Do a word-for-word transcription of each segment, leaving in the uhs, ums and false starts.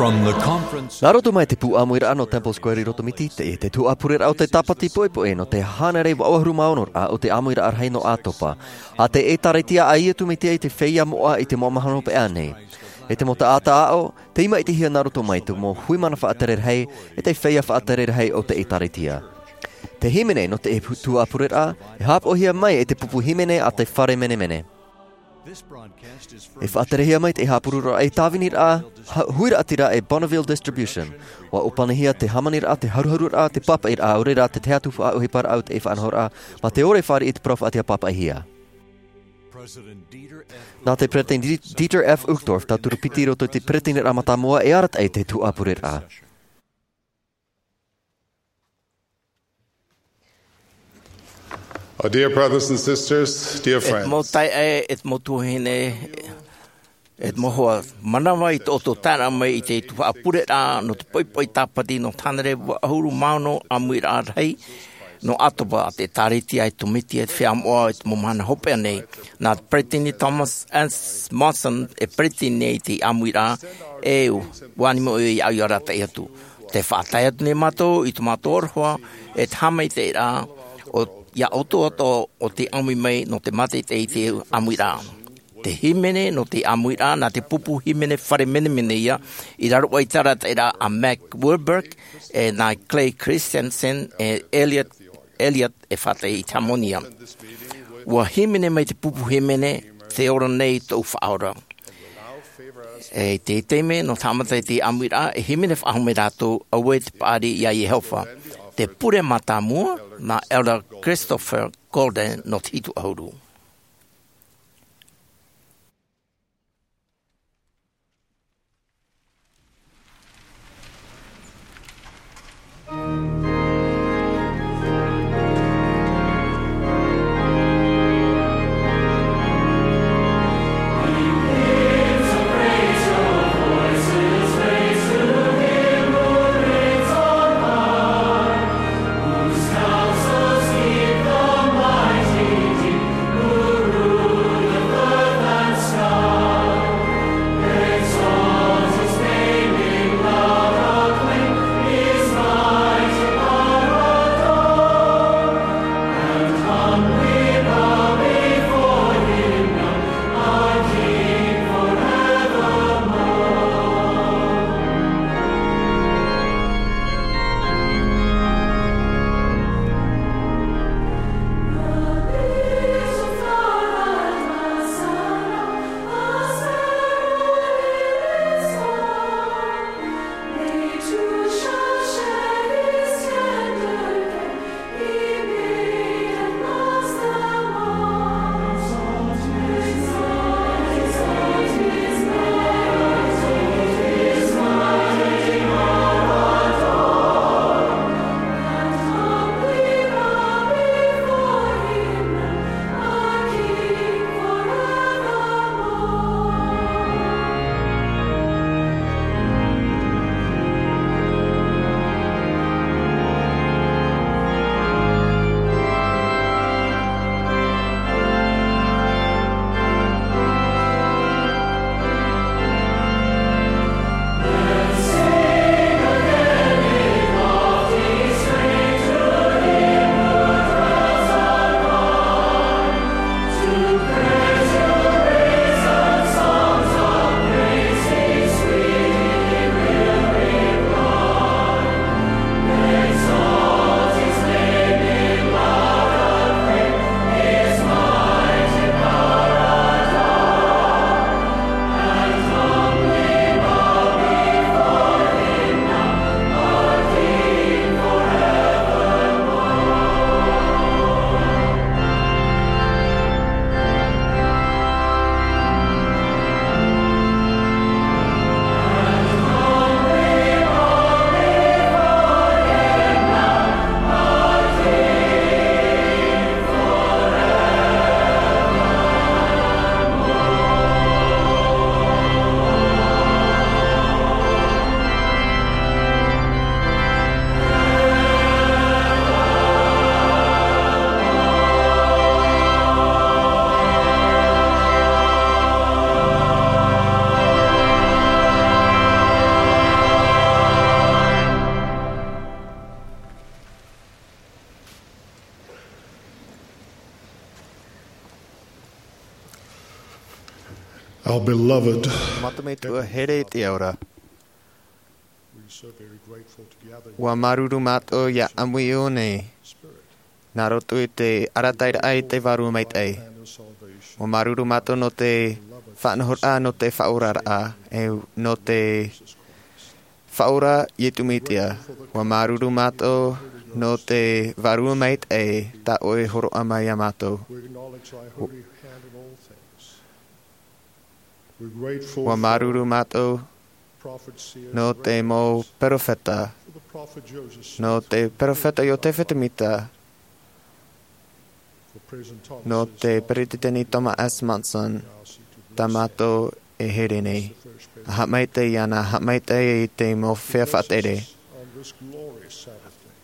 From the conference. Nā roto mai te pū ʻāmuiraʻa nō Temple Square i Rotomiti, te, te tuhaʻa pureraʻa o te tāpati poʻipoʻi nō te hānere vaʻu ʻahuru mā ono raʻa o te ʻāmuiraʻa rahi nō ʻĀtopa. ʻA te ʻĒtārētia a Iesu Mesia i te feiā moʻa i te mau mahana hopeʻa nei. E te mau taʻata aʻo, tei maʻitihia nā roto mai te mau hui mana faʻatere rahi, e te feiā faʻatere rahi o te ʻĒtārētia. Te hīmene nō te tuhaʻa pureraʻa, e haʻapaʻohia mai e te pupu hīmene a te fare menemene. E faʻaterehia mai te haʻapuroroʻa e tāviniraʻa, ha-, huiraʻatira e Bonneville Distribution. ʻUa ʻōpanihia te hāmaniraʻa, te haruharuraʻa, te pāpaʻiraʻa, ʻaore rā te tahi atu faʻaʻohiparaʻa o te faʻanahoraʻa, mā te ʻore e fāriʻi i te parau faʻaʻāpī pāpaʻihia. Nā te Peresideni Di-, Dieter F. Uchtdorf, tauturu piti i roto i te peresideniraʻa mātāmua e arataʻi i te tuhaʻa pureraʻa. Oh, dear brothers and sisters, dear friends. E te mau taeaʻe, e te mau tuahine, e te mau hoa, mānava i tō ʻoutou taeraʻa mai i te tuhaʻa pureraʻa nō te poʻipoʻi tāpati nō te hānere vaʻu ʻahuru mā ono ʻāmuiraʻa rahi nō ʻĀtopa, ʻa te ʻĒtārētia a Iesu Mesia i te feiā moʻa i te mau mahana hopeʻa nei. Nā te Peresideni Thomas S. Monson e peresideni i te ʻāmuiraʻa, e ʻua ani mai ʻoia iāʻu ʻia arataʻi atu. Tē faʻatae atu nei mātou i tō mātou aroha, e te haʻamaitaʻiraʻa, o, iā ʻoutou atoʻa o tei ʻāmui mai nō te mātaʻitaʻi i te ʻāmuiraʻa. Te hīmene nō te ʻāmuiraʻa, nā te pupu hīmene fare menemene ïa, i raro aʻe i te arataʻiraʻa a Mac Wilberg, e nā Clay Christensen, e Elliot, Elliot e faʻatae i te hāmani ïa. ʻUa hīmene mai te pupu hīmene, tē ora nei tōʻu Faʻaora. E i te taime nō te haʻamata i te ʻāmuiraʻa, e hīmene faʻahou mai rātou, auē te paʻari iā Iehova. Te pure mātāmua, nā Elder Christopher Golden nō te hitu ʻahuru. Our beloved. Mātou metua here i te ao ra. We are so very grateful to gather Ua māuruuru mātou ia ʻāmui i ʻō nei. Nā roto i te arataʻiraʻa i te Vārua Maitaʻi. Ua māuruuru mātou nō te faʻanahoraʻa, nō te faʻaoraraʻa, e nō te Faʻaora Iesu Mesia. Ua māuruuru mātou nō te Vārua Maitaʻi tā ʻoe i hōroʻa mai ia mātou. We acknowledge thy holy hand in all things. We're grateful Ua māuruuru mātou for prophet seer nō te mau perofeta, for the prophet Joseph nō Smith, te perofeta Iotefa Semita, for President Thomas nō S. te Monson. Peresideni Thomas S. Monson, tā mātou e here nei. Haʻamaitaʻi iāna, haʻamaitaʻi i te mau feiā faʻatere.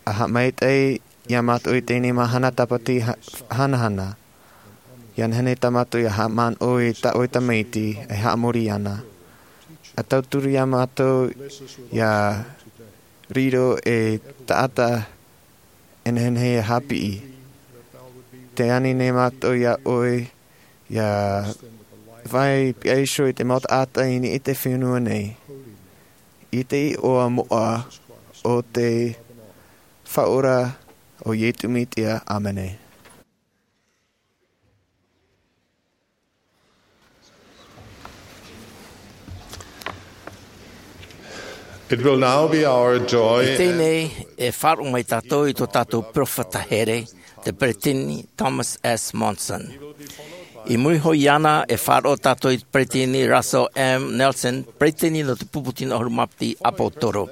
Haʻamaitaʻi ia mātou i teie mahana tāpati ha-, hanahana. Ia nehenehe tā mātou ia haʻamanaʻo i tā ʻoe tamaiti, e haʻamori iāna. ʻA tauturu ia mātou ia riro ei taʻata e nehenehe e haʻapiʻi. Tē ani nei mātou ia ʻoe, ia vai piha iho i te mau taʻata i niʻa i te fenua nei, i te iʻoa moʻa o te Faʻaora o Iesu Mesia. ʻĀmene. It will now be our joy. I teie nei, e faʻaroʻo mai tātou i tō tātou perofeta here, te Peresideni Thomas S. Monson. I muri iho iāna, e faʻaroʻo tātou i te Peresideni Russell M. Nelson, Peresideni nō te Pupu Tino ʻAhuru Mā Piti ʻApōtoro.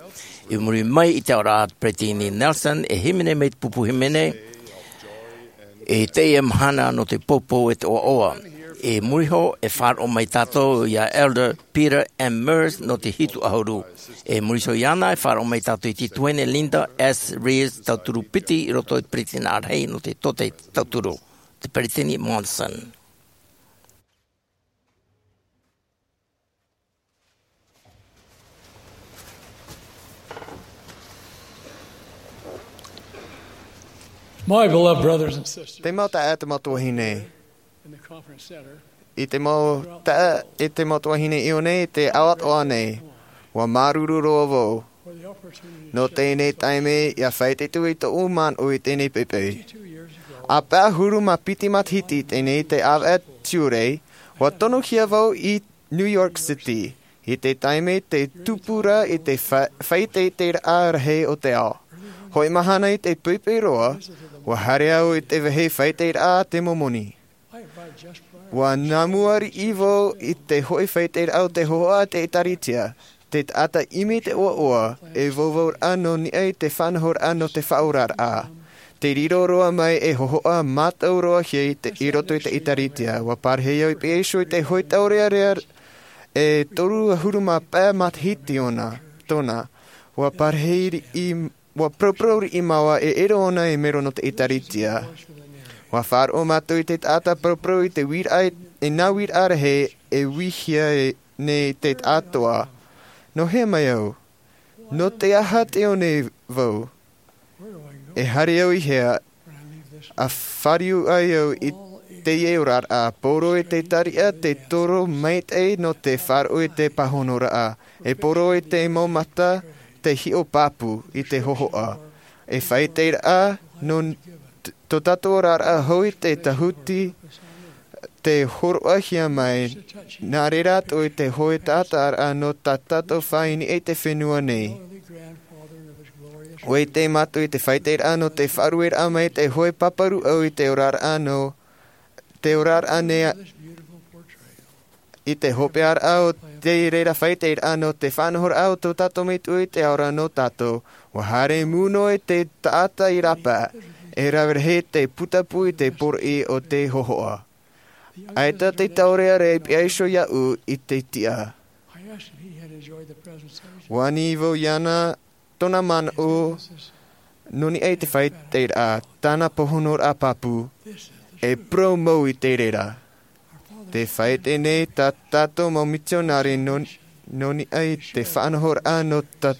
I muri mai i te aʻoraʻa a te Peresideni Nelson, e hīmene mai te pupu hīmene, i teie mahana nō te poupou e te ʻoaʻoa. I muri iho, e faʻaroʻo mai tātou ia Elder Peter M. Meurs nō te Hitu ʻAhuru. I muri iho iāna, e faʻaroʻo mai tātou i te Tuahine Linda S. Reeves, tauturu piti i roto i te Peresideni Arahi nō te Tōtaiete Tauturu, te Peresideni Monson. My beloved brothers and sisters, Te mau taeaʻe, te mau tuahine, in the conference center, i te mau taeaʻe, i te mau tuahine i ʻō nei, i te ao atoʻa nei, ua māuruuru roa vau nō teie taime ia faʻaitoito i tōʻu manaʻo i teie poʻipoʻi. ʻA pae ʻahuru mā piti matahiti teie, te ʻāvaʻe tiurai, ua tonohia vau i New York City, i te taime tē tupu ra i te fa-, faʻaitoitoraʻa rahi o te ao. Hōʻē mahana i te poʻipoʻi roa, ua haere au i te vāhi faʻaitoitoraʻa a te Momoni. Ua nā mua riʻi vau i te hōʻē faʻaitoitoraʻa o te hōhoʻa a te ʻĒtārētia, te taʻata ʻimi i te ʻoaʻoa, e vauvau ra nō niʻa i te faʻanahoraʻa nō te faʻaoraraʻa. Tē riro roa mai ei hōhoʻa mātau roa hia i te, i roto i te ʻĒtārētia. Ua parahi au i piha iho i te hōʻē taurearea e toru ʻahuru mā pae matahiti ʻōna, tōna. Ua parahi riʻi, ua paraparau riʻi māua e ʻere ʻōna ei mero nō te ʻĒtārētia. Ua faʻaroʻo mātou i te taʻata paraparau i te uiraʻa, i nā uiraʻa rahi e uihia e, nei te taʻatoʻa. Nō hea mai au? Nō te aha tē ʻō nei vau? E haere au i hea? ʻA fāriu ai au i teie oraraʻa, poro i te tariʻa, te toro maitaʻi nō te faʻaroʻo i te pāhonoraʻa, e poro i te mau mata, te hiʻo pāpū i te hōhoʻa. E faʻaitoitoraʻa nō t-, tō tātou oraraʻa hou i te tāhuti, tē hōroʻahia mai, nā reira atoʻa i te hōʻē taʻata ra nō tā tātou faʻaʻite i te fenua nei. ʻUa ʻite mātou i te faʻaitoitoraʻa nō te faʻarueraʻa mai te hōʻē pāpā rūʻau i te oraraʻa nō, te oraraʻa nei a-, i te hopeʻaraʻa o te reira faʻaitoitoraʻa nō te faʻanahoraʻa o tō tātou Metua i te ao ra nō tātou. ʻUa haere mū noa i te taʻata i rāpae, e rave rahi te putapū i te poroʻi o te hōhoʻa. ʻAita te taurearea i piha iho iāʻu i te tiʻa. ʻUa ani vau iāna tōna manaʻo nō niʻa i te faʻaitoitoraʻa, tāna pāhonoraʻa pāpū, e parau mau i te reira. Tē faʻaʻite nei tā tātou mau mitionare nō, nō niʻa i te faʻanahoraʻa nō tā-,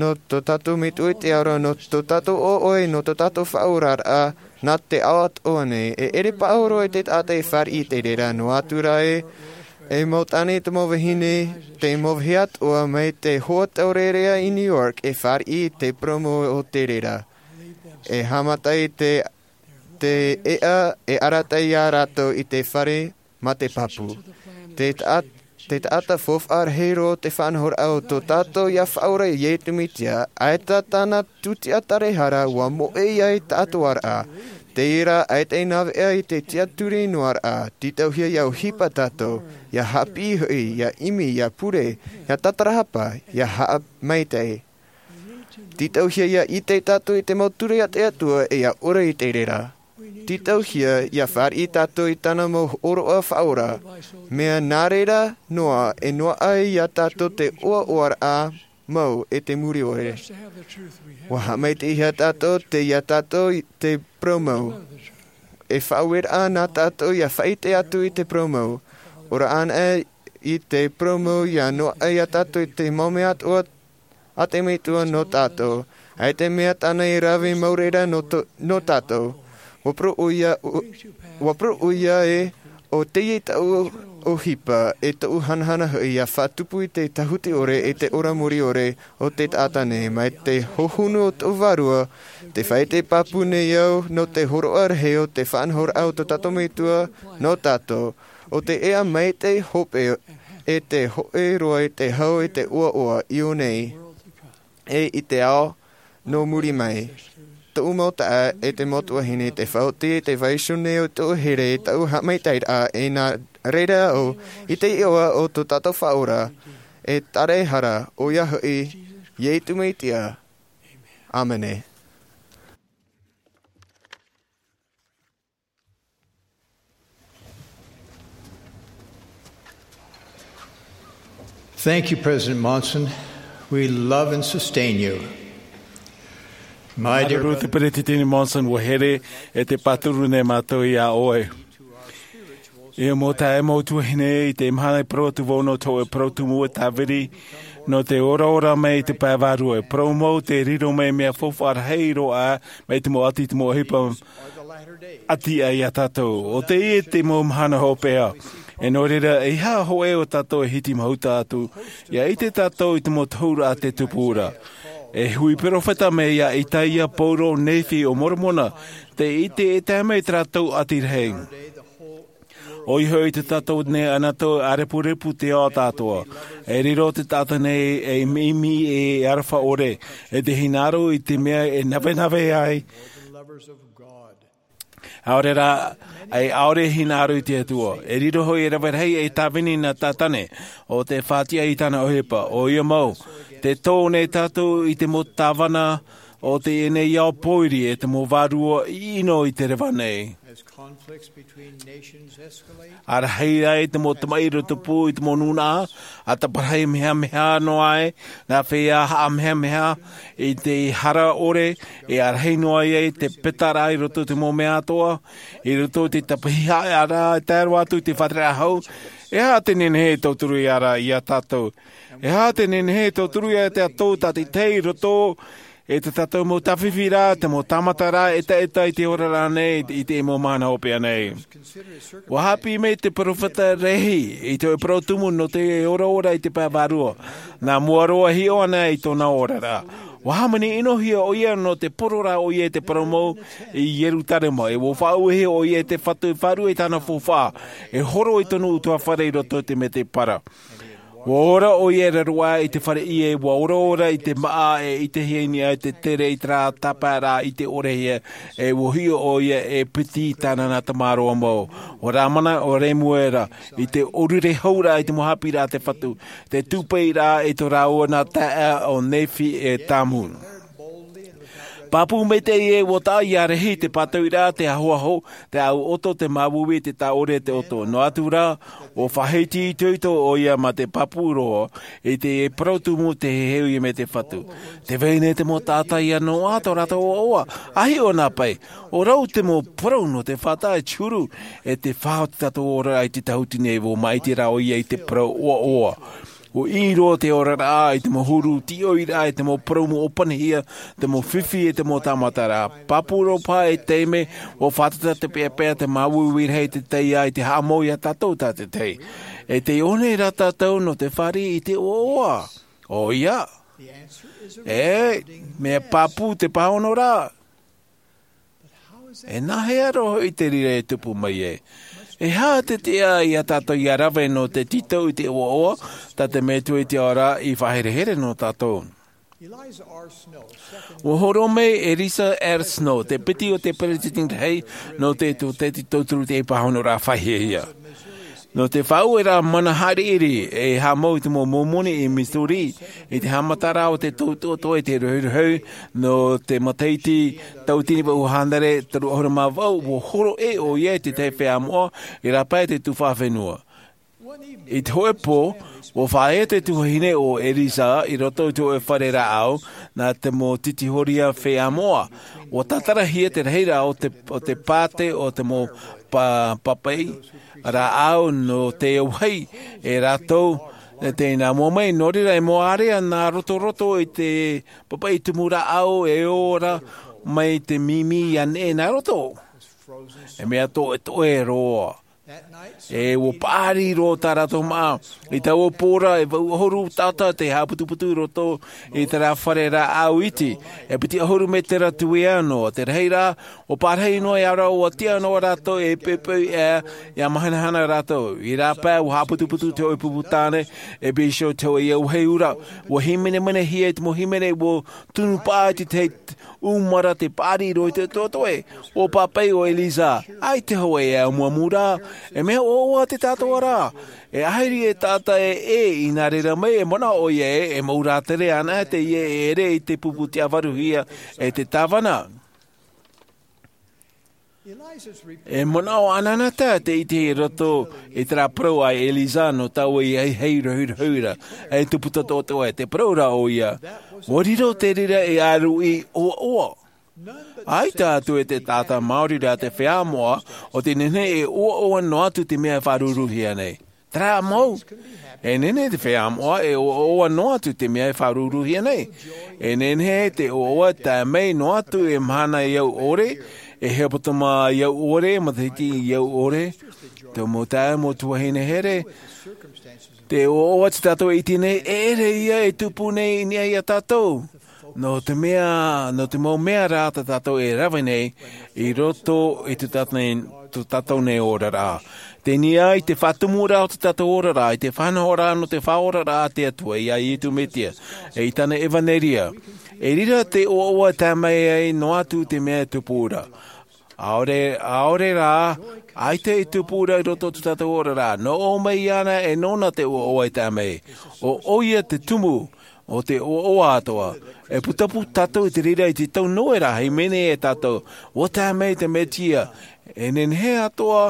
nō tō tātou Metua i te ao ra, nō tō tātou ʻoaʻoa, nō tō tātou faʻaoraraʻa, nā te ao atoʻa nei, e ʻere paʻari roa te taʻata e fāriʻi i te reira, noa atu rā ē, E mau tāne te mau vahine, te mau vahine atoʻa mai te hoa taurearea i New York e fāriʻi i te purōmu o te reira. E haʻamata i te, te ʻeʻa e arataʻi iā rātou i te fare ma te pāpū. Te taʻata, te taʻata faufaʻa rahi roa te faʻanahoraʻa o tō tātou ia Faʻaora Iesu Mesia, ʻaita tāna tūtiʻa tarahara ʻua moʻe ia i tātou ʻāraʻa. Teie rā, ʻaita e nāveʻa i te tiʻaturi noa raʻa, tītauhia ia ʻohipa tātou, ia haʻapiʻi hoʻi, ia ʻimi, ia pure, ia tatarahapa, ia haʻamaitaʻi. Tītauhia ia ʻite tātou i te mau ture a te Atua e ia ora i te reira. Tītauhia ia fāriʻi tātou i tāna mau hōroʻa faʻaora, mea nā reira noa e noaʻa ai iā tātou te ʻoaʻoaraʻa mau e te muri ʻore. ʻUa haʻamaitaʻihia tātou tei iā tātou i te purōmu. E faʻaueraʻa nā tātou ia faʻaʻite atu i te purōmu. Ora anaʻe i te purōmu ia noaʻa iā tātou i te mau mea atoʻa a te Metua nō tātou. ʻAita e mea tāna e rave mau reira nō tō-, nō tātou. ʻUa parau ʻoia, ʻua, ʻua parau ʻoia ē, ʻo teie taʻu ʻohipa, e taʻu hanahana hoʻi ia faʻatupu i te tāhuti ʻore, e te ora muri ʻore o te taʻata nei, mai te hohonu o tō vārua, tē faʻaʻite pāpū nei au, nō te hōroʻa rahi o te faʻanahoraʻa o tō tātou Metua nō tātou, ʻo te ʻeʻa maitaʻi hope e te hōʻē roa i te hau e te ʻoaʻoa i ʻō nei, e i te ao nō muri mai. Tōʻu mau taeaʻe e te mau tuahine, tē faʻaoti, tē vaiiho nei ʻo tōʻu here i taʻu haʻamaitaʻiraʻa, e nā reira au i te iʻoa o tō tātou Faʻaora e tarahara, ʻoia hoʻi, Iesu Mesia. ʻĀmene. Thank you, President Monson. We love and sustain you. My dear Māuruuru te Peresideni Monson, ʻua here e te pāturu nei mātou iā ʻoe. E mau taeaʻe, mau tuahine, i te mahana i parau atu vau nō te hōʻē parau tumu e tāviri nō te oraora mai i te pae vārua. E parau mau tē riro mai mea faufaʻa rahi roa mai te mau ʻati, te mau ʻohipa ʻati iā tātou. ʻO teie te mau mahana hopeʻa. E nō reira, ʻeiaha hōʻē o tātou e hiti mahuta atu, ʻia ʻite tātou i te mau tohuraʻa a te tupuraʻa. E hui perofeta mai iā Itaia, Paulo, Nephi, ʻo Moromona, tē ʻite e tae mai i tā rātou ʻati rahi. ʻOia hoʻi, tō tātou nei anaʻe, ʻa repurepu te ao atoʻa. E riro te taʻata nei ei ʻimi, ei aroha ʻore, e te hinaʻaro i te mea e navenave ai. ʻAore rā, e ʻaore hinaʻaro i te Atua. E riro hoʻi e rave rahi ei tāvini nā Tātane, ʻo tē faʻatiʻa i tāna ʻohipa. ʻOia mau, tē tō nei tātou i te mau tāvana o teie nei ao pōiri, e te mau vārua ʻino i te reva nei. ʻA rahi ai te mau tamaʻi i rotopū i te mau nūnaʻa, ʻa taparahi mehameha noa ai, nā feiā haʻamehameha i te hara ʻore, e ʻa rahi noa ai te petaraʻa i roto i te mau mea atoʻa, i roto i te tapahihaʻaraʻa, e tae roa atu i te faʻatereraʻa hau. E aha te nehenehe e tauturu ia ra, iā tātou? E aha te nehenehe e tauturu ia tātou tātaʻitahi i roto i tā tātou mau tāfifi ra, te mau tāmata ra, ʻetaʻeta i te oraraʻa nei, i te mau mahana hopeʻa nei? ʻUa haʻapiʻi mai te perofeta Lehi i te hōʻē parau tumu nō te oraora i te pae vārua, nā mua roa e hiʻo ana i tōna oraraʻa. ʻUa hāmani ʻinohia ʻoia nō te poro ra ʻoia i te parau mau i Ierutarema, e ʻua faʻauehia ʻoia e te Fatu e fārua i tāna faufaʻa, e horo i tōna ʻutuāfare i roto i te mētēpara. ʻUa ora ʻoia e raro aʻe i te fare ʻie, ʻua oraora i te māʻa e ʻitehia i niʻa i te tere i terā tāpaeraʻa ʻite ʻore hia, e ʻua hiʻo ʻoia e piti i tāna nā tamaroa mau. ʻUa rāmana ʻo Remuera i te ʻōrure hau ra i te mau haʻapiʻiraʻa a te Fatu, te tūpeʻaraʻa i tō rāua nā taeaʻe ʻo Nephi e Tamu. Pāpū maitaʻi ē, ʻua taʻa iā Lehi te pātauiraʻa, te ahoaho, te ʻāʻau ʻoto, te māuiui, te tāʻore, te ʻoto. Noa atu rā, ʻua faʻahiti itoito ʻoia mā te pāpū roa i te parau tumu, te heheu ia mai te Fatu. Tē vai nei te mau taʻata ʻia noaʻa tō rātou ʻoaʻoa, ʻa hiʻo nā pae. ʻO rau te mau parau nō te faʻataʻa e te huru, e te faʻaoti tātou ora i te tāhuti nei, ʻua māʻiti rā ʻoia i te parau ʻoaʻoa. ʻUa ʻī roa te oraraʻa i te mau huru, tīʻoi rā i te mau parau mau ʻōpanihia, te mau fifi e te mau tāmata ra. Pāpū roa paha e taime, ʻua fātata te peʻapeʻa, te māuiui rahi, te taiā i te haʻamau iā tātou tātaʻitahi. E tei ʻō nei rā tātou nō te fāriʻi i te ʻoaʻoa? ʻOia. E mea pāpū te pāhonoraʻa. E nāhea roa hoʻi te reira e tupu mai ai? E aha te tiʻa ia tātou ia rave nō te tītau i te ʻoaʻoa, tā te Metua i te ao ra i faʻaherehere nō tātou? Ua hōroʻa mai e Eliza R. Snow, te piti o te peresideni rahi nō te tōteti tauturu i te pāhonoraʻa faʻahiahia. Nō te faʻaueraʻa mana haʻiriʻiri e haʻamau i te mau Mōmoni i Missouri, i te haʻamataraʻa o te tautoʻotoʻo i te rohirohi nō te matahiti tauatini vaʻu hānere toru ʻahuru mā vaʻu, ua hōroʻa ʻoia i te tahi feiā moʻa i rāpae i te tuhaʻa fenua. I te hōʻē pō, ua fāʻaʻi te tuahine o Eliza i roto i te hōʻē fare rāʻau, nā te mau titihōria feiā moʻa. Ua tātarahia te rahiraʻa o te, o te pāte o te mau pa-, papaʻi rāʻau nō te auahi e rātou, e tēnā mua mai, nō reira e mau ārea nā rotoroto i te papaʻi tumu rāʻau e ora mai te mimi ia neʻe nā roto. E mea toʻetoʻe roa. E ua paʻari roa tā rātou māʻa. I taua pō ra, e vaʻu ʻahuru taʻata te haʻaputuputu i roto i terā fare rāʻau iti. E piti ʻahuru mētera tuea noa te rahiraʻa, ua pārahi noa ia rātou, ua tiʻa noa rātou e poʻipoʻi ʻē, ia mahanahana rātou. I rāpae, ua haʻaputuputu te hōʻē pupu tāne, e pīsio te hōʻē auahi ura. Ua hīmenemenehia te mau hīmene, ua tunu paʻi te tahi ʻūmara te paʻari roa i te toʻetoʻe. Ua pāpaʻi ʻo Eliza, ʻaita hoʻi e amuamu ra, e mea ʻoaʻoa te tātauʻaraʻa. E ahiri e taʻata e, e, i nā reira mai, e manaʻo ʻoia ē, e mau rātere anaʻe teie e ʻere i te pupu tiʻavaruhia e te tāvana. E manaʻo anaʻanatae te ʻite i roto i terā parau a Eliza nō taua i ʻahiʻahi rohirohi ra, e tupu toʻetoʻe te parau ra ʻoia. Ua riro te reira e ʻāruʻi ʻoaʻoa. ʻAita atu e te taʻata maori ra te feiā moʻa, ʻo tē nehenehe e ʻoaʻoa noa atu te mea e faʻarūrūhia nei. Terā mau. E nehenehe te feiā moʻa e ʻoaʻoa noa atu te mea e faʻarūrūhia nei. E nehenehe te ʻoaʻoa e tae mai noa atu e mahana i au ʻore, e hepetoma i au ʻore, matahiti i au ʻore. Te mau taeaʻe, mau tuahine here, te ʻoaʻoa tā tātou e ʻite nei, e ʻere ia e tupu nei i niʻa ia tātou. Nō te mea, nō te mau mea rā tā tātou e rave nei i roto i tō tātou nei, tō tātou nei oraraʻa. Tei niʻa i te faʻatumuraʻa o tō tātou oraraʻa, i te faʻanahoraʻa nō te Faʻaoraraʻa a te Atua, ia Iesu Mesia, e i tāna ʻevaneria. E riro te ʻoaʻoa e tae mai ai noa atu te mea e tupu ra. ʻAore, ʻaore rā, ʻaita e tupu ra i roto i tō tātou oraraʻa. Nō ʻō mai iāna e nōna te ʻoaʻoa e tae mai. ʻO, ʻoia te tumu o te ʻoaʻoa atoʻa. E putapū tātou i te reira i te tau Noera, hīmene e tātou, ʻua tae mai te Mesia. E nehenehe atoʻa,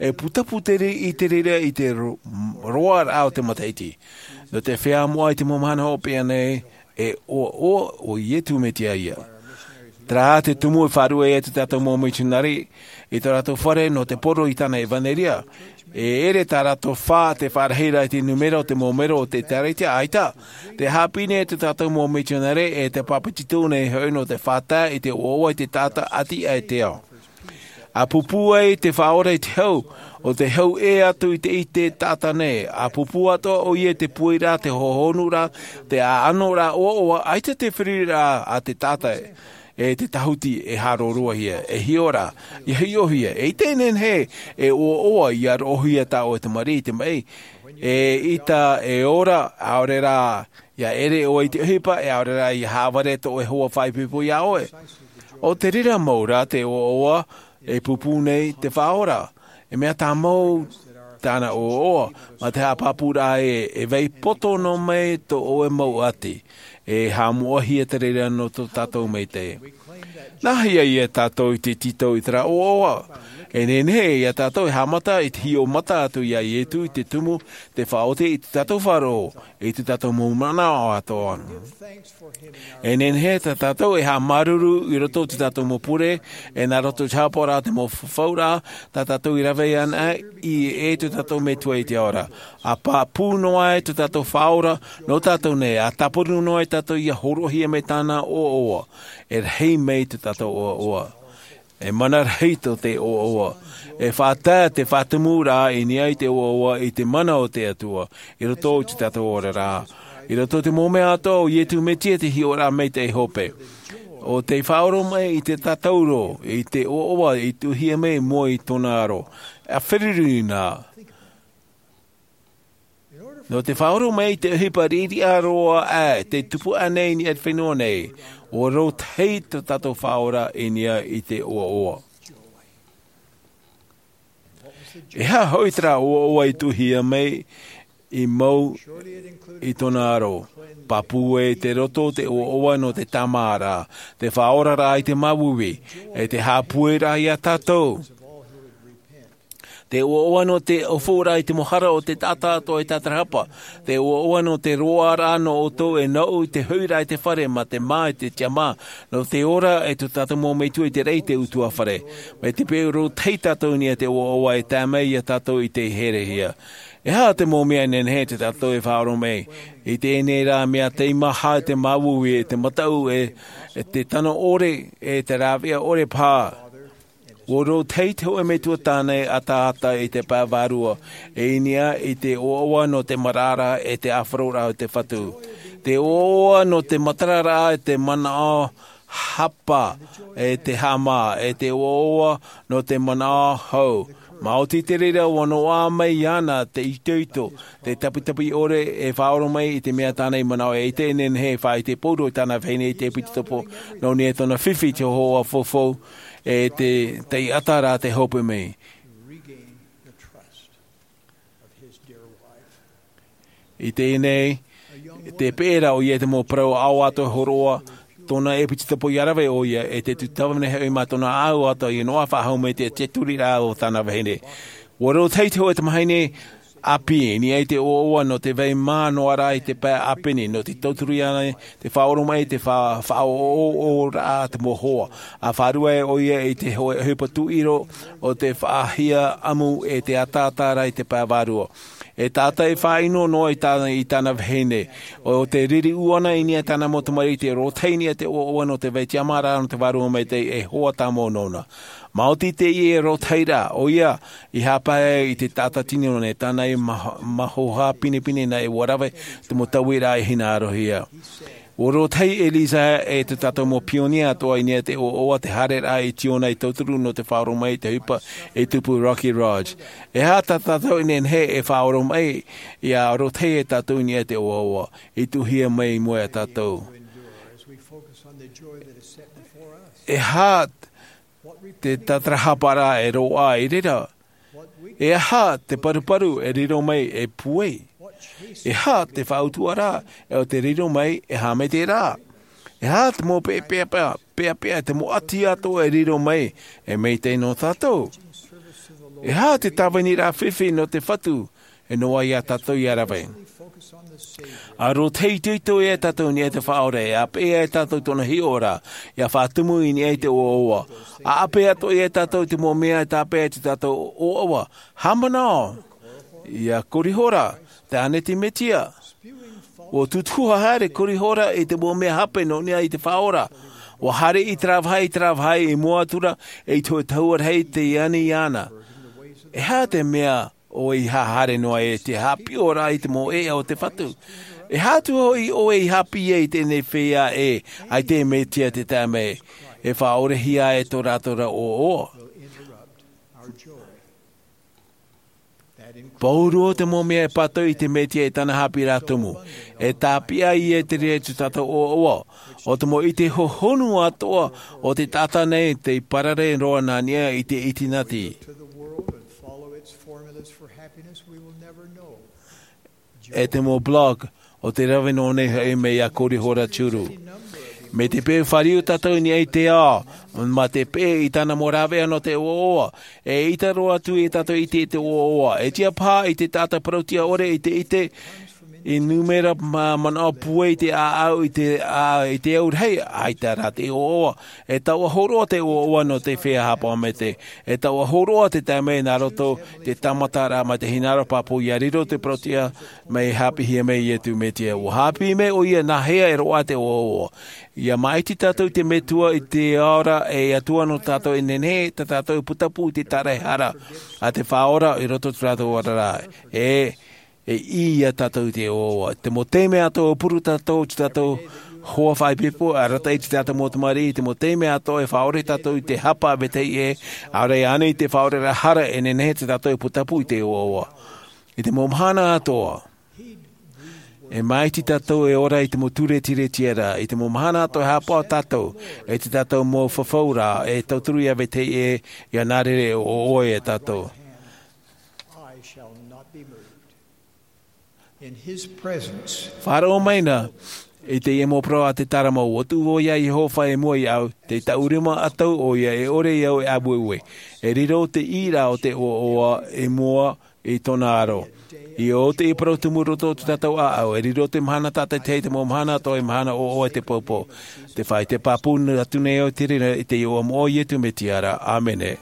e putapū te rei-, i te reira i te ro-, roaraʻa o te matahiti. Nō te feiā moʻa i te mau mahana hopeʻa nei, e ʻoaʻoa ʻo Iesu Mesia ia. Terā te tumu e faʻaruʻe ai tō tātou mau mitionare i tō rātou fare nō te poro i tāna ʻevaneria. E ʻere tā rātou fā te faʻarahi ra i te nūmera o te mau mero o te ʻĒkālesia, ʻaita. Tē haʻapiʻi nei tō tātou mau mitionare e te pāpetito nei hoʻi nō te faʻatae i te ʻoaʻoa i te taʻata ʻati aʻe i te ao. ʻA pūpū ai te Faʻaora i te hau, ʻo te hau ʻē atu i te, i te taʻata nei. ʻA pūpū atoʻa ʻoia i te pūairaʻa, te hohonuraʻa, te ʻaʻanoraʻa ʻoaʻoa, ʻaita te feruriraʻa a te taʻata e te tāhuti e haʻarōrōhia, e hiʻo ra, ia hiʻohia, e ʻite e nehenehe e ʻoaʻoa, ia roʻohia tā ʻoe tamariʻi i te maʻi, e ʻita, e ora, ʻaore rā, ia ʻere ʻoe i te ʻohipa, e ʻaore rā, ia haʻavare tō ʻoe hoa faʻaipoipo iā ʻoe. ʻO te reira mau rā te ʻoaʻoa e pūpū nei te Faʻaora. E mea tāmau tāna ʻoaʻoa, mā te haʻapāpūraʻa ē, e vai poto noa mai tō ʻoe mau ʻati, e haʻamoʻahia te reira nō tō tātou maitaʻi. Nāhea ia tātou i te tītau i terā ʻoaʻoa? E nehenehe ia tātou e haʻamata i te hiʻo mata atu iā Iesu i te tumu, te faʻaoti i tō tātou faʻaroʻo, i tō tātou mau manaʻo atoʻa. E nehenehe tā tātou e haʻamāuruuru i roto i tō tātou mau pure, e nā roto i te haʻapaʻoraʻa, te mau fafauraʻa, tā tātou i rave anaʻe i, e tō tātou Metua i te ao ra. ʻA pāpū noa ai tō tātou Faʻaora nō tātou nei, ʻa tāpuru noa ai tātou ia hōroʻahia mai tāna ʻoaʻoa. E rahi mai tō tātou ʻoaʻoa. E mana rahi tō te ʻoaʻoa. E faʻatae te faʻatumuraʻa i niʻa i te ʻoaʻoa i te mana o te Atua, i roto i te tātou oraraʻa. I roto i te mau mea atoʻa o Iesu Mesia te hiʻoraʻa maitaʻi hope. ʻO te faʻaoromaʻi i te tātauro, i te ʻoaʻoa i tuʻuhia mai i mua i tōna aro. A feruri nā. Nō te faʻaoromaʻi i te ʻohipa riʻiriʻa roa aʻe, te tupu aʻe nei i niʻa i te fenua nei, ʻua rōtahi tō tātou Faʻaora i niʻa i te ʻoaʻoa. E aha hoʻi terā ʻoaʻoa i tuʻuhia mai i mua i tōna aro? Pāpū e te roto te ʻoaʻoa nō te tāmāraʻa, te faʻaoraraʻa i te māuiui, e te haʻapueraʻa ia tātou. Te ʻoaʻoa nō te ʻōfuraʻa i te mau hara o te taʻata atoʻa e tātarahapa. Te ʻoaʻoa nō te roaraʻa nō ʻoutou e nōʻu i te hoʻiraʻa i te fare mā te mā e te tiʻamā. Nō te ora e tō tātou mau metua i te raʻi te ʻutuāfare. Mai te peu rōtahi tātou i niʻa i te ʻoaʻoa e tae mai ia tātou i te herehia. E aha te mau mea nehenehe tō tātou e faʻaoromaʻi? I teie nei rā mea teimaha e te māuiui e te mataʻu e, e te tano ʻore e te rāveʻa ʻore paha. ʻUa rōtahi te hōʻē metua tāne ʻataʻata i te pae vārua, e i niʻa i te ʻoaʻoa nō te maraʻaraʻa e te ʻāfaroraʻa o te Fatu. Te ʻoaʻoa nō te matararaʻa e te manaʻo hapa e te haʻamā, e te ʻoaʻoa nō te manaʻo hou. Maoti te reira ʻua noaʻa mai iāna te itoito, te taputapu ʻore e faʻaoromaʻi i te mea tāna i manaʻo e ʻite nehenehe e faʻaʻite pauroa i tāna vahine i te epitopo nō niʻa i tōna fifi i te hōhoʻa fofou. E te taʻata rā te hope mai. I teie nei, te peʻe ra ʻoia i te mau parau ʻaoʻato hōroʻa, tōna epitopo ia rave ʻoia, e te tūtava nei hoʻi mā tōna ʻāuato ia noaʻa faʻahou mai te tiaturi rā o tāna vahine. ʻUa rōtahi te hōʻē tamahine ʻāpī, i niʻa i te ʻoaʻoa nō te vai mā noa rā i te pae ʻāpeni, nō te tauturu iāna te faʻaoromaʻi te fa-, faʻaʻoʻoʻoraʻa te mau hoa. A fārua ʻoia i te hōʻē ʻohipa tuʻiro o te faʻahia ʻamu e te ʻataʻata rā i te pae vārua. E taʻata e faʻaʻino noa i tāna, i tāna vahine. ʻO te riri ʻū ʻana i niʻa i tāna mau tamariʻi te rōtahi i niʻa i te ʻoaʻoa nō te vai tiʻamāraʻa nō te Vārua Maitaʻi e hoa tāmau nōna. Maoti teie rōtahiraʻa, ʻoia, i haʻapae i te taʻata tino nei tāna i ma-, mahoha pinepine nā ʻua rave te mau tauiraʻa e hinaʻarohia. ʻUa rōtahi e Lisa e tō tātou mau pionia atoʻa i niʻa i te ʻoaʻoa te haereraʻa i Tiona i tauturu nō te faʻaoromaʻi i te ʻohipa e tupu Rocky Ridge. E aha tā tātou i nehenehe e faʻaoromaʻi, ʻia rōtahi e tātou i niʻa i te ʻoaʻoa i tuʻuhia mai i mua ia tātou? E aha te tātarahaparaʻa e roaʻa i reira? E aha te paruparu e riro mai e puai? E aha te faʻautuaraʻa e ʻo te riro mai e haʻamaitaʻiraʻa? E aha te mau peʻapeʻa, peʻapeʻa, te mau ʻati atoʻa e riro mai e maitaʻi nō tātou? E aha te tāviniraʻa fifi nō te Fatu e noaʻa ia tātou ʻia rave? ʻA rōtahi itoito ia tātou i niʻa i te Faʻaora, ʻa peʻe ia tātou tōna hiʻoraʻa, ʻia faʻatumu i niʻa i te ʻoaʻoa. ʻA ʻape atoʻa ia tātou i te mau mea e tāpeʻa i tō tātou ʻoaʻoa. Haʻamanaʻo ia Korihora, te ʻāneti Mesia. ʻUa tutuhaʻa haere Korihora i te mau mea hape nō niʻa i te Faʻaora. ʻUa haere i terā vāhi, i terā vāhi i mua atu ra, e i te hōʻē tahua rahi tei ani iāna. E aha te mea ʻoe i haere noa ai i te haʻapiʻiraʻa i te mau ʻēʻa o te Fatu? E aha atu hoʻi ʻoe i haʻapiʻi ai i teie nei feiā ʻē, ʻaita e Mesia te tae mai, e faʻaorehia ai tō rātou ra ʻoaʻoa? Pauroa te mau mea e pātoʻi i te Mesia e tāna haʻapiʻiraʻa tumu. E tāpeʻa ia te reira i tō tātou ʻoaʻoa. ʻO te mau ʻite hohonu atoʻa o te taʻata nei tei parare roa nā niʻa i te ʻitinati. E te mau blog, ʻo te rave nō nei hoʻi mai ia Korihora Churu. Mai te peu fāriu tātou i niʻa i te ao, mā te peʻe i tāna mau rāveʻa nō te ʻoaʻoa, e ʻaita roa atu ia tātou i ʻite i te ʻoaʻoa, e tiʻa paha i te taʻata parauʻtiʻa ʻore i te ʻite, I nūmera mā manaʻo pūai i te ʻāʻau i te ʻā i te au rahi ʻaita rā te ʻoaʻoa. E taua hōroʻa te ʻoaʻoa nō te fea hāpaʻo mete. E taua hōroʻa te taime nā roto i te tāmataraʻa mai te hinaʻaro pāpū ia riro te parau tiʻa mai hāpiʻihia mai iesu mesia ua hāpiʻi mai ʻo ia nā hea e roaʻa te ʻoaʻoa. Ia māʻiti tātou i te metua i te ora e atua nō tātou e nehenehe tā tātou e putapū i te taraehara a te faʻaora i roto i tō rātou oraraʻa. E e ʻī ia tātou i te ʻoaʻoa te mau taime atoʻa e puru tātou i tō tātou hoa faʻaipoipo e arataʻi i tō tātou mau tamariʻi i te mau taime atoʻa e faʻaʻore tātou i te hapa a vetahi ʻē. ʻAore anei te faʻaʻoreraʻa hara e nehenehe tā tātou e putapū i te ʻoaʻoa. I te mau mahana atoʻa e māʻiti tātou e ora i te mau ture tiretiara i te mau mahana atoʻa e hāpaʻo tātou i tō tātou mau fafauraʻa e tauturu ia vetahi ʻē. Ia nā reira e ʻoaʻoa ia tātou. Faʻaroʻo mai na i teie mau parau a te tārama ua tuʻu vau ia iehova i mua iāʻu. Tei taʻu rima ʻatau ʻo ia e ʻore iāʻu e ʻāueue. E riro te ʻīraʻa o te ʻoaʻoa i mua i tōna aro. I ō teie parau tumu roto o tō tātou ʻāʻau e riro te mahana tātaitahi te mau mahana atoʻa e mahana ʻoaʻoa i te poupou. Te faʻaite pāpū atu nei au i te reira i te iʻoa moʻa o iesu mesia ra ʻāmene.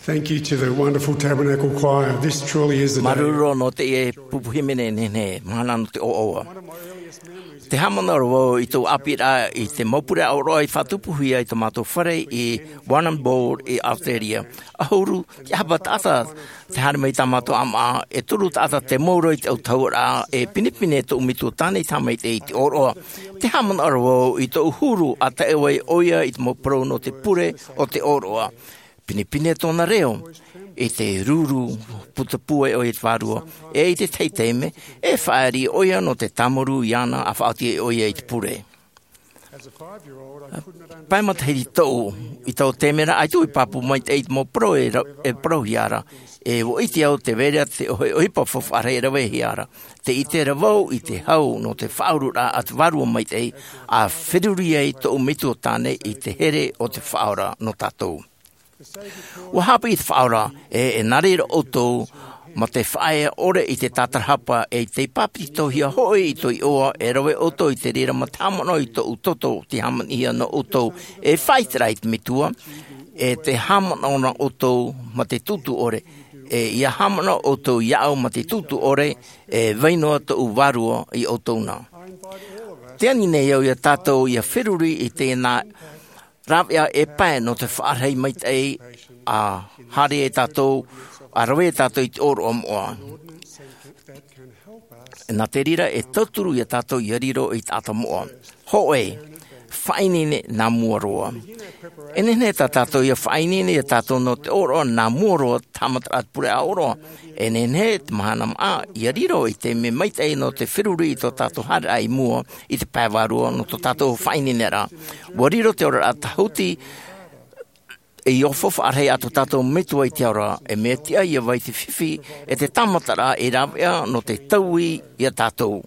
Thank you to the wonderful Tabernacle Choir. This truly is the day. Māuruuru nō teie pupu hīmene nehenehe, mahana nō te ʻoaʻoa. Te haʻamanaʻo ra vau i tōʻu ʻāpīraʻa i te mau pure ʻōroʻa i faʻatupuhia i tō mātou fare i Warrnambool i Australia. ʻAhuru te ʻahapa taʻata te haere mai i tā mātou ʻāmaʻa, e toru taʻata te mau roa i te autahuʻaraʻa, e pinepine tōʻu metua tāne i te haʻamaitaʻi i te ʻōroʻa. Te haʻamanaʻo ra vau i tōʻu huru a tae vai ʻoia i te mau parau nō te pure o te ʻōroʻa. pinepine tōna reo, i te ruru putapū ai ʻoia i te vārua, e i te tahi taime, e faʻaʻite ʻoia nō te tāmarū iāna a faʻaoti ai ʻoia i te pure. Pae matahiti tōʻu, i taua taime ra, ʻaita i pāpū maitaʻi i te mau parau e ra-, e parauhia ra, e ʻua ʻite au te vai ra te ʻohi-, ʻohipa faufaʻa rahi e ravehia ra. Tē ʻite ra vau i te hau nō te faʻaururaʻa a te Vārua Maitaʻi, a feruri ai tōʻu metua tāne i te here o te Faʻaora nō tātou. ʻUa haʻapiʻi te Faʻaora, e, e nā reira ʻoutou, mā te faʻaea ʻore i te tātarahapa, e tei pāpetitohia hoʻi i tō iʻoa, e rave ʻoutou i te reira mā te haʻamanaʻo i tōʻu toto, tei hāmanihia nō ʻoutou, e faʻaʻite ra i te Metua, e tē haʻamanaʻo na ʻoutou mā te tūtū ʻore, e ʻia haʻamanaʻo ʻoutou iāʻu mā te tūtū ʻore, e vai noa tōʻu Vārua ia ʻoutou na. Tē ani nei au ia tātou ʻia feruri i tēnā rāveʻa e pae nō te faʻarahi maitaʻi, a haere e tātou, a rave e tātou i te ʻōroʻa moʻa. Nā te reira e tauturu ia tātou ʻia riro i te taʻata moʻa. Hōʻē, faʻaineine nā mua roa. E nehenehe tā tātou ʻia faʻaineine ia tātou nō te ʻōroʻa nā mua roa, te haʻamataraʻa te pure ʻōroʻa. E nehenehe te mahana maʻa, ʻia riro i te mea maitaʻi nō te feruri i tō tātou haereraʻa i mua, i te pae vārua nō tō tātou faʻaineineraʻa. ʻUa riro te oraraʻa tāhuti, ʻia faufaʻa rahi atu tō tātou Metua i te ao ra, e mea tiʻa ʻia vai te fifi, e te tāmataraʻa e rāveʻa nō te taui ia tātou.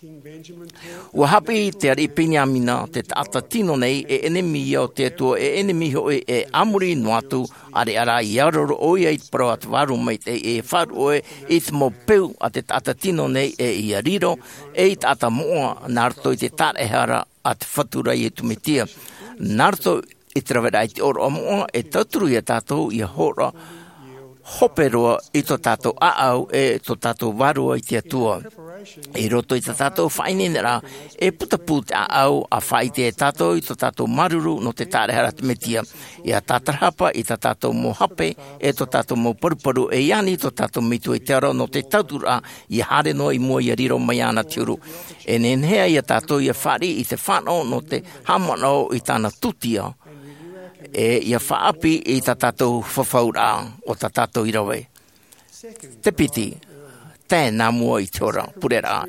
ʻUa haʻapiʻi te ariʻi Peniamina, te taʻata tino nei, e ʻenemi ia o te Atua, e ʻenemi hoʻi, e a muri noa atu, ʻareʻa rā ʻia roro ʻoia i te parau a te Vārua Maitaʻi, e faʻaruʻe i te mau peu a te taʻata tino nei, e ʻia riro ei taʻata moʻa, nā roto i te tāraʻehara a te Fatu ra Iesu Mesia. Nā roto i te raveraʻa i te ʻōroʻa moʻa, e tauturu ia tātou ʻia hōroʻa hope roa i tō tātou ʻāʻau, e tō tātou vārua i te Atua. I roto i tā tātou faʻaineineraʻa, e putapū te ʻāʻau, a faʻaʻite e tātou i tō tātou māuruuru nō te tāraʻehara a te Mesia. ʻIa tātarahapa i tā tātou mau hape, e tō tātou mau paruparu, e ani tō tātou Metua i te ao ra nō te tauturu, ʻia haere noa i mua ʻia riro mai iāna te huru. E nehenehe ia tātou ʻia fāriʻi i te fānaʻo nō te haʻamanaʻo i tāna tūtia, e ʻia faʻaʻapi i tā tātou fafauraʻa, ʻo tā tātou i rave. Te piti, tae nā mua i te hora, pureraʻa.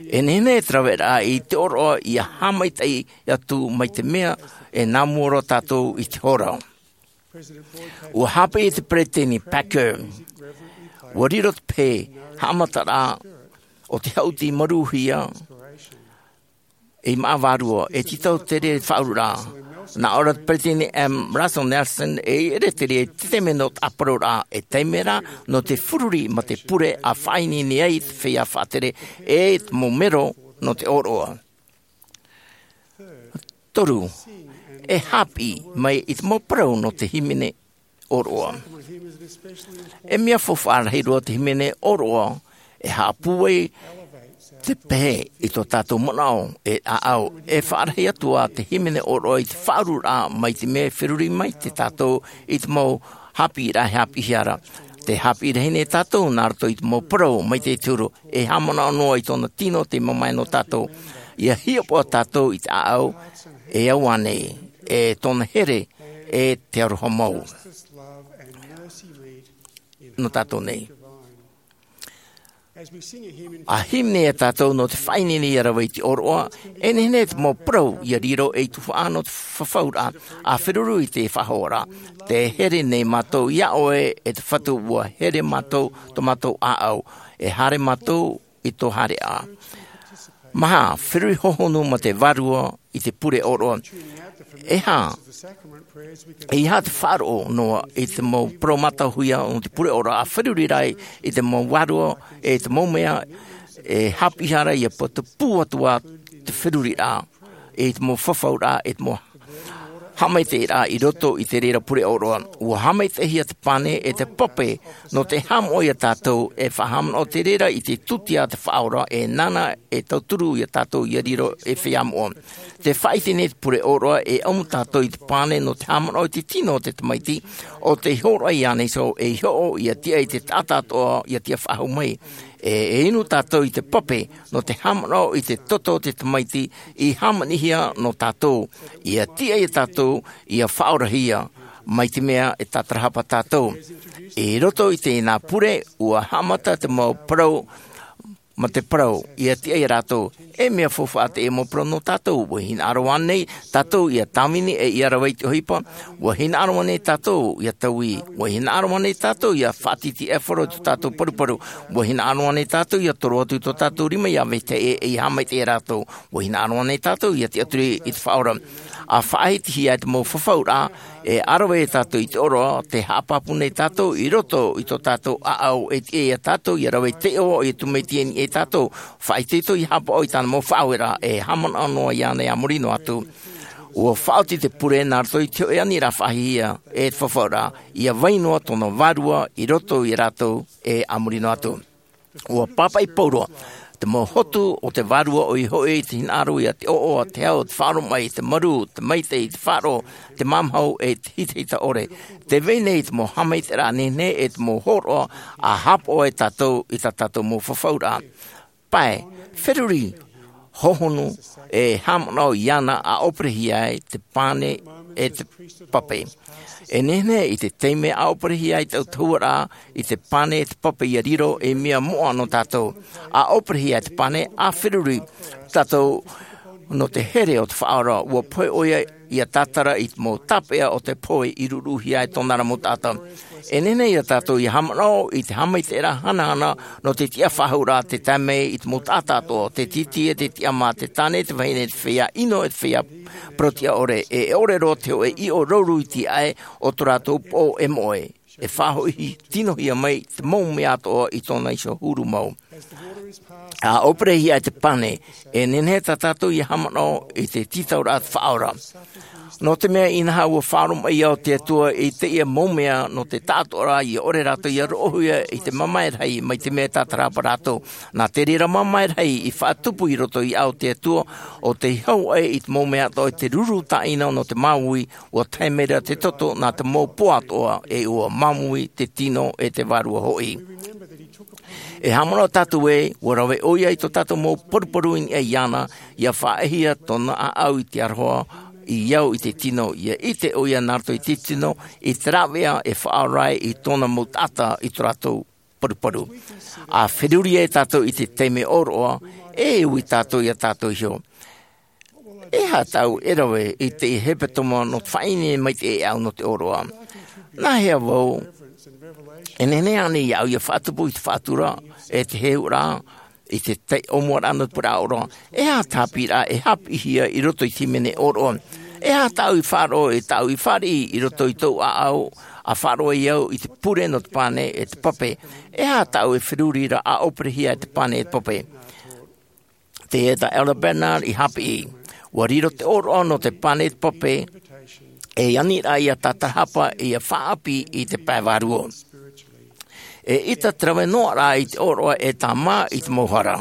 E nehenehe te raveraʻa i te ʻōroʻa ʻia haʻamaitaʻi atu mai te mea, e nā mua roa tātou i te hora. ʻUa haʻapiʻi te Peresideni Packer, ʻua riro te pehe haʻamataraʻa o te haʻuti marūhia, i māʻa vārua, e tītau te reira faʻaururaʻa. Nā ʻō ra te Peresideni M. Russell Nelson, e ʻere te reira i te taime nō te ʻāparauraʻa, e taime rā nō te feruri mā te pure, a faʻaineine ai te feiā faʻatere, e te mau mero nō te ʻōroʻa. Toru, e haʻapiʻi mai i te mau parau nō te hīmene ʻōroʻa. E mea faufaʻa rahi roa te hīmene ʻōroʻa, e haʻapūai te pehe i tō tātou manaʻo, e ʻāʻau, e faʻarahi atu ā te hīmene ʻōroʻa i te faʻaururaʻa mai te mea e feruri mai te tātou i te mau haʻapiʻiraʻa e haʻapiʻihia ra. Tē haʻapiʻi rahi nei tātou nā roto i te mau parau mai te huru, e haʻamanaʻo noa i tōna tino tei mamae nō tātou. ʻIa hiʻopoʻa tātou i te ʻāʻau, e au ānei, e tōna here, e te aroha mau nō tātou nei. A hīmene ia tātou nō te faʻaineine ʻia rave i te ʻōroʻa, e nehenehe te mau parau ʻia riro ei tuhaʻa nō te fafauraʻa, a feruri i te faʻahoʻoraʻa. Tē here nei mātou iā ʻoe, e te Fatu, ʻua here mātou, tō mātou ʻāʻau, e haere mātou i tō haereʻa. Maha, feruri hohonu mā te vārua i te pure ʻōroʻa. E aha, e aha te faʻaroʻo noa i te mau parau mātauhia o te pure ʻōroʻa, a feruri rā i te mau vārua, e te mau mea, e haʻapiʻihia ra ʻia putapū atu ā te feruriraʻa, e te mau fafauraʻa, e te mau haʻamaitaʻiraʻa i roto i te reira pure ʻōroʻa. ʻUa haʻamaitaʻihia te pane e te pape, nō te haʻamoʻa ia tātou, e faʻahaʻamanaʻo te reira i te tūtia a te Faʻaora, e nāna e tauturu ia tātou ʻia riro ei feiā moʻa. Tē faʻaʻite nei te pure ʻōroʻa, e ʻamu tātou i te pane nō te haʻamanaʻo i te tino o te Tamaiti, ʻo tei hōroʻa iāna iho ei hoʻo ʻia tiʻa i te taʻata atoʻa ʻia tiʻa faʻahou mai. E, e inu tātou i te pape, nō te haʻamanaʻo i te toto o te Tamaiti i hāmanihia nō tātou, ʻia tiʻa ia tātou, ʻia faʻaorahia, Mai te mea e tātarahapa tātou. I roto i tēnā pure, ua haʻamata te mau parau, ma te parau, ia tiʻa ia rātou. E mea faufaʻa teie mau parau nō tātou. Ua hinaʻaro ānei tātou ia tāvini e ia rave i te ʻohipa? Ua hinaʻaro ānei tātou ia taui? Ua hinaʻaro ānei tātou ia faʻatītīʻaifaro i tō tātou paruparu? Ua hinaʻaro ānei tātou ia toro atu i tō tātou rima ia vetahi ʻē, e ia haʻamaitaʻi ia rātou? Ua hinaʻaro ānei tātou ia tiʻaturi i te Faʻaora? ʻA faʻahitihia e te mau fafauraʻa, e ʻa rave ia tātou i te ʻōroʻa, tē haʻapāpū nei tātou i roto i tō tātou ʻāʻau, e tiʻa ia tātou ia rave i te iʻoa o iesu mesia i niʻa ia tātou. Faʻaitoito ia haʻapaʻo i tāna mau faʻaueraʻa, e haʻamanaʻo noa iāna e a muri noa atu. Ua faʻaoti te pure nā roto i te hoʻi aniraʻa faʻahihia e te fafauraʻa, ia vai noa tōna vārua i roto ia rātou, e a muri noa atu. Ua pāpaʻi pauroa te mau hotu o te vārua, ʻoia hoʻi te hinaʻaro ia te ʻoʻoa, te hau, te faʻaroʻo mai, te marū, te maitaʻi, te faʻaroʻo, te māmāhau, e te hitahita ʻore. Tē vai nei te mau haʻamaitaʻiraʻa nehenehe e te mau hōroʻa ʻa haʻapaʻo ai tātou i tā tātou mau fafauraʻa. Pae, feruri, hohonu, e haʻamanaʻo iāna ʻa ʻoperehia ai te pane e te pape. E nehenehe i te taime ʻa ʻoperehia ai te ʻautahuʻaraʻa i te pane e te pape ia riro ei mea moʻa nō tātou. ʻA ʻoperehia ai te pane, ʻa feruri tātou nō te here o te Faʻaora. Ua pohe ʻoia ia tātara i te mau tāpeʻa o te pohe i ruruhia ai tōna ra mau taʻata. E nehenehe ia tātou ia haʻamanaʻo i te haʻamaitaʻiraʻa hanahana nō te tiʻafaʻahouraʻa, tē tae mai i te mau taʻata atoʻa, te tītī e te tiʻamā, te tāne, te vahine, te feiā ʻino, e te feiā parau-tiʻa-ʻore, e ʻore roa te hōʻē ʻiʻo rauru i te ʻae o tō rātou poʻo e moʻe. E faʻahoʻi tinohia mai te mau mea atoʻa i tōna iho huru mau. ʻA ʻoperehia ai te pane, e nehenehe tā tātou ia haʻamanaʻo i te tītauraʻa a te Faʻaora. Nō te mea, inaha, ua faʻaroʻo mai ʻo te Atua i teie mau mea nō te taʻatoʻaraʻa, ia ʻore rātou ia roʻohia i te mamae rahi, mai te mea e tātarahapa rātou. Nā te reira mamae rahi i faʻatupu i roto iā ʻu, te Atua, ʻo tei hau aʻe i te mau mea atoʻa, i te ruru tāʻina nō te māuiui, ua tae mai ra te toto nā te mau pō atoʻa, e ua māuiui te tino e te vārua hoʻi. E haʻamanaʻo tātou ē, ua rave ʻoia i tō tātou mau paruparu i niʻa iāna, ia faʻaʻehia tōna ʻāʻau i te aroha, i au i te tino, ia ʻite ʻoia nā roto i te tino, i te rāveʻa e faʻaora ai i tōna mau taʻata i tō rātou paruparu. ʻA feruri ai tātou i te taime ʻōroʻa, e ui tātou iā tātou iho. E aha tāʻu e rave i te hepetoma nō te faʻaineine maitaʻi e au nō te ʻōroʻa? Nā hea vau, e nehenehe ānei iāʻu ia faʻatupu i te faʻatura, e te heheuraʻa, i te tahi ʻōmuaraʻa nō te pure ʻōroʻa? E aha te haʻapiʻiraʻa e haʻapiʻihia i roto i te hīmene ʻōroʻa? E aha tāʻu i faʻaroʻo, e tāʻu i fāriʻi i roto i tōʻu ʻāʻau, ʻa faʻaroʻo ai au i te pure nō te pane e te pape? E aha tāʻu e feruri ra ʻa ʻoperehia e te pane e te pape? Tē ʻita Elder Bednar i haʻapiʻi, ua riro te ʻōroʻa nō te pane e te pape ei aniraʻa ia tātarahapa, ia faʻaʻāpī i te pae vārua. E ʻita te rave noaʻa i te ʻōroʻa e tāmā i te mau hara.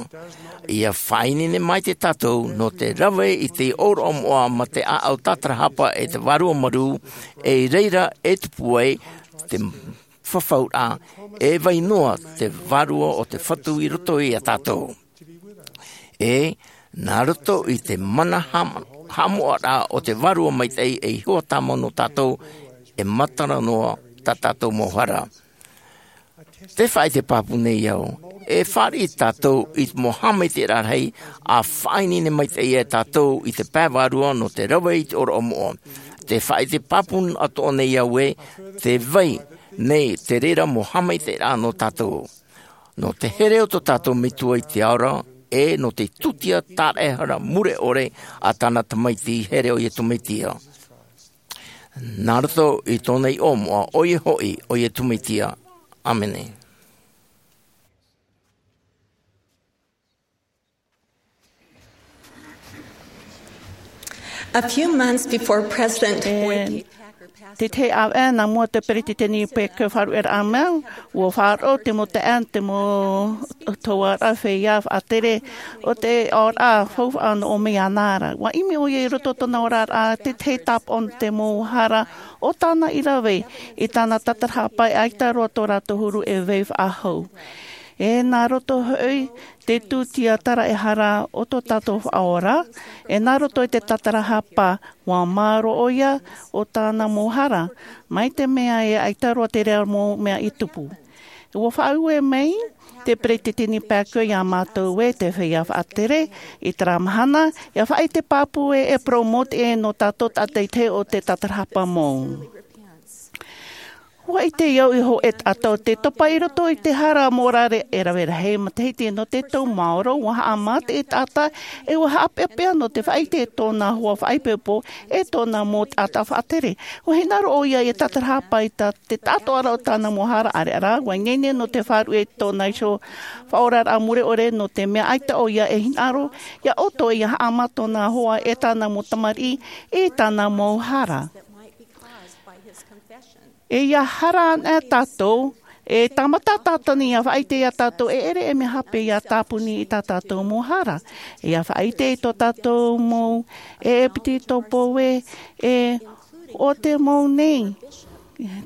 Ia faʻaineine maitaʻi tātou nō te rave i te ʻōroʻa moʻa ma te ʻāʻau tātarahapa e te Vārua Marū, e i reira e tupu ai te fafauraʻa, e vai noa te Vārua o te Fatu i roto iā tātou. E, nā roto i te mana haʻam-, haʻamoʻaraʻa o te Vārua Maitaʻi ei hoa tāmau nō tātou, e matara noa tā tātou mau hara. Tē faʻaʻite pāpū nei au, e fāriʻi tātou i te mau haʻamaitaʻiraʻa rahi, ʻa faʻaineine maitaʻi ia tātou i te pae vārua nō te rave i te ʻōroʻa moʻa. Tē faʻaʻite pāpū atoʻa nei au ē, tē vai nei te reira mau haʻamaitaʻiraʻa nō tātou. Nō te here o tō tātou Metua i te ao ra, e nō te tūtia tāraʻehara mure ʻore a tāna Tamaiti here ʻo Iesu Mesia. Nā roto i tōna iʻoa moʻa, ʻoia hoʻi, ʻo Iesu Mesia. ʻĀmene. A few months before President Boyd K. Packer passed away, te tahi ʻāvaʻe nā mua te peretiteni Packer faʻaruʻeraʻa mai, ʻua faʻaroʻo te mau taeaʻe, te mau tauʻaroʻa feiā faʻatere o te oraraʻa faufaʻa nō ʻōmei ana ra. ʻUa ʻimi ʻoia i roto tōna oraraʻa te tahi tāpaʻo nō te mau hara o tāna i rave i tāna tātarahapa, ʻaita roa tō rātou huru e vai faʻahou. E nā roto hoʻi te tūtia taraehara o tō tātou faʻaora, e nā roto i te tatarahapa, ua maoro ʻoia o tāna mau hara, mai te mea e ʻaita roa te reira mau mea i tupu. Ua faʻaue mai te peretiteni Packer iā mātou ē te feiā faʻatere i terā mahana, ʻia faʻaʻite pāpū ē e promote ē nō tātou taʻata i te hōʻē o te tatarahapa mau. Ua ʻite au i te hōʻē taʻata o te topa i roto i te hara mōrare e rave rahi matahiti nō te tau maoro, ua haʻamata te taʻata, e ua haʻapeapea nō te faʻaʻite i tōna hoa faʻaipoipo, e tōna mau taʻata faʻatere. Ua hinaʻaro ʻoia i te tatarahapa i te taʻatoʻaraʻa o tāna mau hara, ʻaore rā, ua ineine nō te faʻaruʻe i tōna iho faʻaoraraʻa mure ʻore nō te mea ʻaita ʻoia e hinaʻaro ʻia ʻoto ʻia haʻamata tōna hoa e tāna mau tamariʻi i tāna mau hara. E ʻia hara ana tātou, e tāmata Tātani ʻia faʻaʻite iā tātou e ʻere e mea hape ʻia tāpuni i tā tātou mau hara. E ʻia faʻaʻite i tō tātou mau e piti tōpou ē, e ʻo te mau nei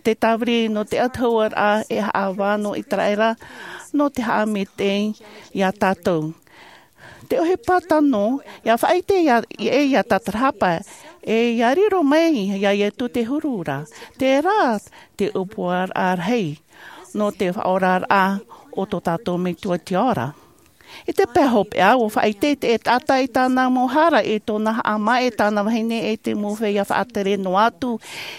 te tāviri nō te ʻatuhauaraʻa e haʻavā nō ʻĪteraʻera nō te haʻamaitaʻi iā tātou. Te ʻohipa tano, ʻia faʻaʻite ʻia, ʻia, ʻia tatarahapa, e ʻia riro mai iā Ietu te huru ra. Terā te ʻōpuaraʻa rahi nō te faʻaoraraʻa o tō tātou Metua i te ao ra. I te pae hopeʻa, ua faʻaʻite te taʻata i tāna mau hara, i tōna haʻamā e tāna vahine e te mau feiā faʻatere noa atu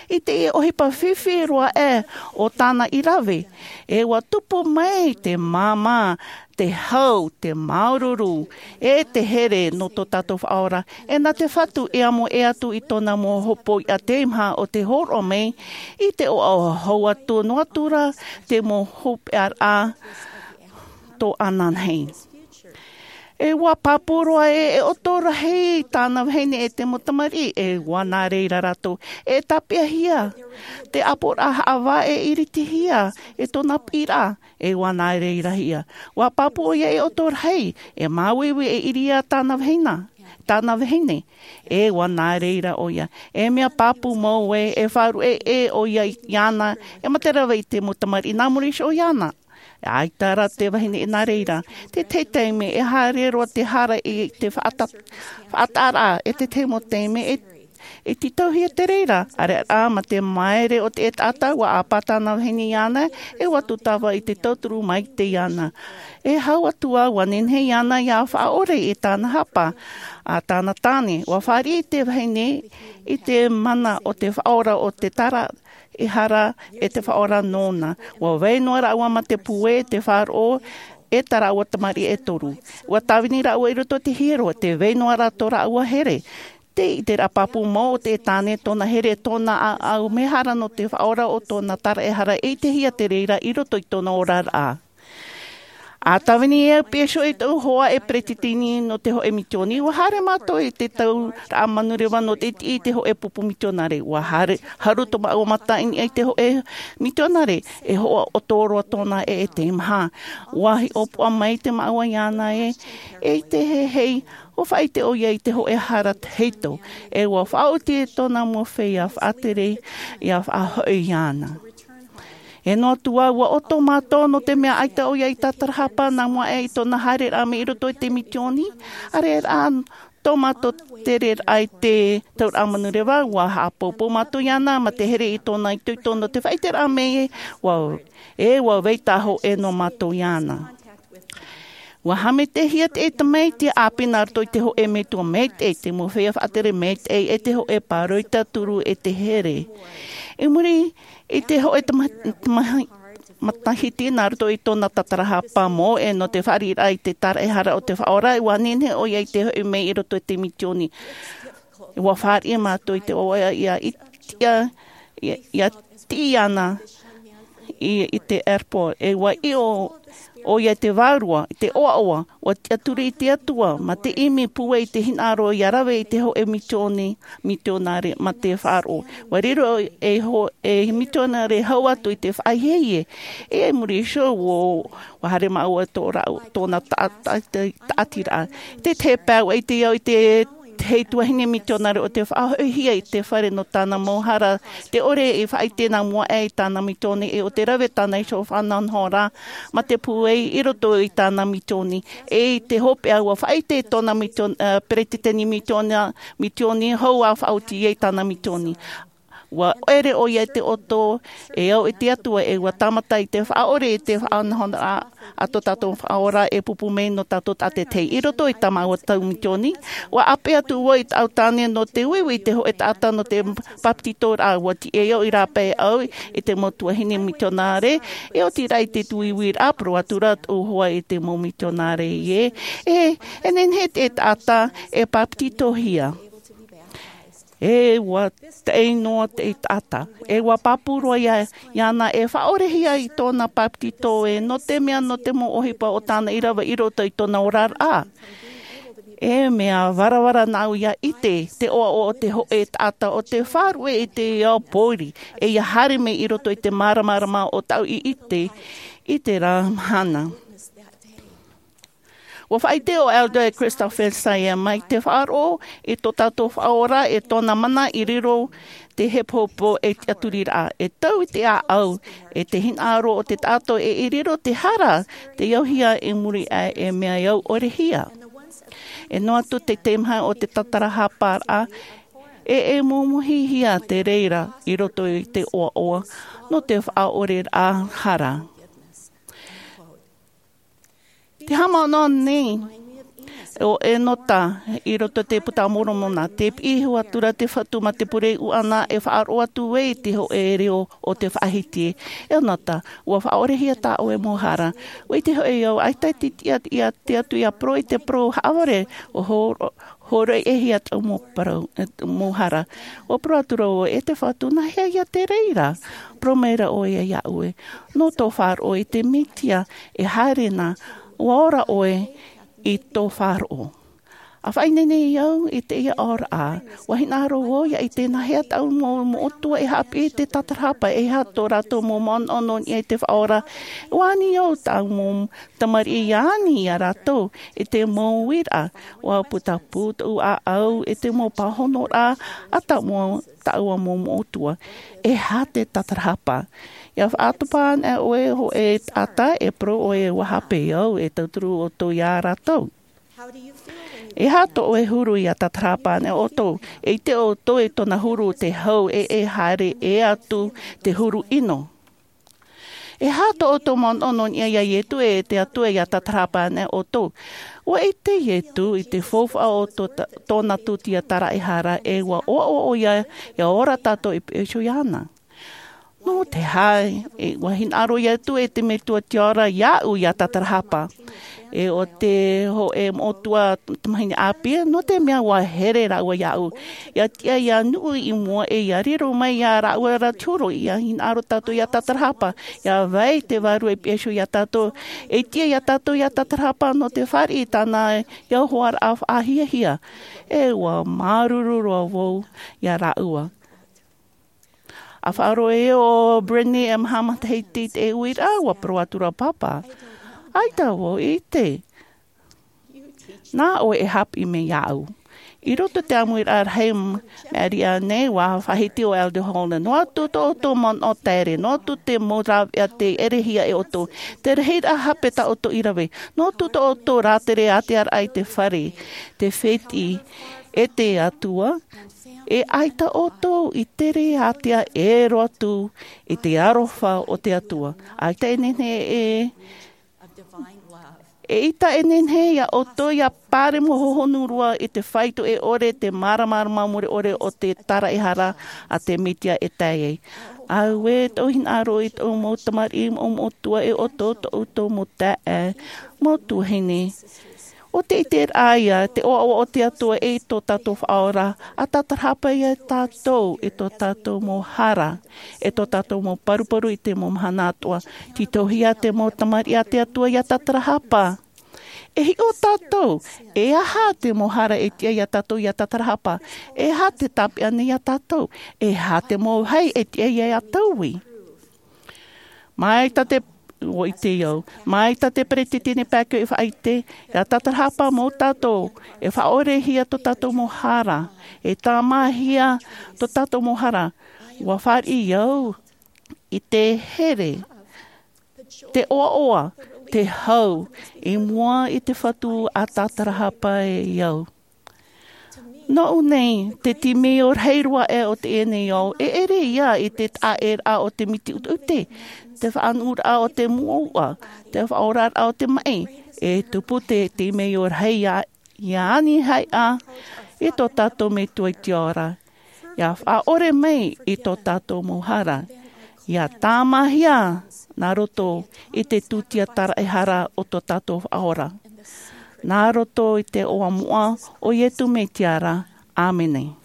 i te ʻohipa fifi roa aʻe o tāna i rave. E ua tupu mai te māmā, te hau, te māuruuru, e te here nō tō tātou faʻaora. E nā te Fatu e amo ʻē atu i tōna mau hopoiʻa teimaha o te hōroʻa mai i te ʻoaʻoa hau atu noa atu ra te mau hopeʻaraʻa tō ananahi. E ua pāpū roa ē e ʻoto rahi tāna vahine e te mau tamariʻi, e ua nā reira rātou e tāpeʻahia te ʻāpoʻoraʻa haʻavā e iritihia e tōna piʻiraʻa, e ua nā reira hia. Ua pāpū ʻoia e ʻoto rahi, e māuiui e ʻiriʻi tāna vahine, tāna vahine, e ua nā reira ʻoia. E mea pāpū mau ē, e faʻaruʻe ʻē ʻoia iāna, e mate rave i te mau tamariʻi nā muri iho iāna. ʻAita rā te vahine i nā reira. Te tahi taime e haere roa te hara i te faʻata-, faʻataʻaraʻa, e te tahi mau taime e, e tītauhia te reira, ʻaore rā mā te māere o te taʻata, ua ʻāpā tāna vahine iāna, e ua tūtava i te tauturu maitaʻi iāna. E hau atu ā, ua nehenehe iāna ʻia faʻaʻore i tāna hapa, a tāna tāne, ua fāriʻi te vahine i te mana o te faʻaora o te tara e hara e te faʻaora nōna. Ua vai noa rāua mā te puē e te faʻaroʻo e tā rāua tamariʻi e toru. Ua tāvini rāua i roto i te hiero, tē vai noa rā tō rāua here. Te ʻiteraʻa pāpū mau o te tāne, tōna here, tōna ʻāʻau, mea hara nō te faʻaora o tōna taraehara e ʻitehia te reira i roto i tōna oraraʻa. ʻA tāvini e au pēʻe iho i tōʻu hoa e peretiteni nō te hōʻē mitioni, ua haere mātou i te tauraʻa manureva nō te iti i te hōʻē pupu mitionare. Ua haere, haru tō māua mata i niʻa i te hōʻē mitionare, e hoʻo ʻoto roa tōna ʻē e teimaha. Ua hiʻopoʻa mai te māua iāna ē, e ʻite hei, ua faʻaʻite ʻoia i te hōʻē hara tahito, e ua faʻaoti tōna mau feiā faʻatere ʻia faʻahoʻi iāna. E noa atu ā, ua ʻoto mātou nō te mea ʻaita ʻoia i tatarahapa nā mua aʻe i tōna haereraʻa mai i roto i te mitioni, ʻaore rā tō mātou tereraʻa i te tauraʻa manureva, ua haʻapoupou mātou iāna mā te here i tōna itoito nō te faʻaʻiteraʻa mai, ua, e ua vai tāhōʻē noa mātou iāna. Ua haʻamaitaʻihia te tamaiti ʻāpī nā roto i te hōʻē metua maitaʻi, te mau feiā faʻatere maitaʻi, e te hōʻē pāroita turu e te here. I muri i te hōʻē tama-, tamahi-, matahiti nā roto i tōna tatarahapa mau ʻē nō te fāriʻiraʻa i te taraehara o te faʻaora, ua nehenehe ʻoia i te hoʻi mai i roto i te mitioni. Ua fāriʻi mātou i te ʻoaʻoa ʻia ʻite, ʻia, ʻia, ʻia tiʻi iāna i, i te airport. E ua ʻiʻo ʻoia i te vārua, i te ʻoaʻoa, ua tiʻaturi i te Atua, mā te ʻimi puē i te hinaʻaro ʻia rave i te hōʻē mitioni, mitionare, mā te faʻaroʻo. Ua riro e hō-, e mitionare hau atu i te faʻahiahia. E i muri iho, ua, ua haere māua tō rāu, tōna ta-, ta-, ta-, taʻatiraʻa. Te, te pae ua ʻite au i te te tuahine mitionare o te faʻahoʻihia i te fare nō tāna mau hara, te ʻore e faʻaʻite nā mua aʻe i tāna misioni e o te rave tāna iho fānaʻoraʻa ma te pūai i roto i tāna misioni. E i te hopeʻa ua faʻaʻite i tōna misioni peretiteni misioni hou a faʻaoti ai tāna misioni. Ua ʻere ʻoia i te ʻoto e au i te atua e ua tāmata i te faʻaʻore i te faʻanahonahoraʻa a tō tātou faʻaora e pupu mai nō tātou taʻata teie i roto i tā māua tau misioni. Ua ʻape atu vau i tāʻu tāne nō te uiui i te hoʻe taʻata nō te papetitoraʻa ua tiʻa au i rāpae au i te mau tuahine mitionare. E oti rā i te tuiuiraʻa poro atu rā tōʻu hoa i te mau mitionare ē e nehenehe te taʻata e papetitohia. E ua taʻi noa te taʻata e ua pāpū roa iāna e faʻaʻorehia i tōna papetito ē nō te mea nō te mau ʻohipa o tāna i rave i roto i tōna oraraʻa. E mea varavara nāʻu ia ʻite te ʻoaʻoa o te hoʻe taʻata o te faʻaruʻe i te ao pōiri e ia haere mai i roto i te māramarama o tāʻu i ʻite i te rā mahana. Ua faʻaʻite o elder christopher saya mai te faʻaroʻo i tō tātou faʻaora e tōna mana i riro te hepohepo e tiʻaturiraʻa e tau i te ʻāʻau e te hinaʻaro o te taʻata e i riro te hara te auhia i muri aʻe e mea au ʻorehia. E noa atu te teimaha o te tatarahaparaʻa e e mumuhihia te reira i roto i te ʻoaʻoa nō te faʻaʻoreraʻa hara. Te hāmani nei o enota i roto i te puta a moromona te piʻi iho atu ra te fatu ma te pure uʻana e faʻaroʻo atu ai te hoʻe reo o te faʻahiti. Enota, ua faʻaʻorehia tā ʻoe mau hara. Ua ʻite hoʻi au ʻaita te tiʻa ia te atu ia poro i te poro haʻavare o horoʻi e hia tāʻu mau hara. Ua poro atu ra ʻoe e te fatu nā hea ia te reira? Poro mai ra ʻoe iāʻu ē nō tō faʻaroʻo i te mesia e haere na ua ora ʻoe i tō faʻaroʻo. A faʻaineine au i teie aoraʻa ua hinaʻaro au ia ʻite nā hea tāʻu mau moʻotua e haʻapiʻi i te tatarahapa e aha tō rātou mau manaʻo nō niʻa i te faʻaora. Ua ani au tāʻu mau tamariʻi ia ani iā rātou i te mau uiraʻa. Ua putapū tōʻu ʻāʻau i te mau pāhonoraʻa a tāʻu mau moʻotua. E aha te tatarahapa? Ia faʻatopa ana ʻoe hoʻe taʻata e poro ʻoe ua hape au e tauturu ʻoutou iā rātou. E aha tō ʻoe huru ia tatarahapa ana ʻoutou e ʻite ʻoutou i tōna huru te hau e e haere e atu te huru ʻino? E aha tō ʻoutou manaʻo nō niʻa iā iesu e te atua ia tatarahapa ana ʻoutou? Ua ʻite iesu i te faufaʻa o tōna tūtia taraʻehara e ua ʻoaʻoa ʻoia ia ora tātou i peʻe iho iāna. Nō te aha ua hinaʻaro iesu e te metua tiʻa ora iāʻu ia tatarahapa? E o te hoʻe moʻotua tamahine ʻāpī nō te mea ua here rāua iāʻu ia tiʻa ia nuʻu i mua e ia riro mai iā rāua ra te huru ia hinaʻaro tātou ia tatarahapa ia vai te vārua i peʻe iho iā tātou. E tiʻa iā tātou ia tatarahapa nō te fāriʻi i tāna ia hoaraʻa faʻahiahia. E ua māuruuru roa vau iā rāua. A faʻaroʻo e o brenni e maha matahiti i te uiraʻa ua poro atu ra papa. ʻAita vau i ʻite nā ʻoe e haʻapiʻi mai iāʻu. I roto i te ʻāmuiraʻa rahi mea riʻa nei ua faʻahiti o elder holland noa atu tō ʻoutou manaʻo taere noa atu te mau rāveʻa te ʻerehia e ʻoutou te rahiraʻa hape tā ʻoutou i rave noa atu tō ʻoutou rātere ātearaʻa i te fare te fētiʻi e te atua. E ʻaita ʻoutou i tere ātea e roa atu i te aroha o te atua. ʻAita e nehenehe e e ʻaita e nehenehe iā ʻoutou ia pāremo hohonu roa i te faito e ʻore te māramarama mure ʻore o te taraʻehara a te mesia e tae ai. Auē tōʻu hinaʻaro i tōʻu mau tamariʻi mau moʻotua e ʻoutou tōʻu mau taeaʻe mau tuahine. O te ʻiteraʻa ia te ʻoaʻoa o te atua e i tō tātou faʻaora a tatarahapa iā tātou i tō tātou mau hara e tō tātou mau paruparu i te mau mahana atoʻa. Tītauhia te mau tamariʻi a te atua ia tatarahapa. E hiʻo tātou e aha te mau hara e tiʻa iā tātou ia tatarahapa? E aha te tāpeʻa nei iā tātou? E aha te mau vāhi e tiʻa iā tātou i mai tā te ʻUa ʻite au. Mai tā te peretiteni Packer i faʻaʻite, ʻia tātarahapa mau tātou, e faʻaʻorehia tō tātou mau hara, e tāmāhia tō tātou mau hara. ʻUa fāriʻi au i te here, te ʻoaʻoa, te hau, i mua i te Fatu ʻa tātarahapa e au. Nōʻu nei, te timeio rahi roa aʻe o teie nei ao, e ʻere ia i te taʻaʻēraʻa o te miti ʻuteʻute, te faʻanuʻuraʻa o te mouʻa, te faʻaoraraʻa o te maʻi, e tupu te timeio rahi ia, ʻia ani haʻa i tō tātou Metua i te ao ra. ʻIa faʻaʻore mai i tō tātou mau hara, ʻia tāmāhia nā roto i te tūtia taraehara o tō tātou Faʻaora. Nā roto i te iʻoa moʻa o Iesu Mesia ra. ʻĀmene.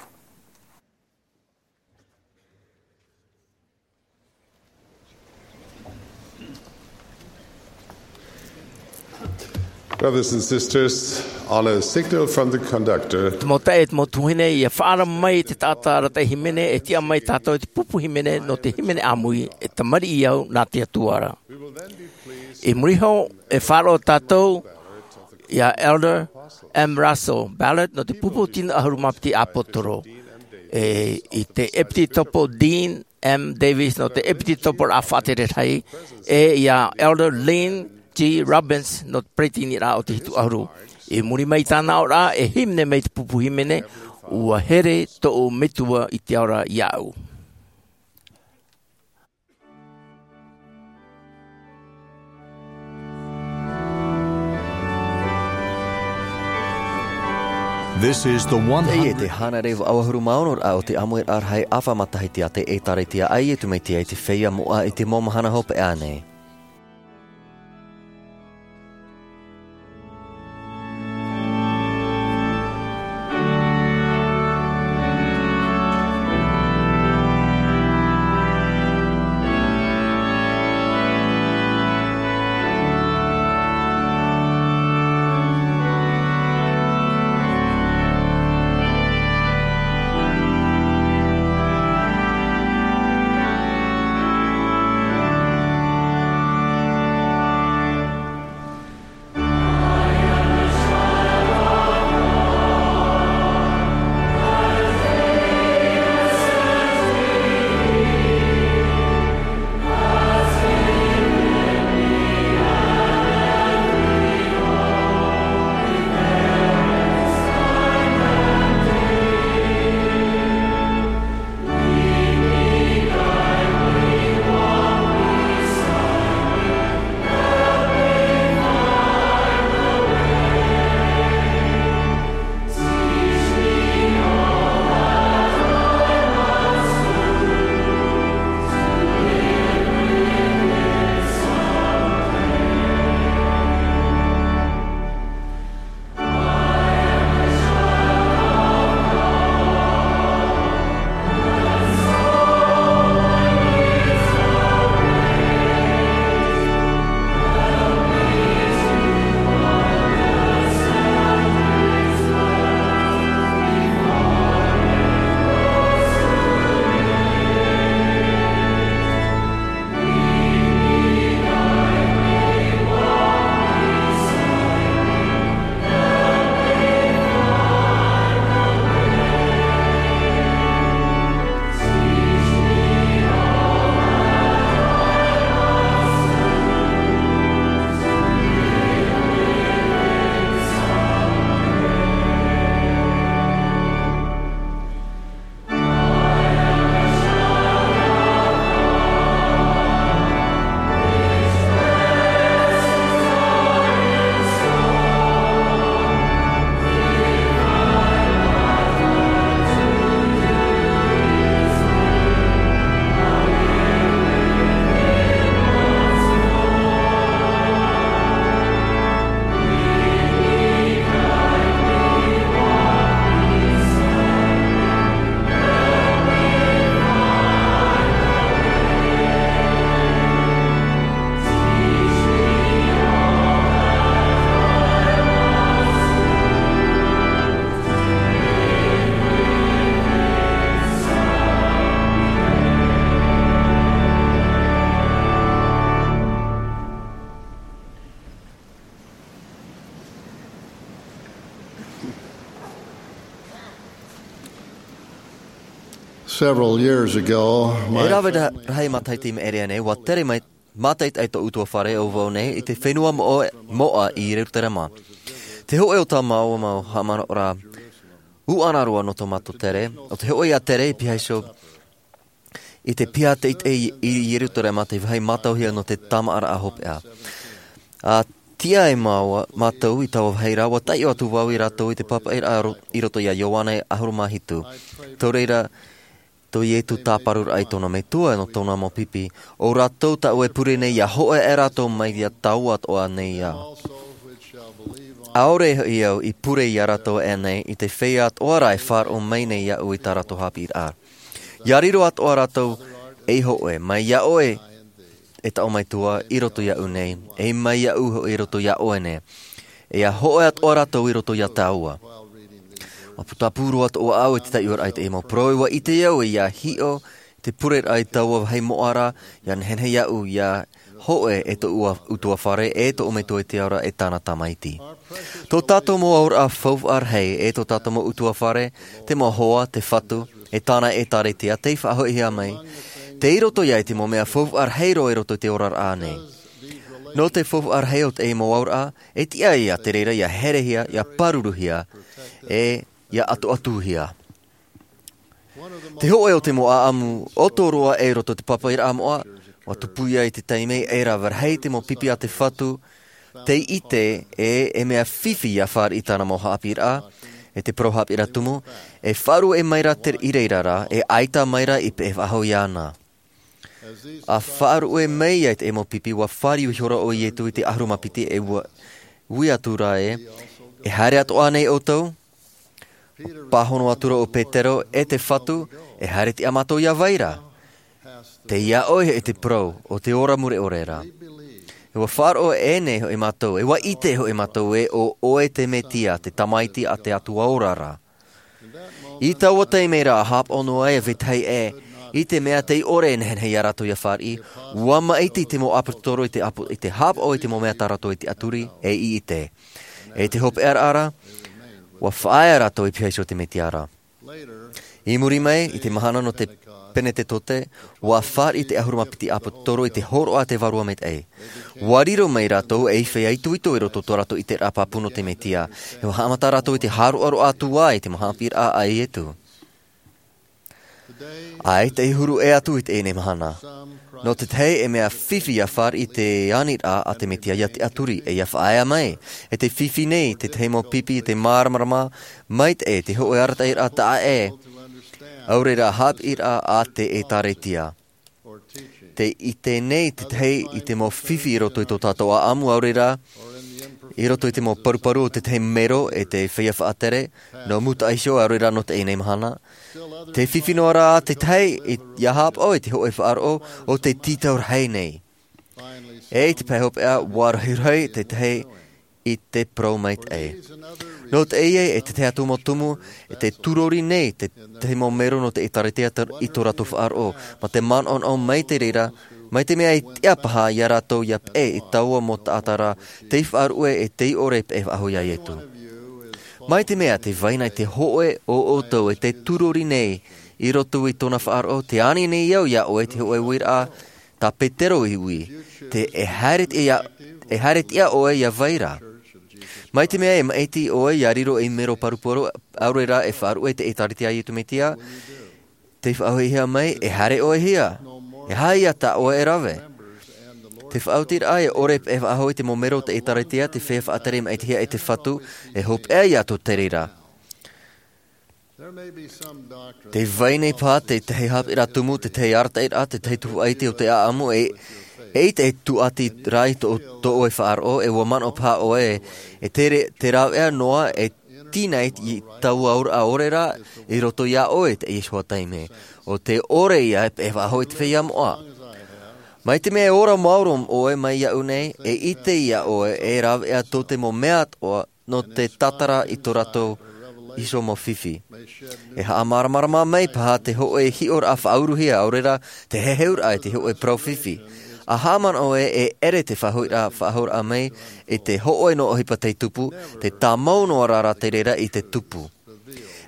Brothers and sisters, on a signal from the conductor, Te mau taeaʻe, te mau tuahine, ʻia faʻaara mai te taʻata arataʻi hīmene, e tiʻa mai tātou i te pupu hīmene nō te hīmene ʻāmui, E Tamariʻi Au nā te Atua Ra. I muri iho, e faʻaroʻo tātou ia Elder M. Russell Ballard nō te pupu tino ʻahuru mā piti ʻāpōsetolo. E, i te ʻEpitetopo Dean M. Davis nō te ʻEpitetopo Faʻatere Rahi, e ia Elder Lynn G. Robbins nō te peretiteniraʻa o te Hitu ʻAhuru. I muri mai i tāna aʻoraʻa, e hīmene mai te pupu hīmene, ʻUa here tōʻu Metua i te Ao Ra iāʻu. This is the one hundred. Teie te hānere vaʻu ʻahuru mā ono raʻa o te ʻāmuiraʻa rahi ʻāfa matahiti a te ʻĒtārētia a Iesu Mesia i te Feiā Moʻa i te mau mahana hopeʻa nei. Several years ago, my E rave ra-, rahi matahiti i maʻiri aʻe nei, ʻua tere mai, mātaʻitaʻi tōʻu ʻutuāfare ʻo vau nei i te fenua moʻa, moʻa i Ierutarema. Te hōʻē o tā māua mau haʻamanaʻoraʻa ʻuʻana roa nō tō mātou tere, ʻo te hōʻē ia tere i pihaʻi iho i te piha teitei i, i Ierutarema, te vāhi mātauhia nō te tāmāʻaraʻa hopeʻa. ʻA tiʻa ai māua, mātou i taua vāhi ra, ʻua taiʻo atu vau ia rātou i te pāpaʻiraʻa ro-, i roto ia Ioane ʻahuru mā hitu. Tō reira, tō Ietu tāparuraʻa i tōna metua nō tōna mau pipi, ʻo rātou tāʻu e pure nei ʻia hōʻē aʻe rātou mai ia tāua atoʻa nei au. ʻAore hoʻi au i pure ia rātou aʻe nei i te feiā atoʻa ra e faʻaroʻo mai nei iāʻu i tā rātou haʻapiʻiraʻa. ʻIa riro atoʻa rātou ei hōʻē, mai iā ʻoe, e tāʻu metua, i roto iāʻu nei, e mai iāʻu hoʻi i roto iā ʻoe nei. E ʻia hōʻē atoʻa rātou i roto iā tāua. ʻUa putapū roa atoʻa au i te taiʻoraʻa i teie mau parau, ʻua ʻite au ʻia hiʻo te pureraʻa i taua vāhi moʻa ra, ʻia nehenehe iāʻu ʻia hōʻē e tōʻu ʻutuāfare, e tōʻu metua i te ao ra, e tāna tamaiti. Tō tātou mau auraʻa faufaʻa rahi, e tō tātou mau ʻutuāfare, te mau hoa, te Fatu, e tāna ʻĒtārētia, tei faʻahoʻihia mai, tei roto ia i te mau mea faufaʻa rahi roa i roto i te oraraʻa nei. Nō te faufaʻa rahi o teie mau auraʻa, e tiʻa ia te reira ʻia herehia, ʻia pāruruhia, e ʻia ʻatuʻatuhia. Te hōʻē o te mau ʻāʻamu ʻoto roa i roto i te pāpaʻiraʻa moʻa, ʻua tupu ia i te taime e rave rahi te mau pipi a te Fatu, tei ʻite ē, e mea fifi ʻia fāriʻi tāna mau haʻapiʻiraʻa, e te parau haʻapiʻiraʻa tumu, e faʻaruʻe mai ra te, i reira rā, e ʻaita mai ra i peʻe faʻahou iāna. ʻA faʻaruʻe mai ia i te mau pipi, ʻua fāriu ihora ʻo Ietu i te ʻahuru mā piti, e ʻua, ui atu ra ē, e haere atoʻa nei ʻoutou? ʻUa pāhono atu ra ʻo Petero, e te Fatu, e haere tiʻa mātou ia vai ra? Tei iā ʻoe e te parau o te ora mure ʻore ra. E ʻua faʻaroʻo ʻē nei hoʻi mātou, e ʻua ʻite hoʻi mātou ē ʻo ʻoe te Metia, te Tamaiti a te Atua ora ra. I taua taime ra, ʻa haʻapaʻo noa ai vetahi ē, i te mea tei ʻore e nehenehe ia rātou ʻia fāriʻi, ʻua maʻiti te mau ʻāpōsetolo i te ʻāpo-, i te haʻapaʻo i te mau mea tā rātou i tiʻaturi, e i ʻite. E te hopeʻaraʻa ra, ʻua faʻaea rātou i piha iho i te Metia ra. I muri mai, i te mahana nō te Penetetote, ʻua fāriʻi te ʻahuru mā piti ʻāpōsetolo i te hōroʻa a te Vārua Maitaʻi. ʻUa riro mai rātou ei feiā itoito i roto i tō rātou ʻiteraʻa pāpū nō te Metia, e ʻua haʻamata rātou i te hāroʻaroʻa atu ā i te mau haʻapiʻiraʻa a Ietu. ʻAita e huru ʻē atu i teie mahana. Nō te tahi e mea fifi ʻia fāriʻi te aniraʻa a te Metia ʻia tiʻaturi, e ʻia faʻaea mai, e tē fifi nei te tahi mau pipi i te māramarama maitaʻi, te hōʻē arataʻiraʻa taʻa ʻē, ʻaore rā haʻapiʻiraʻa a te ʻĒtārētia. Tē ʻite nei te tahi i te mau fifi i roto i tō tātou ʻāʻamu, ʻaore rā, i roto i te mau paruparu o te tahi mero e te feiā faʻatere, nō mua iho, ʻaore rā nō teie mahana. Tē fifi noa rā te tahi i, ʻia haʻapaʻo i te hōʻē faʻaroʻo o te tītau rahi nei. E i te pae hopeʻa, ʻua rohirohi te tahi i te parau maitaʻi. Nō teie, e te tahi atu mau tumu, e tē tūrori nei te tahi mau mero nō te ʻĒtārētia i tō rātou faʻaroʻo, mā te manaʻonaʻo mai te reira, mai te mea e tiʻa paha ia rātou ʻia peʻe i taua mau taʻata ra, tei faʻaruʻe e tei ʻore e peʻe faʻahou ia Ietu. Mai te mea tē vai na i te hōʻē o ʻoutou e tē tūrori nei i roto i tōna faʻaroʻo, tē ani nei au ia ʻoe te hōʻē uiraʻa, tā Petero i ui, tē, e haere tiʻa, e haere tiʻa ʻoe ia vai ra. Mai te mea e maʻiti ʻoe ʻia riro ei mero paruparu, ʻaore rā e faʻaruʻe i te ʻĒtārētia a Ietu Metia, tē faʻahoʻihia mai, e haere ʻoe hia, e aha ia tā ʻoe e rave? Te faʻaotiraʻa e ʻore e peʻe faʻahou i te mau mero o te ʻĒtārētia, te feiā faʻatere maʻitihia e te Fatu, e hopeʻa ia tō te reira. Tē vai nei paha te tahi haʻapiʻiraʻa tumu, te tahi arataʻiraʻa, te tahi tuhaʻa iti o te ʻāʻamu, e, eʻita e tūʻati ra i tō, tō ʻoe faʻaroʻo, e ʻua manaʻo paha ʻoe, e te re-, te rāveʻa noa, e tīnai i taua auraʻa ʻore rā, i roto ia ʻoe i teie iho taime. ʻO tē ʻore ia e peʻe faʻahou i te feiā moʻa. Mai te mea e ora maoro ʻoe mai iāʻu nei, e ʻite ia ʻoe, e rāveʻa tō te mau mea atoʻa, nō te tātara i tō rātou iho mau fifi. E haʻamāramarama mai paha te hōʻē hiʻoraʻa faʻauruhia, ʻaore rā, te heheuraʻa i te hōʻē parau fifi. ʻA haʻamanaʻo ē, e ʻere te faʻahoʻiraʻa, faʻahoʻiraʻa mai i te hōʻē noa ʻohipa tei tupu, tē tāmau noa rā rā te reira i te tupu.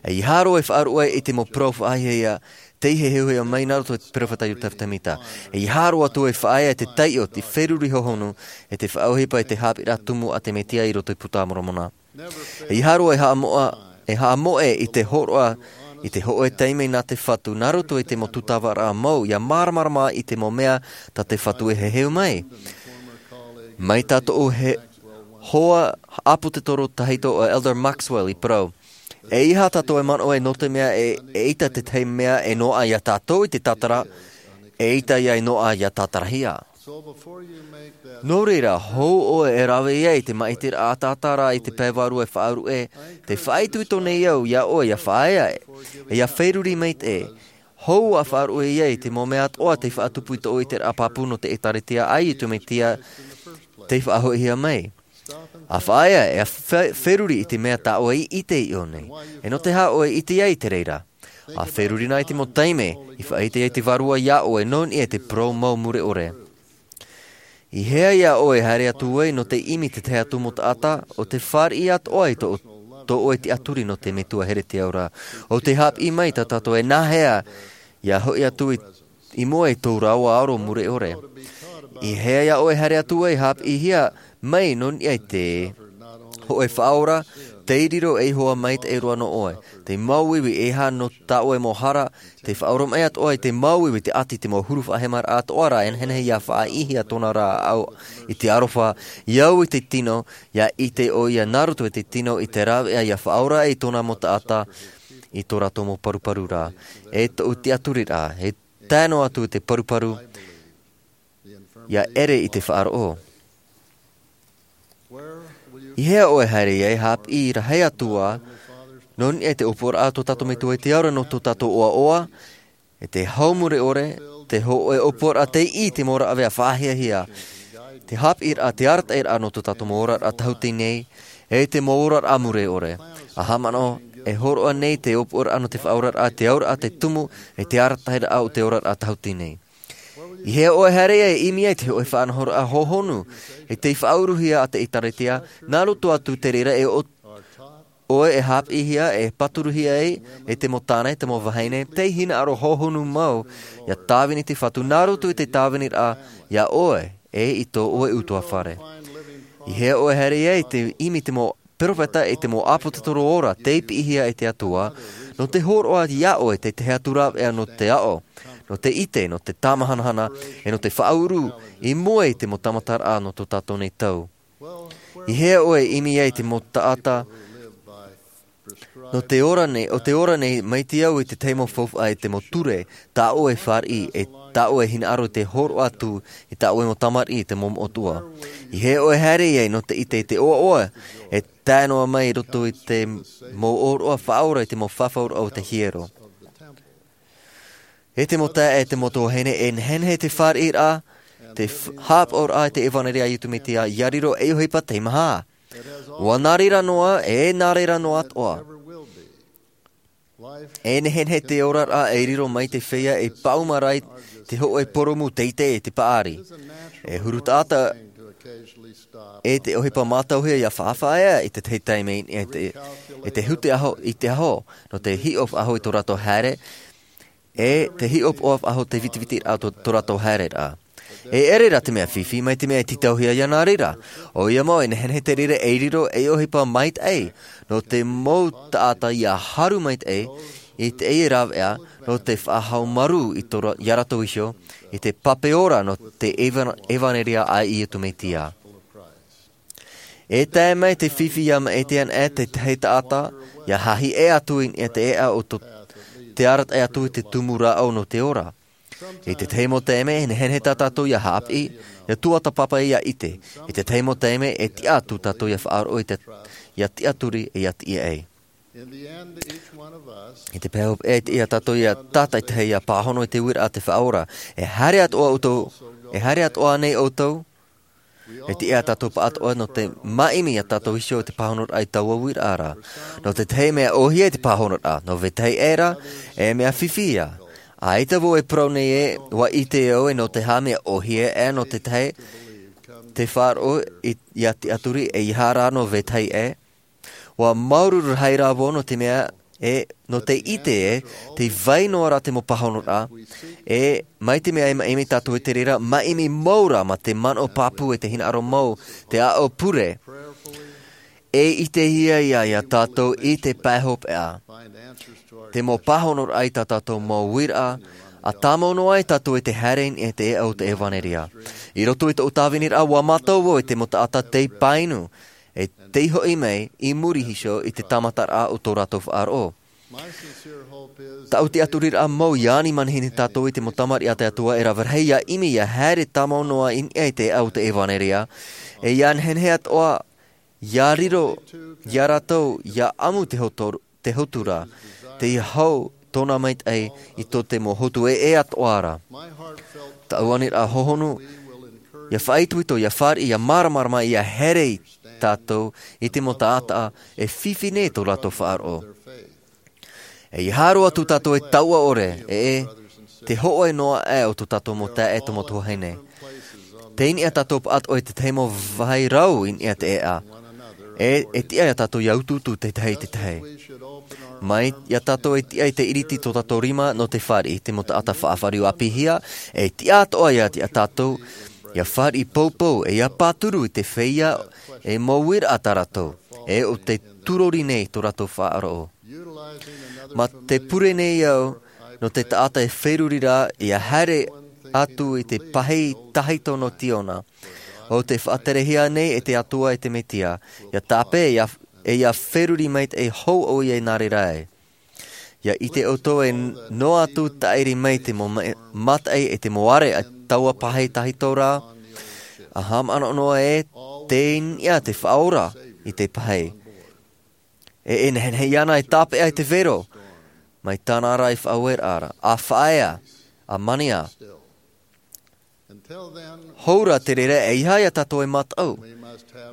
E ʻeiaha roa e faʻaruʻe i te mau parau faʻahiahia, tei heheuhia mai nā roto i te peropheta Iosepha Sāmita. E ʻeiaha roa atu e faʻaea te taiʻo, te feruri hohonu, e te faʻaʻohipa i te haʻapiʻiraʻa tumu a te Mesia i roto i te Puta a Moromona. E ʻeiaha roa e haʻamoʻa, e haʻamoʻe i te hōroʻa, i te hōʻē taime nā te Fatu, nā roto i te mau tūtavaraʻa mau, ʻia māramarama i te mau mea tā te Fatu e heheu mai. Mai tā tōʻu hoa ʻāpōsetolo tahito ʻo Elder Maxwell i parau. E ʻeiaha tātou e manaʻo nō te mea e, eʻita te tahi mea e noaʻa ia tātou i te tātara, eʻita ia e noaʻa ia tātarahia. Nō reira, hou ʻoe e rave ia i te māʻitiraʻa ataata ra i te pae vārua e faʻaruʻe, tē faʻaitoito nei au ia ʻoe ia faʻaea, e ia feruri maitaʻi. Hou ʻa faʻaruʻe ia i te mau mea atoʻa tei faʻatupu i tōʻu ʻiteraʻa pāpū nō te ʻĒtārētia a Iesu Mesia tei faʻahoʻihia mai. ʻA faʻaea, e ʻa fe-, feruri i te mea tā ʻoe i ʻite i ʻō nei. E nō te aha ʻoe i ʻite ai i te reira. ʻA feruri na i te mau taime, i faʻaʻite ai te Vārua ia ʻoe nō niʻa i te parau mau mure ʻore. I hea ia ʻoe e haere atu ai nō te ʻimi i te tahi atu mau taʻata, ʻo tē fāriʻi atoʻa i tō, tō ʻoe tiʻaturi nō te Metua here te ao ra. ʻO tē haʻapiʻi mai tā tātou e nāhea ia hoʻi atu i, i mua i tō rāua aro mure ʻore. I hea ia ʻoe e haere atu ai haʻapiʻihia mai nō niʻa i te hōʻē Faʻaora, tei riro ei hoa maitaʻi roa nō ʻoe. Te māuiui e aha nō tā ʻoe mau hara, tē faʻaoromaʻi atoʻa i te māuiui te ʻati i te mau huru faʻahemaraʻa atoʻa ra e nehenehe ia faʻaʻīhia tōna rāʻau i te aroha, ia au i te tino, ia ʻite ʻoia nā roto i te tino i te rāveʻa ia faʻaora i tōna mau taʻata i tō rātou mau paruparu ra. E tōʻu tiʻaturiraʻa, e tae noa atu i te paruparu, ia ʻere i te faʻaroʻo. I hea ʻoe e haere ai haʻapiʻi rahi atu ā, nō niʻa i te ʻōpuaraʻa a tō tātou Metua i te ao ra nō tō tātou ʻoaʻoa, e te hau mure ʻore, te hōʻē ʻōpuaraʻa tei ʻī i te mau rāveʻa faʻahiahia, te haʻapiʻiraʻa, te arataʻiraʻa nō tō tātou mau oraraʻa tāhuti nei, e te mau oraraʻa mure ʻore. ʻA haʻamanaʻo, e hōroʻa nei te ʻōpuaraʻa nō te faʻaoraraʻa, te auraʻa, te tumu, e te arataʻiraʻa o te oraraʻa tāhuti nei. I hea ʻoe e haere ai e ʻimi ai te hōʻē faʻanahoraʻa hohonu, e tei faʻauruhia a te ʻĒtārētia, nā roto atu te reira e ʻo-, ʻoe e haʻapiʻihia, e pāturuhia ai, e te mau tāne, te mau vahine, tei hinaʻaro hohonu mau, ia tāvini te Fatu nā roto i te tāviniraʻa, ia ʻoe, e i tō ʻoe ʻutuāfare. I hea ʻoe e haere ai te ʻimi te mau peropheta e te mau ʻāpōsetolo ora, tei piʻihia e te Atua, nō te hōroʻa ia ʻoe te tahi atu rāveʻa nō te aʻo, nō te ʻite, nō te tāmahanahana, e nō te faʻauru, i mua i te mau tāmataraʻa nō tō tātou nei tau. I hea ʻoe e ʻimi ai te mau taʻata, nō te ora nei, ʻo tē ora nei, mai te au i te tahi mau faufaʻa e te mau ture, tā ʻoe e fāriʻi, e tā ʻoe e hinaʻaro i te hōroʻa atu, i tā ʻoe mau tamariʻi i te mau moʻotua. I hea ʻoe e haere ai nō te ʻite i te ʻoaʻoa, e tae noa mai i roto i te mau ʻōroʻa faʻaora i te mau fafauraʻa o te hiero. E te mau taeaʻe, e te mau tuahine, e nehenehe te fāriʻiraʻa, te f-, haʻapaʻoraʻa i te ʻevanelia a Iesu Mesia, ia riro ei ʻohipa teimaha. ʻUa nā reira noa, e nā reira noa atoʻa. E nehenehe te oraraʻa e riro mai te feiā e pāuma ra i te hōʻē purūmu teitei e te paʻari. E huru taʻata e te ʻohipa mātauhia ia faʻafaʻaea i te tahi taime e te, e te hute aho i te aho, nō te hiʻo faʻahou i tō rātou haere, e te hiʻopoʻa faʻahou te vitivitiraʻa o tō, tō rātou haereraʻa. E ʻere rā te mea fifi mai te mea e tītauhia ia nā reira. ʻOia mau e nehenehe te reira e riro ei ʻohipa maitaʻi, nō te mau taʻata ia haru maitaʻi, i teie rāveʻa, nō te faʻahaumarū i tō ra-, ia rātou iho, i te pape ora nō te eva-, ʻevanelia a Iesu Mesia. E tae mai te fifi ia maʻiti ana e te tahi taʻata, ia hahi ʻē atu i niʻa i te ʻēʻa o tō, te arataʻi atu i te tumu rāʻau nō te ora. I te tahi mau taime, e nehenehe tā tātou ia haʻapiʻi, ia tuatāpapa ia ʻite. I te tahi mau taime, e tiʻa atu tātou ia faʻaroʻo i te, ia tiʻaturi, e ia tiʻa ai. I te pae hopeʻa, e tiʻa tātou ia tātaʻitahi ia pāhono i te uiraʻa a te Faʻaora. E haere atoʻa ʻoutou, e haere atoʻa nei ʻoutou, e tiʻa tātou pāʻatoʻa nō te māʻimi ia tātou iho i te pāhonoraʻa i taua uiraʻa ra. Nō te tahi mea ʻōhie te pāhonoraʻa, nō vetahi aʻe rā, e mea fifi ia. ʻAita vau e parau nei ē, ʻua ʻite au ē nō te aha mea ʻōhie ē nō te tahi, te faʻaroʻo i, ia tiʻaturi ʻeiaha rā nō vetahi aʻe. ʻUa māuruuru rahi rā vau nō te mea E nō te ʻite e, te vai noa ra te mau pāhonoraʻa, e mai te mea e maʻimi tātou i te reira, maʻimi mau ra mā te manaʻo pāpū e te hinaʻaro mau, te aʻo pure. E ʻitehia ia, ia tātou i te pae hopeʻa. Te mau pāhonoraʻa i tā tātou mau uiraʻa, ʻa tāmau noa ai tātou i te haere i niʻa i te eʻa o te ʻevanelia. I roto i tōʻu tāviniraʻa, ʻua mātau vau i te mau taʻata tei pāinu, e tei hoʻi mai i muri iho i te tāmataraʻa o tō rātou faʻaroʻo. Taʻu tiʻaturiraʻa mau, ʻia ani manihini tātou i te mau tamariʻi a te Atua e rave rahi, ʻia ʻimi, ʻia haere tāmau noa i niʻa i te eʻa o te ʻevanelia, e ʻia nehenehe atoʻa, ʻia riro, ia rātou, ʻia ʻamu te hotu-, te hotu ra, tei hau tōna maitaʻi i tō te mau hotu e, e atoʻa ra. Taʻu aniraʻa hohonu, ʻia faʻaitoito, ʻia fāriʻi, ʻia māramarama, ʻia haere tātou i te mau taʻata e fifi nei tō rātou faʻaroʻo. E ʻia haere atu tātou e taua ʻore, e, e, te hōʻē noa aʻe o tō tātou mau taeaʻe, tō mau tuahine. Tei niʻa tātou pāʻatoʻa i te tahi mau vāhi rau i niʻa i te eʻa. E, e tiʻa ia tātou ʻia utuutu te tahi i te tahi. Mai ia tātou e tiʻa i te ʻiriti tō tātou rima nō te fāriʻi, te mau taʻata faʻafāriu ʻāpīhia, e tiʻa atoʻa ia, ia tātou, ʻia fāriʻi poupou, e ʻia pāturu i te feiā, e mau uiraʻa tā rātou, e ʻo tei turori nei tō rātou faʻaroʻo. Mā te pure nei au, nō te taʻata e feruri ra, ʻia haere atu i te pahī tahito nō Tīona. ʻO tei faʻaterehia nei e te Atua e te Mesia, ʻia tāpeʻa, ʻia, e ʻia feruri maitaʻi hou ʻoia i nā reira ai. ʻIa ʻite ʻoutou e noa atu tāʻiri mai te mau ma-, mataʻi e te mau are a taua pahī tahito ra, ʻa haʻamanaʻo noa e tei niʻa te Faʻaora i te pahī. E, e nehenehe iāna e tāpeʻa i te vero, mai tāna ra i faʻaueraʻa ra, ʻa faʻaea, ʻa mania. Hou ra te reira, ʻeiaha ia tātou e mātau.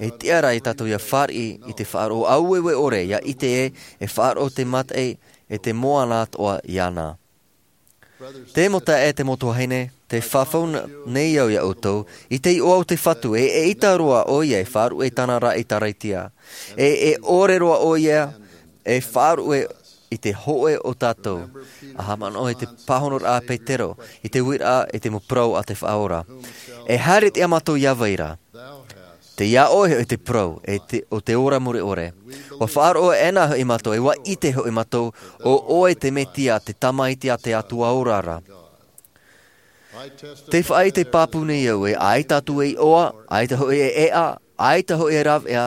E tiʻa ra ia tātou ʻia fāriʻi i te faʻaroʻo aueue ʻore, ʻia ʻite e, e faʻaroʻo te mataʻi, e te moana atoʻa iāna. Te mau taeaʻe, te mau tuahine, tē fafau n-, nei au ia ʻoutou, i te iʻoa o te Fatu, e, eʻita roa ʻoia e faʻaruʻe i tāna ra ʻĒtārētia. E, e ʻore roa ʻoia e faʻaruʻe i te hōʻē o tātou. ʻA haʻamanaʻo i te pāhonoraʻa a Petero, i te uiraʻa, i te mau parau a te Faʻaora. E haere tiʻa mātou ia vai ra. Tei iā ʻoe hoʻi te parau, e te, o te ora mure ʻore. ʻUa faʻaroʻo ʻē na hoʻi mātou, e ʻua ʻite hoʻi mātou, ʻo ʻoe te Mesia, te Tamaiti a te Atua ora ra. Tē faʻaʻite pāpū nei au e, ʻaita atu e iʻoa, ʻaita hoʻi e eʻa, ʻaita hoʻi e rāveʻa,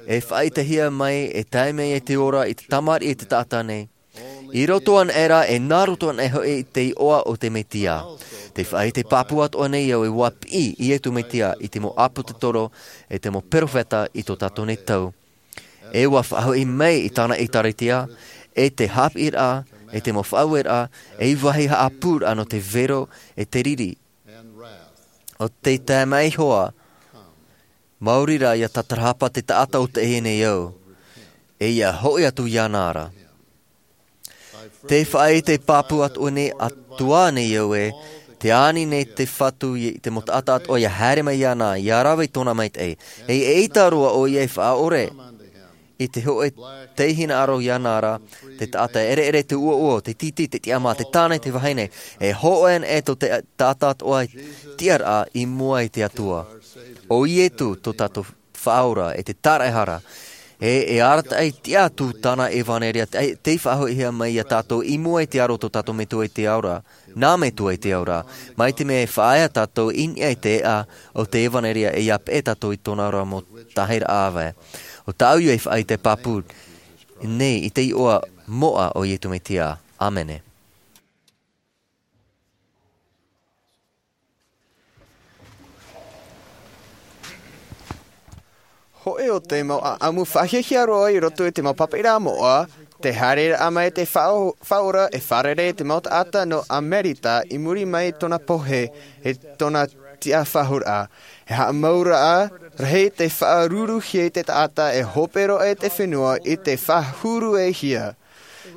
e faʻaʻitehia mai, e tae mai e te ora i te tamariʻi e te taʻata nei. I roto anaʻe ra, e nā roto anaʻe hoʻi i te iʻoa o te Mesia. Tē faʻaʻite pāpū atoʻa nei au e ʻua piʻi Iesu Mesia i te mau ʻāpōsetolo, e te mau perofeta i tō tātou nei tau. E ʻua faʻahoʻi mai i tāna ʻĒtārētia, e te haʻapiʻiraʻa, e te mau faʻaueraʻa, e vāhi haʻapūraʻa nō te vero, e te riri. ʻO te tae mai iho ā, maori rā ʻia tatarahapa te taʻata o teie nei ao, e ʻia hoʻi atu iāna ra. Tē faʻaʻite pāpū atu nei, atu ā nei au e, tē ani nei te Fatu i te mau taʻata atoʻa ʻia haere mai iāna, ʻia rave i tōna maitaʻi. E, eʻita roa ʻoia e faʻaʻore i te hōʻē tei hinaʻaro iāna ra, te taʻata ʻereʻere, te ʻuoʻuo, te tītī, te tiʻamā, te tāne, te vahine. E hōʻē anaʻe tō te taʻata atoʻa tiʻaraʻa i mua i te Atua. ʻO Iesu tō tātou Faʻaora, e te Taraehara. E, e arataʻi tiʻa atu tāna ʻevanelia, te, tei faʻahoʻihia mai ia tātou i mua i te aro o tō tātou Metua i te Ao ra, nā Metua i te Ao ra. Mai te mea e faʻaea tātou i niʻa i te eʻa o te ʻevanelia, e ʻia peʻe tātou i tōna ora mau tahiraʻa ʻāvae. ʻO tāʻu ia e faʻaʻite pāpū nei i te iʻoa moʻa o Iesu Mesia. ʻĀmene. Hōʻē o te mau ʻāʻamu faʻahiahia roa i roto i te mau pāpaʻiraʻa moʻa, te haereraʻa mai te Faʻa-, Faʻaora e fārerei i te mau taʻata nō Amerika i muri mai i tōna pohe, e tōna tiʻafaʻahouraʻa. E haʻamauraʻa rahi te faʻaruruhia i te taʻata e hope roa i te fenua i te faʻahuruehia.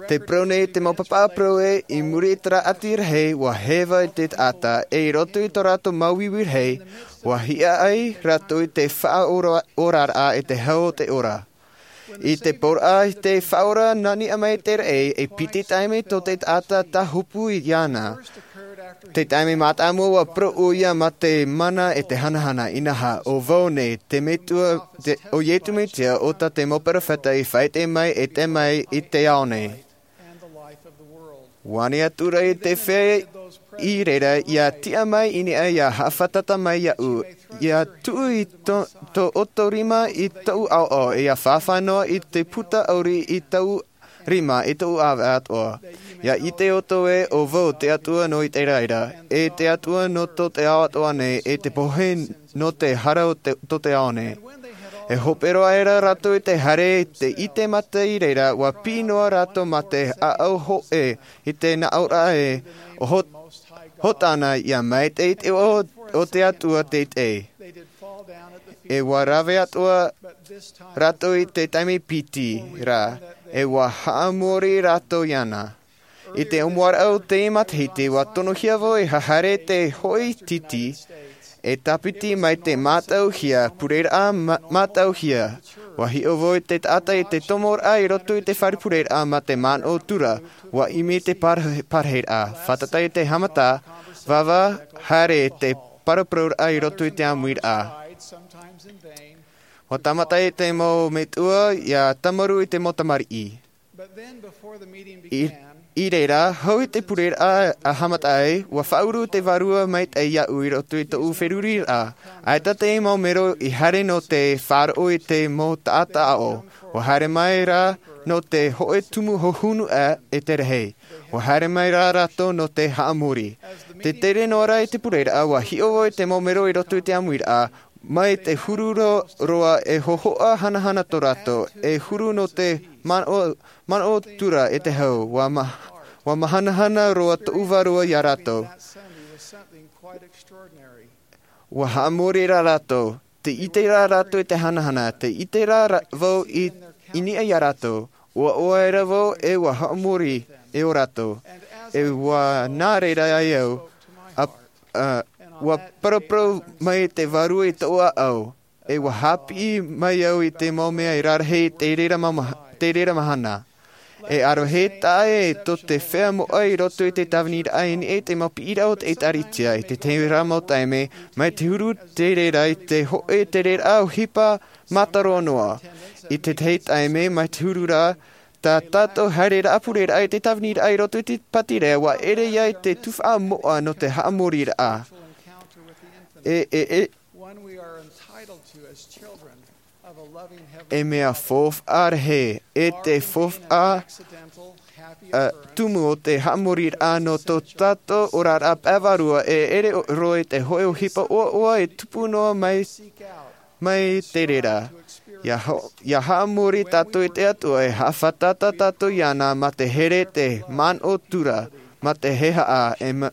Tē parau nei te mau pāpaʻi parau ē, i muri i terā ʻati rahi, ʻua heva i te taʻata, e i roto i tō rātou māuiui rahi, ʻua hiaʻai rātou i te faʻaora-, oraraʻa e te hau o te ora. I te pōraʻa i te faʻaora nā niʻa mai te raʻi, e piti taime tō te taʻata tāhopu iāna. Te taime mātāmua ua parau ʻoia mā te mana e te hanahana, inaha, ʻo vau nei, te Metua, te, ʻo Iesu Mesia, ʻo tā te mau perofeta i faʻaʻite mai e tae mai i te ao nei. Vani atura i te fea i reira, ia tiʻa mai i niʻa ia haʻafātata mai iāʻu, ia tuʻu i tō, tō ʻoutou rima i tōʻu ʻaoʻao, ia fāfā noa i te puta ʻauri i tōʻu rima, i tōʻu ʻāvae atoʻa. Ia ʻite ʻoutou ē, ʻo vau te Atua nō Iteraera, e te Atua nō tō te ao atoʻa nei, e te pohe nō te hara o te, tō te ao nei. E hope roa aʻera rātou i te haere, te ʻite mata i reira, ua piʻi noa rātou mā te ʻāʻau hōʻē i te nāʻōraʻa ē, ʻo Hot-, Hōtana, ia maitaʻi te iʻoa o te Atua teitei. E ua rave atoʻa rātou i te taime piti ra, e ua haʻamori rātou iāna. I te ʻōmuaraʻa o te matahiti, ua tonohia vau e haere i te hōʻē tītī, e tāpiti mai te mātauhia, pureraʻa mā-, mātauhia. Ua hiʻo vau i te taʻata i te tomoraʻa i roto i te fare pureraʻa mā te manaʻo tura, ua ʻimi te par-, parahiraʻa. Fātata i te haʻamata, vāvā haere te paraparau raʻa i roto i te ʻāmuiraʻa. Ua tāmata i te mau metua ia tāmarū i te mau tamariʻi. I, i reira, hou i te pureraʻa a haʻamata ai, ua faʻauru te Vārua Maitaʻi iāʻu i roto i tōʻu feruriraʻa. ʻAita te mau mero i haere nō te faʻaroʻo i te mau taʻata aʻo. Ua haere mai rā nō te hōʻē tumu hohonu ā e te rahi. Ua haere mai rā rātou nō te haʻamori. Te tere noa ra i te pureraʻa, ua hiʻo vau i te mau mero i roto i te ʻāmuiraʻa, mai te huru ro-, roa e hōhoʻa hanahana tō rātou, e huru nō te manaʻo, manaʻo tura e te hau, ua ma-, ua mahanahana roa tōʻu Vārua iā rātou. Ua haʻamori rā rātou, te ʻite rā rātou i te hanahana, te ʻite rā ra-, vau i, i niʻa iā rātou, ua ʻoaʻoa aʻera vau e ua haʻamori e ō rātou. E ua nā reira ai au, a, a, ua paraparau mai te Vārua i tōʻu ʻāʻau, e ua haʻapiʻi mai au i te mau mea e rarahi i te reira ma-, ma-, te reira mahana. E ʻaroha taʻa ʻē tō te feiā moʻa i roto i te tāviniraʻa i niʻa i te mau piʻiraʻa o te ʻĒtārētia i te tahi ra mau taime, mai te huru te reira i te hōʻē te reira ʻohipa mātaroa noa. I te tahi taime, mai te huru ra, tā tātou haereraʻa pureraʻa i te tāviniraʻa i roto i te pātireia, ua ʻere ia i te tuhaʻa moʻa nō te haʻamoriraʻa. E, e, e, e mea faufaʻa rahi, e te faufaʻa, ā, tumu o te haʻamoriraʻa nō tō tātou oraraʻa pae vārua, e ʻere roa i te hōʻē ʻohipa ʻoaʻoa e tupu noa mai, mai te reira. Ia ha-, ia haʻamori tātou i te Atua, e haʻafātata tātou iāna mā te here, te manaʻo tura, mā te hehea, e ma-,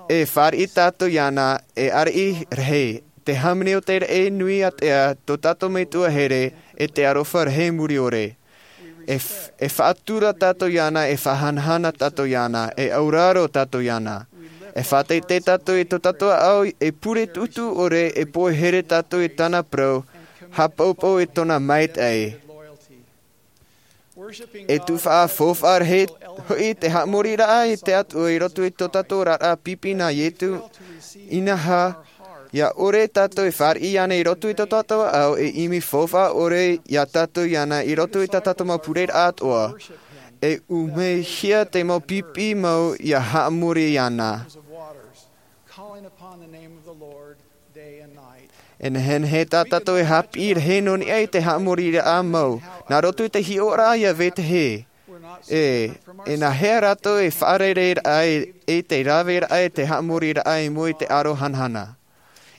e fāriʻi tātou iāna, e ariʻi rahi, te hāmani o te raʻi nui ātea, tō tātou Metua here, e te aroha rahi muri ʻore. E f-, e faʻatura tātou iāna, e faʻahanahana tātou iāna, e auraro tātou iāna. E faʻateitei tātou i tō tātou ʻāʻau, e pure tuʻutuʻu ʻore, e pohe here tātou i tāna parau, haʻapaupau i tōna maitaʻi. E tuhaʻa faufaʻa rahi hoʻi te haʻamoriraʻa i te Atua i roto i tō tātou oraraʻa pipi nā Iesu, inaha, ia ʻore tātou e fāriʻi iāna i roto i tō tātou ʻāʻau, e ʻimi faufaʻa ʻore iā tātou iāna i roto i tā tātou mau pureraʻa atoʻa. E ʻumehia te mau pipi mau ia haʻamori iāna. E nehenehe tā tātou e haʻapiʻi rahi nō niʻa i te haʻamoriraʻa mau, nā roto i te hiʻoraʻa ia vetahi. E, e nā hea rātou e faʻarereiraʻa i, i te raveraʻa i te haʻamoriraʻa i mua i te aro hanahana.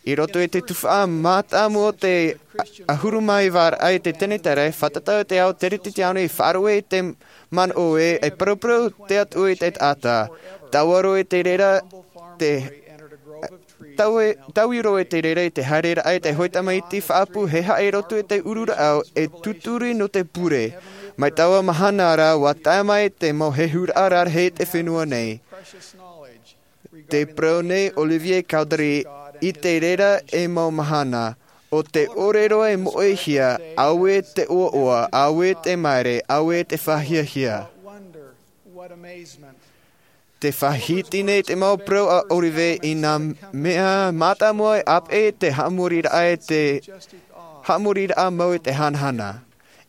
I roto i te tuhaʻa mātāmua o te ʻahuru mā iva raʻa i te tenetere, fātata te ao Teretetiano i faʻaroʻo i te manaʻo ē, e paraparau te Atua i te taʻata. Taua roa i te reira, te, taue-, taui roa i te reira i te haereraʻa i te hōʻē tamaiti faʻaʻapu hehea i roto i te uru rāʻau e tūturi nō te pure. Mai taua mahana ra, ua tae mai te mau hehuraʻa rarahi i te fenua nei. Tē parau nei Olivier Cowdery, i te reira e mau mahana, ʻO te ʻōrero e moʻehia, auē te ʻoaʻoa, auē te maere, auē te fāhiahia. Te faʻahiti nei te mau parau a ʻOlive i nā mea mātāmua e ʻāpeʻe te haʻamoriraʻa e te haʻamoriraʻa mau i te hanahana.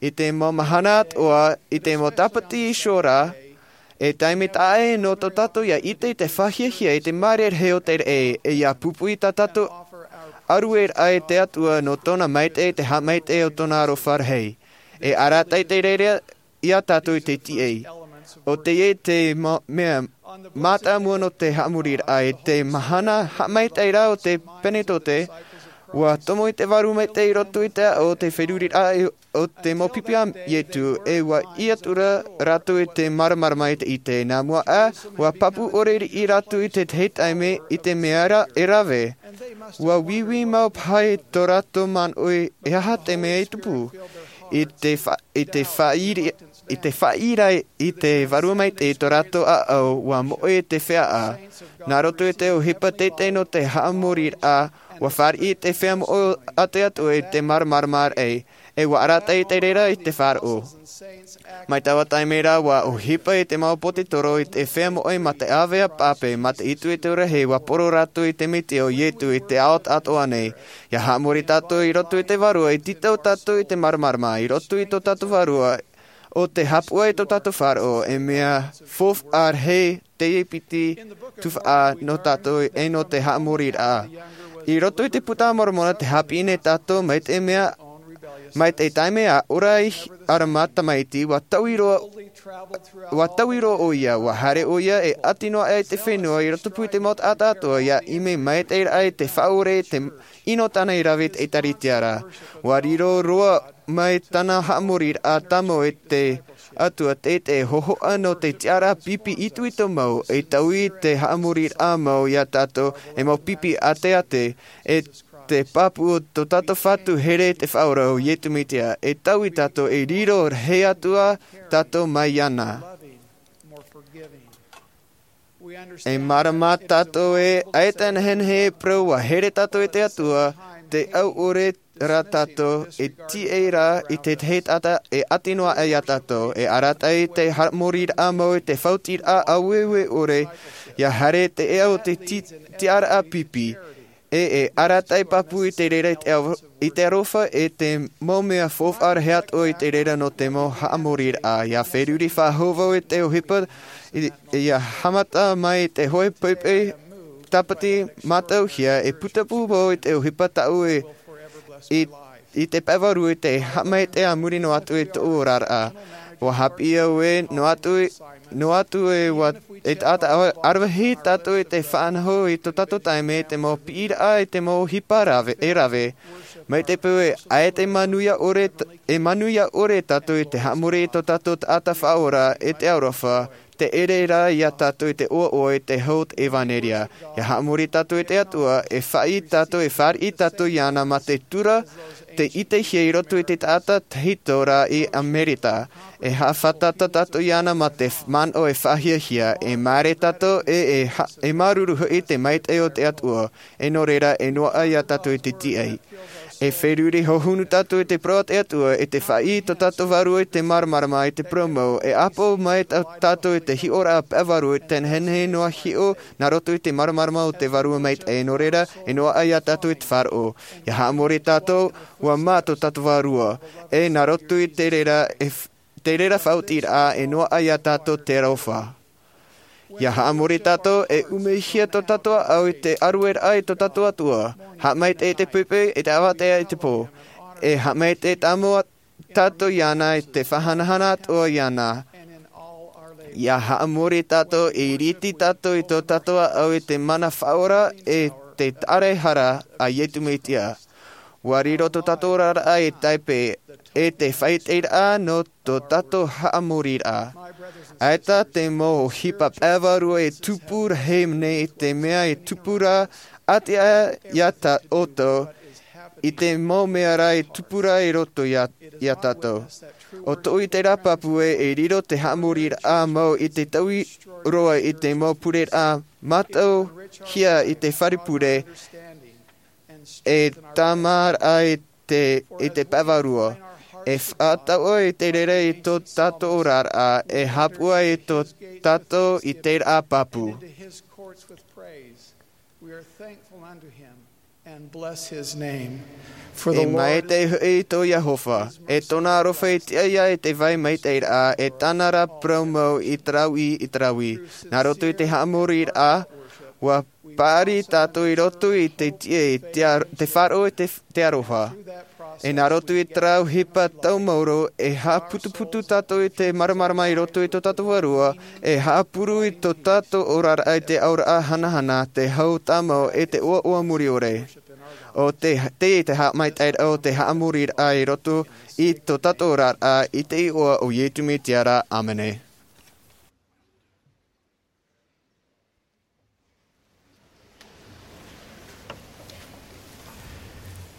I te mau mahana atoʻa, i te mau tāpati iho ra, e taime taʻa ʻē nō tō tātou ia ʻite i te fāhiahia i te maere rahi o te raʻi, e ia pupu i tā tātou ʻarueraʻa i te Atua nō tōna maitaʻi, te haʻamaitaʻi o tōna aroha rahi. E arataʻi te reira iā tātou i te tiʻa. ʻO teie te ma-, mea mātāmua nō te haʻamoriraʻa. I te mahana haʻamaitaʻi ra o te Penetetote, ʻua tomo i te Vārua Maitaʻi i roto i te aʻo o te feruriraʻa o te mau pipi a Ietu, e ʻua ʻī atu ra rātou i te māramarama i te ʻite. Nā mua aʻe, ʻua pāpū ʻore riʻi rātou i te tahi taime i te mea ra e rave. ʻUa vīvī mau paha i tō rātou manaʻo e aha te mea i tupu. I te fa-, i te faʻaʻī-, i te faʻaʻī ra i te Vārua Maitaʻi i tō rātou ʻāʻau, ʻua moʻe te feiā. Nā roto i te ʻohipa teitei nō te haʻamoriraʻa, ʻua fāriʻi te feiā moʻo a te Atua i te māramarama raʻi, e ʻua arataʻi te reira i te faʻaroʻo. Mai taua taime ra, ʻua ʻohipa i te mau potetoro i te feiā moʻe mā te ʻāvaʻe pāpaʻi, mā te ʻite i te ora rahi, ʻua poro rātou i te Mesia ʻo Ietu i te ao atoʻa nei. ʻIa haʻamori tātou i roto i te Vārua, e tītau tātou i te māramarama, i roto i tō tātou Vārua, ʻo te haʻapūai i tō tātou faʻaroʻo, e mea faufaʻa rahi teie piti tuhaʻa nō tātou e nō te haʻamoriraʻa. I roto i te Puta a Moromona, tē haʻapiʻi nei tātou mai te mea, mai te taime a ora ai ʻArama tamaiti, ʻua taui roa, ʻua taui roa ʻoia, ʻua haere ʻoia e ʻati noa aʻe i te fenua, i rotopū i te mau taʻata atoʻa, ʻia ʻimi maitaʻi raʻa i te faʻaʻore, te ʻino tāna i rave i te ʻĒkālesia ra. ʻUa riro roa mai tāna haʻamoriraʻa tāmau i te Atua, te, te hōhoʻa nō te tiʻaraʻa pipi itoito mau, e taui te haʻamoriraʻa mau iā tātou, e mau pipi ʻāteʻate, e te pāpū o tō tātou Fatu here te Faʻaora ʻo Iesu Mesia, e taui tātou e riro rahi atu ā tātou mai iāna. E mārama tātou ē, ʻaita e nehenehe e parau ʻua here tātou e te Atua, te au ʻore ra tātou, e tīaʻi ra i te tahi taʻata e ʻati noa aʻe iā tātou, e arataʻi te haʻamoriraʻa mau i te faʻaotiraʻa ʻāueue ʻore, ʻia haere te ea o te ti-, tiʻaraʻa pipi. E, e arataʻi pāpū i te reira i te aro-, i te aroha e te mau mea faufaʻa rahi atoʻa i te reira nō te mau haʻamoriraʻa. ʻIa feruri faʻahou vau i te ʻohipa, i, ʻia haʻamata mai te hōʻē poʻipoʻi tāpati mātauhia, e putapū vau i te ʻohipa tāʻu e, i, i te pae vārua i te haʻamaitaʻi a muri noa atu i tōʻu oraraʻa. ʻUa haʻapiʻi au ē, noa atu i, noa atu e ʻua, e taʻata ʻa-, ʻaravihi tātou i te faʻanaho i tō tātou taime i te mau piʻiraʻa i te mau ʻohipa rave, e rave. Mai te peu ē, ʻaita e manuia ʻore t-, e manuia ʻore tātou i te haʻamori i tō tātou taʻata Faʻaora, e te aroha, te ʻere ra iā tātou i te ʻoaʻoa i te hau o te ʻevanelia. ʻIa haʻamori tātou i te Atua, e faʻaʻī tātou, e fāriʻi tātou iāna mā te tura, te ʻitehia i roto i te taʻata tahito ra i Amerika. E haʻafātata tātou iāna mā te f-, manaʻo e faʻahiahia, e māere tātou, e, e ha-, e māuruuru hoʻi te maitaʻi o te Atua, e nō reira, e noaʻa iā tātou i te tīaʻi. E feruri hohonu tātou i te parau a te Atua, i te faʻaʻī i tō tātou vārua i te māramarama i te parau mau, e ʻāpō mai tā-, tātou i te hiʻoraʻa pae vārua i te nehenehe noa hiʻo nā roto i te māramarama o te Vārua Maitaʻi, e nō reira, e noaʻa iā tātou i te faʻaroʻo. ʻIa haʻamori tātou, ʻua mā tō tātou vārua, e nā roto i te reira, e f-, te reira faʻaotiraʻa, e noaʻa iā tātou te aroha. ʻIa haʻamori tātou, e ʻumehia tō tātou ʻāʻau i te ʻarueraʻa i tō tātou Atua. Haʻamaitaʻi i te poʻipoʻi, i te avatea i te pō. E haʻamaitaʻi tāmau tātou iāna i te faʻahanahana atoʻa iāna. ʻIa haʻamori tātou, e ʻiriti tātou i tō tātou ʻāʻau i te mana faʻaora e te tāraehara a Iesu Mesia. ʻUa riro tō tātou oraraʻa e tāipe, e te faʻaʻiteraʻa nō tō tātou haʻamoriraʻa. ʻAita te mau ʻohipa pae vārua e tupu rahi nei i te mea e tupu ra, ʻati aʻe iā tā ʻoutou, i te mau mea rā e tupu ra i roto iā, iā tātou. ʻO tōʻu ʻiteraʻa pāpū ē, e riro te haʻamoriraʻa mau i te taui roa i te mau pureraʻa mātauhia i te fare pure, e tāmāraʻa i te, i te pae vārua. E faʻatau i te reira i tō tātou oraraʻa, e hāpaʻo i tō tātou i te rā pāpū. We are thankful unto him and bless his name. For the E Lord maitaʻi hoʻi tō Iehova, e tōna aroha i tiʻa ia i te vai maitaʻiraʻa, e tāna rā parau mau i te rāveʻa i te rāveʻa. Nā roto i te haʻamoriraʻa, ʻua paʻari tātou i roto i te tiʻa i te ar-, te faʻaroʻo i te, te aroha. E nā roto i te rā ʻohipa tau maoro, e haʻaputuputu tātou i te māramarama i roto i tō tātou vārua, e haʻapūrū i tō tātou oraraʻa i te auraʻa hanahana, te hau tāmau e te ʻoaʻoa mure ʻore. ʻO te, te, te haʻamaitaʻiraʻa o te haʻamoriraʻa i roto i tō tātou oraraʻa i te iʻoa o Iesu Mesia. ʻĀmene.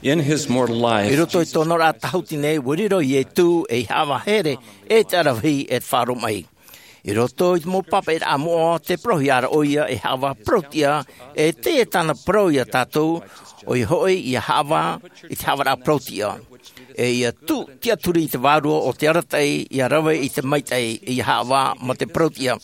In his mortal life, I roto i tōna oraraʻa tāhuti nei, ʻua riro Iesu ei haʻavā here e te aravihi e te faʻaroʻo mai. I roto i te mau pāpaʻiraʻa moʻa, tē parauhia ra ʻoia ei haʻavā parau-tiʻa, e tē tāna parau ia tātou, ʻoia hoʻi ia haʻavā i te haʻavāraʻa parau-tiʻa. E ia tuʻu tiʻaturi i te vārua o te arataʻi, ia rave i te maitaʻi, ia haʻavā ma te parau-tiʻa.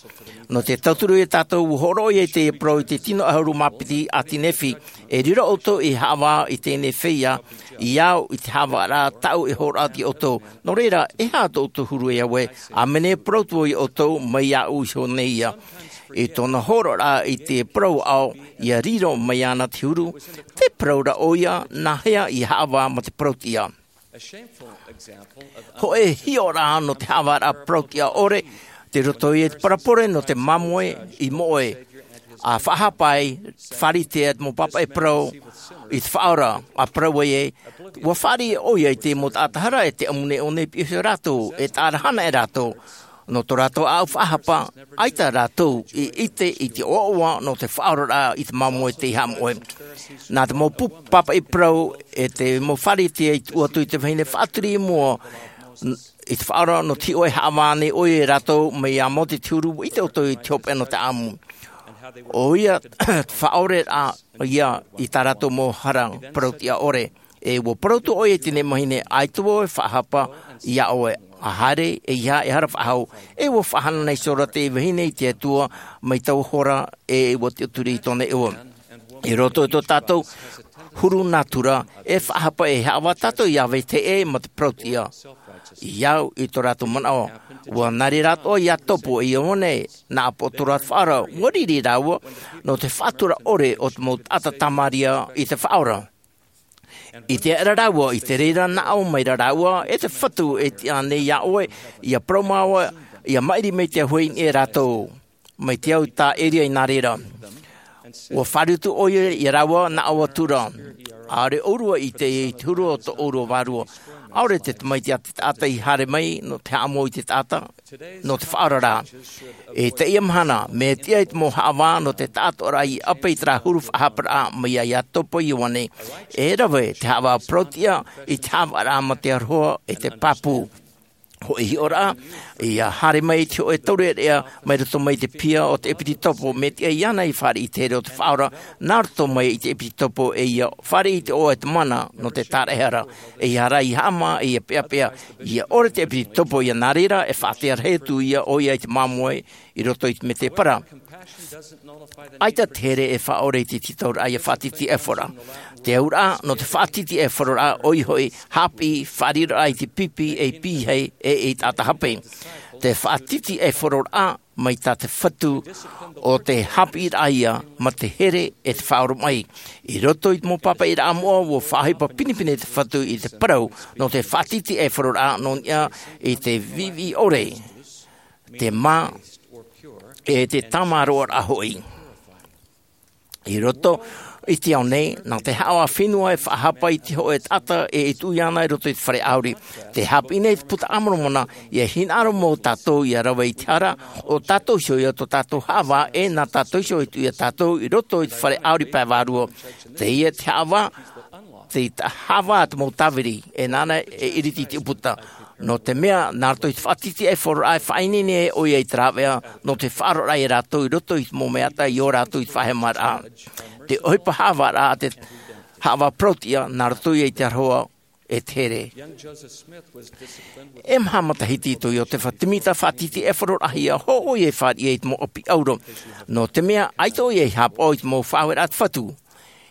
Nō te tauturu ia tātou, ʻua hōroʻa ʻoia i te parau i te tino ʻahuru mā piti ʻāti Nephi, e riro ʻoutou ei haʻavā i teie nei feiā, ia au i te haʻavāraʻa tāʻu e hōroʻa ia ʻoutou. Nō reira, e aha tō ʻoutou huru, e au ē? ʻĀmene, parau atu vau ia ʻoutou, mai iāʻu iho nei ïa. I tōna hōroʻaraʻa i te parau ʻāʻau, ia riro mai iāna te huru, tē parau ra ʻoia, nā hea ia haʻavā ma te parau-tiʻa. Hōʻē hiʻoraʻa nō te haʻavāraʻa parau-tiʻa ʻore, tei roto ia i te parabole nō te māmoe i moʻe. ʻA faʻahapa ai, fāriʻi atu te mau pāpaʻi parau i te Faʻaora, ʻa parau ai ē, ʻua fāriʻi ʻoia i te mau taʻata hara e te ʻāmui nei ʻō nei e piʻi iho ia rātou, e tāʻara hanaʻe rātou. Nō tō rātou ʻāʻau faʻahapa, ʻaita rātou i ʻite i te ʻoaʻoa nō te faʻaoraraʻa i te māmoe tei haʻamoʻe. Nā te mau pu-, pāpaʻi parau e te mau fāriʻi i tuʻu atu i te vahine faʻaturi i mua, n-, i te Faʻaora nō te hiʻo e haʻavā nei ʻoia ia rātou mai iā Mōte te huru, ʻite ʻoutou i te hopeʻa nō te ʻāʻamu. ʻOia, te faʻaoraraʻa ïa i tā rātou mau hara parau-tiʻa ʻore. E ʻua parau atu ʻoia i teie mahine, ʻaita vau e faʻahapa iā ʻoe, ʻa haere, ʻeiaha e hara faʻahou. E ʻua faʻahana iho ra te vahine i te Atua mai taua hora, e ʻua tiʻaturi i tōna iʻoa. I roto i tō tātou huru nātura, e faʻahapa e haʻavā tātou ia vetahi ʻē ma te parau-tiʻa. I au i tō rātou manaʻo, ʻua nā reira atoʻa Iakobo e Ioane, nā ʻāpōsetolo te Faʻaora, ʻua riri rāua, nō te faʻatura ʻore o te mau taʻata Samaria i te Faʻaora. I te aʻera rāua, i te reira nā ʻō mai ra rāua, e te Fatu e tiʻa nei iā ʻoe, ia parau māua, ia maʻiri mai te auahi i niʻa ia rātou. Mai te au tā Eria i nā reira. ʻUa fāriʻi atu ʻoia ia rāua nā ʻō atu ra. ʻAore ʻōrua i ʻite i te huru o tō ʻōrua vārua. ʻAore te tamaiti a te taʻata i haere mai, nō te haʻamou i te taʻata, nō te Faʻaora rā. I teie mahana, mea tiʻa i te mau haʻavā nō te taʻatoʻaraʻa i ʻape i terā huru faʻahaparaʻa mai iā Iakobo Ioane. E rave te haʻavā parau-tiʻa i te haʻavāraʻa ma te aroha e te pāpū. Hōʻē hiʻoraʻa, ia haere mai te hōʻē taureʻareʻa mai roto mai te piha o te ʻepisekopo, mea tiʻa iāna i fāriʻi i te here o te Faʻaora, nā roto mai i te ʻepisekopo e ia fāriʻi i te ʻoaʻoa e te mana nō te tāraʻehara, ʻeiaha rā ia haʻamā, e ia peʻapeʻa, ia ʻore te ʻepisekopo ia nā reira, e faʻatea rahi atu ïa ʻoia i te māmoe i roto i te mētēpara. ʻAita te here e faʻaʻore i te tītauraʻa ia faʻatītīʻaifo ra. Te auraʻa, nō te faʻatītīʻaiforaʻa, ʻoia hoʻi, haʻapiʻi, fāriʻiraʻa i te pipi, ei pīhaʻi, e ei taʻata hape. Te faʻatītīʻaiforaʻa, mai tā te Fatu ʻo te haʻapiʻiraʻa ïa ma te here e te faʻaoromaʻi. I roto i te mau pāpaʻiraʻa moʻa, ʻua faʻaʻohipa pinepine te Fatu i te parau, nō te faʻatītīʻaiforaʻa nō niʻa i te viʻiviʻi ʻore, te mā, e te tāmāroʻaraʻa hoʻi. I roto i te ao nei, nā te haʻavā fenua e faʻahapa i te hōʻē taʻata e tuʻu iāna i roto i te fare ʻāuri. Tē haʻapiʻi nei te Buka a Moromona, ʻia hinaʻaro mau tātou ʻia rave i te hara, ʻo tātou iho ïa tō tātou haʻavā, e nā tātou iho e tuʻu ia tātou i roto i te fare ʻāuri pae vārua. Teie te haʻavā, te ta-, haʻavā te mau tāviri, e nāna e ʻiriti i te ʻūputa. Nō te mea, nā roto i te faʻatītīʻaiforaʻa e faʻaineine ai ʻoia i te rāveʻa, nō te faʻaroʻoraʻa ia rātou i roto i te mau mea ʻata i ō rātou i te faʻahemaraʻa. Te ʻohipa haʻavāraʻa a te haʻavā parauʻtiʻa nā roto ia i te aroha e te here. E maha matahiti tō Iotefa Timita faʻatitiʻaifaro rahi ia hoʻo ia e fāriʻi i te mau ʻapi ʻauro. Nō te mea ʻaita ʻo ia i haʻapaʻo i te mau faʻaueraʻa a te Fatu.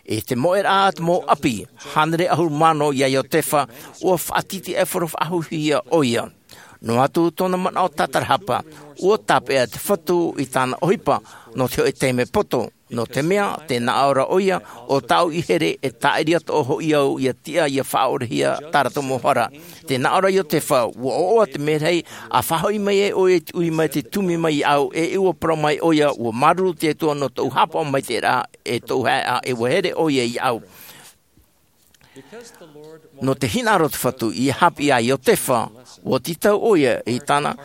I te moʻeraʻa a te mau ʻapi hānere ʻahuru mano ia Iotefa, ua faʻatitiʻaifaro faʻahouhia ʻo ia. Noa atu tōna manaʻo tatarahapa, ua tāpeʻa te Fatu i tāna ʻohipa nō te hoʻe taime poto. Nō te mea tē nā ʻō ra ʻo ia, ʻo tāʻu i here e tāʻiri atoʻa hoʻi au ia tiʻa ia faʻaʻorehia tā rātou mau hara. Tē nā ʻō ra Iotefa, ua ʻoaʻoa te merahi a faʻahoʻi mai ai ʻo ia i te ʻui mai te tumi mai iāʻu, e ua parau mai ʻo ia, ua māuruuru te Atua nō tōʻu haʻapaʻo maitaʻi ra, e tōʻu haeʻa, e ua here ʻo ia iāʻu. Nō te hinaʻaro o te Fatu ia haʻapiʻi ia Iotefa, ua tītau ʻo ia i tāna,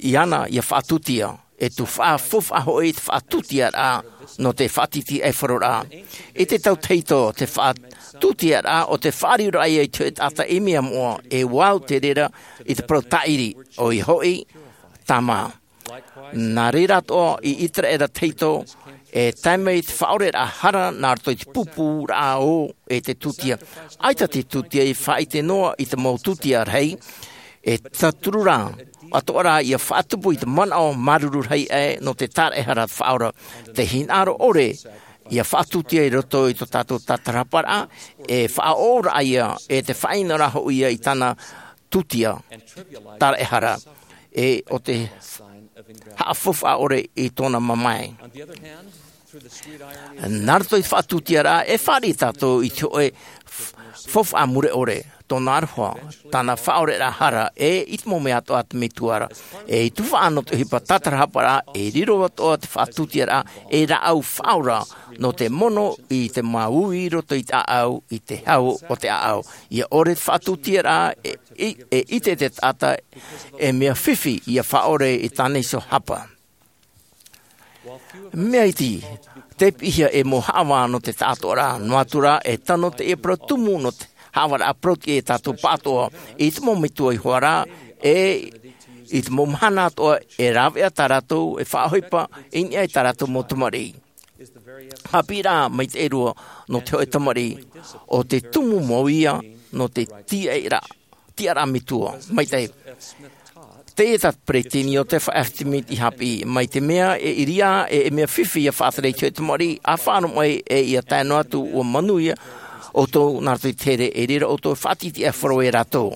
iāna ia faʻatūtia. E tū faʻa-, faufaʻa hoʻi te faʻatūtiaraʻa nō te faʻatitiʻaifaroraʻa. I te tau tahito, te faʻatūtiaraʻa ʻo te faʻariʻiraʻa ia i te hoʻe taʻata i mea moʻa, e ua au te reira i te parau tāʻiri, ʻoia hoʻi, tāmā. Nā reira atoʻa i Iteraera tahito, e tae mai te faʻaoreraʻa hara nā roto i te pūpūraʻa ō e te tūtia. ʻAita te tūtia i faʻaʻite noa i te mau tūtia rahi, e taturu rā, atoʻa rā ia faʻatupu i te manaʻo māuruuru rahi aʻe nō te tāraʻehara te faʻaora. Te hinaʻaro ʻore, ia faʻatūtia i roto i tō tātou tatarahaparaʻa, e faʻaʻoraʻa ia, e te faʻaʻino rā hoʻi ia i tāna tūtia, tāraʻehara, e ʻo te haʻafaufaʻa ʻore i tōna mamae. Nā roto i te faʻatūtiaraʻa, e fāriʻi tātou i te hoʻe f-, faufaʻa mure ʻore, tōna aroha, tāna faʻaoreraʻa hara, e i te mau mea atoʻa a te Metua ra. E i tufaʻa nō te ʻohipa tatarahaparaʻa, e riro atoʻa te faʻatūtiaraʻa, e rāʻau faʻaora, nō te mono i te māuiui i roto i te ʻāʻau, i te hau o te ʻāʻau. Ia ʻore te faʻatūtiaraʻa, e, e, e ʻite te taʻata, e mea fifi ia faʻaʻore i tāna iho hapa. Mea iti, tei piʻihia e mau haʻavā nō te taʻatoʻaraʻa, noa atu rā, e tano teie parau tumu nō te haʻavāraʻa parauʻtiʻa ia tātou pāʻatoʻa, i te mau metua iho ā rā, e i te mau mahana atoʻa, e rāveʻa tā rātou, e faʻaʻohipa i niʻa i tā rātou mau tamariʻi. Haʻapiʻiraʻa maitaʻi roa nō te hoʻe tamariʻi, ʻo te tumu mau ia nō te tiʻaraʻa, tiʻaraʻa metua, maitaʻi. Teie tā te peresideni Iotefa F. Smith i haʻapiʻi, mai te mea e ʻiriā, e, e mea fifi ia faʻatere i te hoʻe tamariʻi, ʻa faʻaroʻo mai, e ia tae noa atu ʻua manuia ʻoutou nā roto i te here, e reira ʻoutou e faʻatitiʻaifaro ia rātou.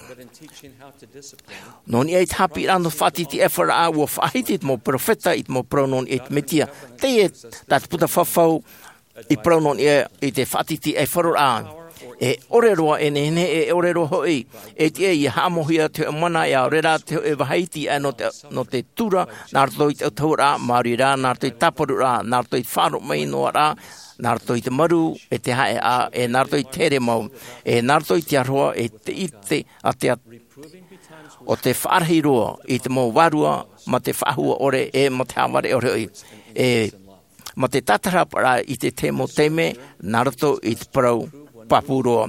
Nō niʻa i te haʻapiʻiraʻa nō te faʻatitiʻaifaroraʻa, ʻua faʻahiti te mau perofeta i te mau parau nō niʻa i te Mesia. Teie tā te puta fafau i parau nō niʻa i te faʻatitiʻaifaroraʻa. E ʻore roa e nehenehe, e ʻore roa hoʻi e tiʻa ia haʻamauhia te hoʻe mana, e ʻaore rā te hoʻe vāhi iti aʻe nō te, nō te tura, nā roto i te autahuʻaraʻa, maori rā, nā roto i te tāparuʻaraʻa, nā roto i te faʻaroʻo mai noa ra, nā roto i te marū, e te haʻehaʻa, e nā roto i te here mau, e nā roto i te aroha, e te ʻite a te At-, ʻo te faʻarahi roa i te mau vārua, mā te faʻahua ʻore, e mā te haʻavare ʻore hoʻi, e mā te tatarahaparaʻa i te tahi mau taime, nā roto i te parau pāpū roa.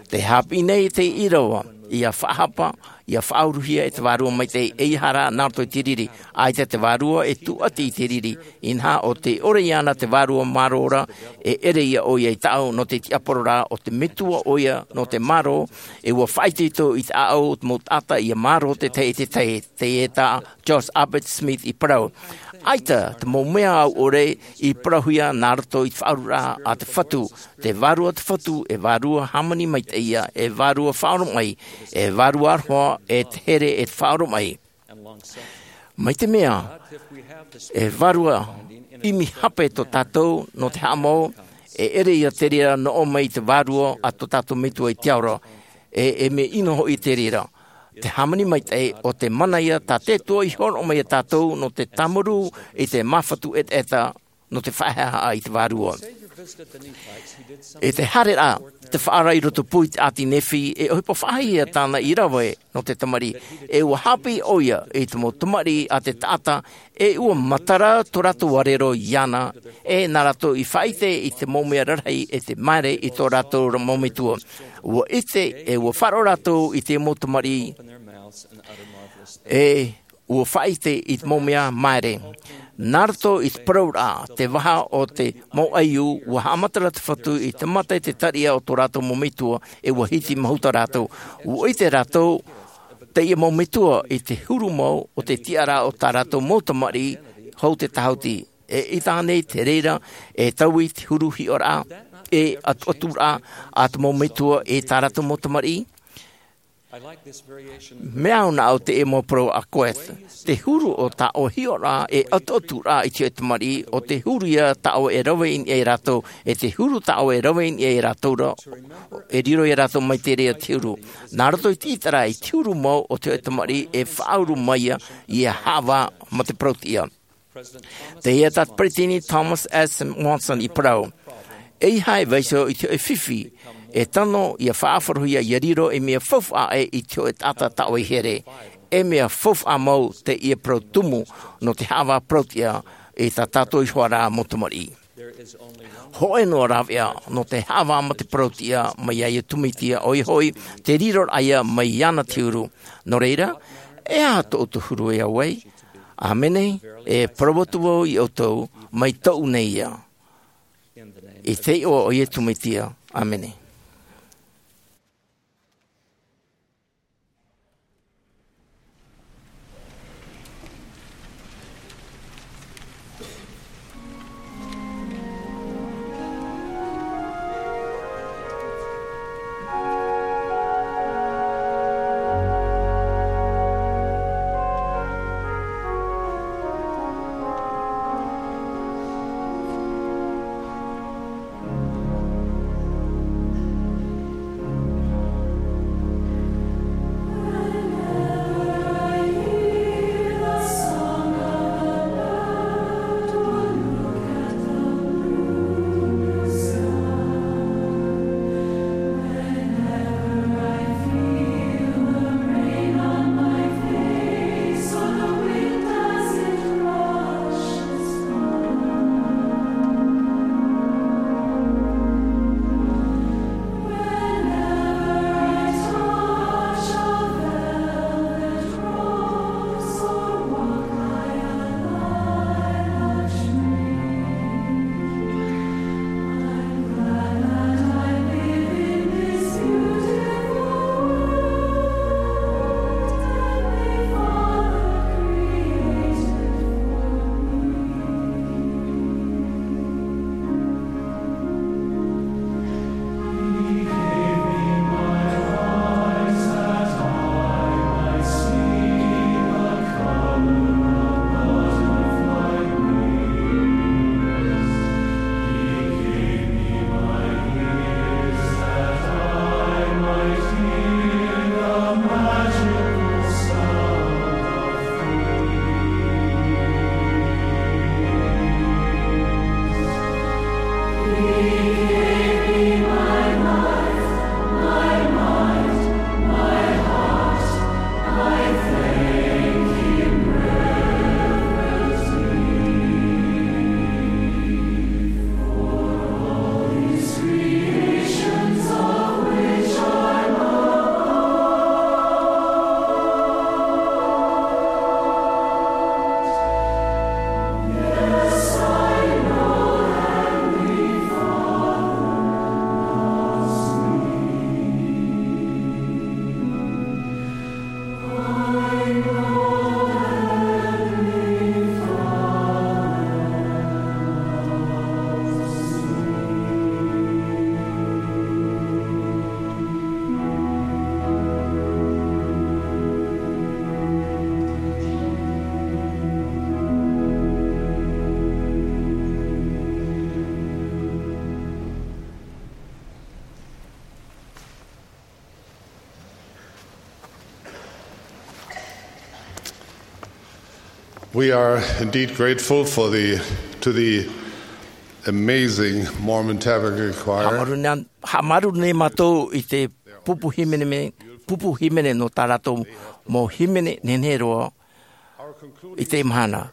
Tē haʻapiʻi nei te ʻīrava, ia faʻahapa, ia faʻauruhia e te Vārua Maitaʻi, ʻeiaha rā nā roto i te riri. ʻAita te vārua e tūʻati i te riri, inaha ʻo tē ʻore iāna te Vārua Mārō ra, e ʻere ia ʻoia i tāʻu nō te tiʻapararaʻa o te Metua ʻoia nō te mārō, e ʻua faʻaitoito i te ʻāʻau o te mau taʻata ia mārō te tahi e te tahi, teie tā George Albert Smith i parau. ʻAita te mau mea au ʻore i parauhia nā roto i te faʻaururaʻa a te Fatu, te Vārua a te Fatu, e Vārua hāmani maitaʻi ia, e Vārua faʻaoromaʻi, e Vārua aroha, e te here e te faʻaoromaʻi. Mai te mea, e Vārua ʻimi hape tō tātou nō te haʻamau, e ʻere ia te reira noʻo mai i te Vārua a tō tātou Metua i te ao ra, e, e mea ʻino hoʻi te reira. Te hāmani maitaʻi ʻo te mana ia tā te Atua i hōroʻa mai ia tātou nō te tāmarū i te māfatu ʻetaʻeta nō te faʻahaʻahaʻa i te Vārua. I te haereraʻa, te faʻaara i roto pū i te ʻāti Nephi, e ʻohipa faʻahiahia tāna i rave nō te tamariʻi, e ʻua haʻapiʻi ʻoia i te mau tamariʻi a te taʻata, e ʻua matara tō rātou arero iāna, e nā rātou i faʻaʻite i te mau mea rarahi e te māere i tō rātou ra mau metua. ʻUa ʻite, e ʻua faʻaroʻo rātou i te mau tamariʻi, e ʻUa faʻaʻite i te mau mea māere. Nā roto i te parauraʻa, te vaha o te mau ʻaiū, ʻua haʻamata ra te Fatu i te mata i te tariʻa o tō rātou mau metua, ʻe ʻua hiti mahuta rātou. ʻUa ʻite rātou, teie mau metua, i te huru mau o te tiʻaraʻa o tā rātou mau tamariʻi, hou te tahuti. E ʻita nei te reira, e taui te huru hiʻoraʻa, e ʻatuʻaturaʻa, a te mau metua, e tā rātou mau tamariʻi. Mea au nā ʻu teie mau parau a Koeth. Te huru o tā ʻoe hiʻoraʻa e ʻatuʻaturaʻa i te tamariʻi, ʻo te huru ia tā ʻoe e rave i niʻa ia rātou, e te huru tā ʻoe e rave i niʻa ia rātou ra, e riro ia rātou mai te reira te huru. Nā roto i te ʻitaraʻa i te huru mau o te tamariʻi e faʻauru mai ia, ia haʻavā ma te parau-tiʻa. Teie tā te Peretiteni Thomas S. Monson i parau. ʻEiaha e vaiiho i te hōʻē fifi, e tano ia faʻaʻarohia ia riro ei mea faufaʻa ʻē i te hōʻē taʻata tā ʻoe i here. Ei mea faufaʻa mau teie parau tumu nō te haʻavā parau-tiʻa i tā tātou iho ā rā mau tamariʻi. Hōʻē noa rāveʻa nō te haʻavā ma te parau-tiʻa mai iā Iesu Mesia, ʻoia hoʻi, te riroraʻa ia mai iāna te huru. Nō reira, e aha tō ʻoutou huru e au ai? ʻĀmene, e parau atu vau iā ʻoutou, mai tōʻu nei ia. I te iʻoa o Iesu Mesia, ʻāmene. We are indeed grateful for the, to the amazing Mormon Tabernacle Choir. Haʻamāuruuru nei, haʻamāuruuru nei mātou i te pupu hīmene, pupu hīmene nō tā rātou mau hīmene nehenehe roa i teie mahana.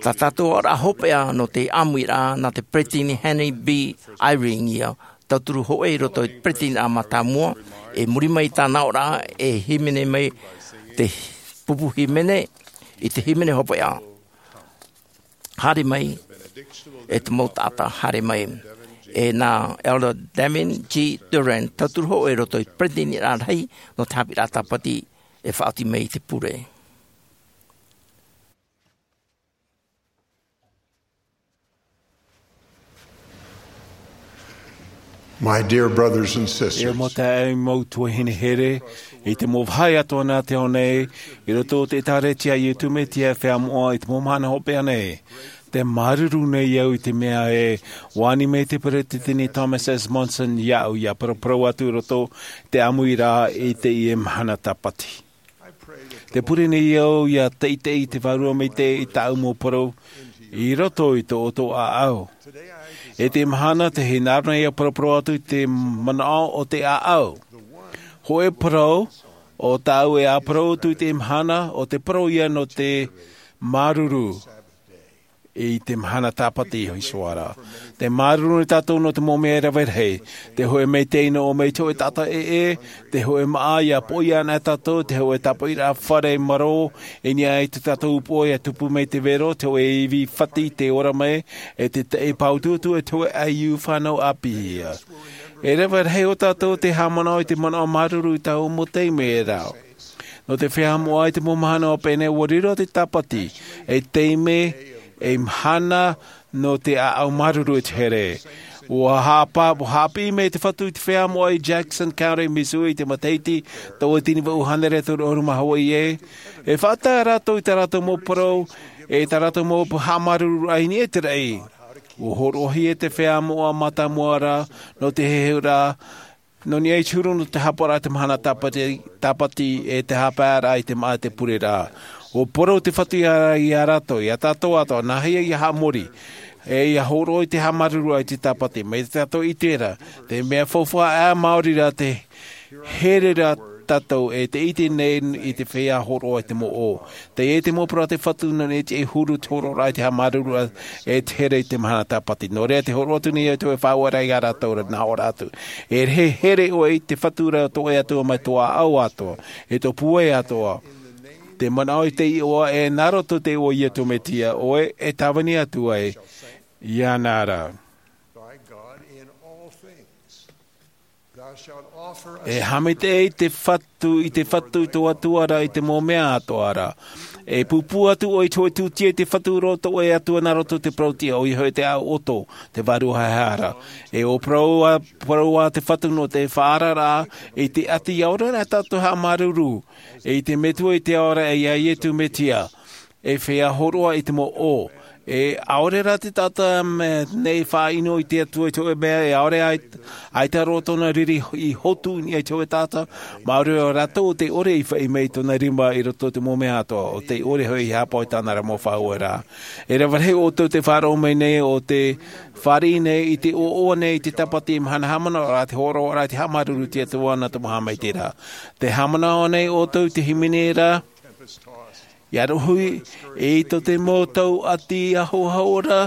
Tā tātou oraraʻa hopeʻa nō te ʻāmuiraʻa nā te Peretiteni Henry B. Eyring ia, tauturu hōʻē i roto i te Peretiteniraʻa mātāmua, i muri mai i tāna oraraʻa e hīmene mai te pupu hīmene, i te hīmene hopeʻa. Haere mai, e te mau taʻata, haere mai. E nā Elder Damien G. Durrant, tauturu hōʻē i roto i te peretiteniraʻa rahi nō te haʻapiʻiraʻa Tāpati, e faʻaoti mai i te pure. My dear brothers and sisters, E mau taeaʻe, mau tuahine here, i te mau vāhi atoʻa nā te ao nei, i roto o te ʻĒtārētia a Iesu Mesia e feiā moʻa i te mau mahana hopeʻa nei. Tē māuruuru nei au i te mea e ani mai te Peretiteni Thomas S. Monson iāʻu ʻia paraparau atu i roto i te ʻāmuiraʻa i teie mahana Tāpati. Tē pure nei au ʻia teitei te Vārua Maitaʻi i tāʻu mau parau i roto i tō ʻoutou ʻāʻau. I teie mahana, tē hinaʻaro nei ʻia paraparau atu i te manaʻo o te ʻāʻau. Hōʻē parau, ʻo tāʻu e ʻāparau atu i teie mahana, ʻo te parau ia nō te māuruuru i te mahana Tāpati iho ra. Tē māuruuru nei tātou nō te mau mea e rave rahi. Tē hōʻē maitaʻi noa mai te hōʻē taʻata ʻē, tē hōʻē māʻa ʻia poʻia ana tātou, tē hōʻē tāpaʻiraʻa fare marō, i niʻa i tō tātou upoʻo ʻia tupu mai te vero, tē hōʻē ivi fati tē ora mai, e te taʻi pāutuutu, e te hōʻē ʻaiū fānau ʻāpī. E rave rahi o tātou tē haʻamanaʻo i te manaʻo māuruuru i taua mau taime ra. Nō te feiā moʻa i te mau mahana hopeʻa nei, ʻua riro te Tāpati ei taime, ei mahana nō te ʻāʻau māuruuru i te here. ʻUa haʻapa-, ʻua haʻapiʻi mai te Fatu i te feiā moʻa i Jackson County, Missouri, i te matahiti tautini vaʻu hānere toru ʻahuru mā hōʻē. E faʻatae rātou i tā rātou mau parau, e tā rātou mau haʻamāuruururaʻa i niʻa i te raʻi. ʻUa hōroʻahia te feiā moʻa mātāmua ra, nō te heheuraʻa, nō niʻa i te huru nō te haʻapaʻoraʻa i te mahana Tāpati, Tāpati e te haʻapaeraʻa i te māʻa e te pureraʻa. ʻUa parau te Fatu ia, ia rātou, ia tātou atoʻa, nāhea ʻia haʻamori, e ʻia hōroʻa i te haʻamāuruururaʻa i te Tāpati, mai tā tātou i terā, te mea faufaʻa ʻā maori rā te here ra tātou e te ʻite nei i te feiā hōroʻa i te mau ʻō. Teie te mau parau a te Fatu nō niʻa i te huru te hōroʻaraʻa i te haʻamāuruururaʻa e te here i te mahana Tāpati. Nō reira tē hōroʻa atu nei au i te faʻaueraʻa ia rātou ra, nā ʻō ra atu. E here ʻoe i te Fatu ra tō ʻoe Atua mai tō ʻāʻau atoʻa, e tō pūai atoʻa. Te manaʻo i te iʻoa e nā roto i te iʻoa o Iesu Mesia, ʻoe e tāvini atu ai iāna ra. E haʻamaitaʻi i te Fatu, i te Fatu i tō Atua ra i te mau mea atoʻa ra. E pūpū atu ʻoe i te hōʻē tūtia i te Fatu i roto i tō ʻoe Atua nā roto i te parau-tiʻa, ʻoia hoʻi te ʻāʻau ʻoto, te vārua haehae ra. E ʻua parau ā, parau ā te Fatu nō te faʻaararaʻa i te ʻati ʻaore rā tātou e haʻamāuruuru i te Metua i te ao ra, e ia Iesu Mesia. E feiā hōroʻa i te mau ʻō. E ʻaore rā te taʻata mea nei faʻaʻino i te Atua i te hōʻē mea, e ʻaore ai, ʻaita roa tōna riri i hotu i niʻa i te hōʻē taʻata, māuruuru rātou ʻo tē ʻore i faʻi mai i tōna rima i roto i te mau mea atoʻa, ʻo tē ʻore hoʻi i haʻapaʻo i tāna ra mau faʻaueraʻa. E rave rahi ʻoutou tē faʻaroʻo mai nei, ʻo tē fāriʻi nei i te ʻoaʻoa nei i te Tāpati, mahana haʻamanaʻo ra, te hōroʻaraʻa, te haʻamāuruuru i te Atua nā te mau haʻamaitaʻiraʻa. Tē haʻamanaʻo nei ʻoutou i te hīmene ra, ʻia rohi i tō te mau tau ʻati ahoaho ra,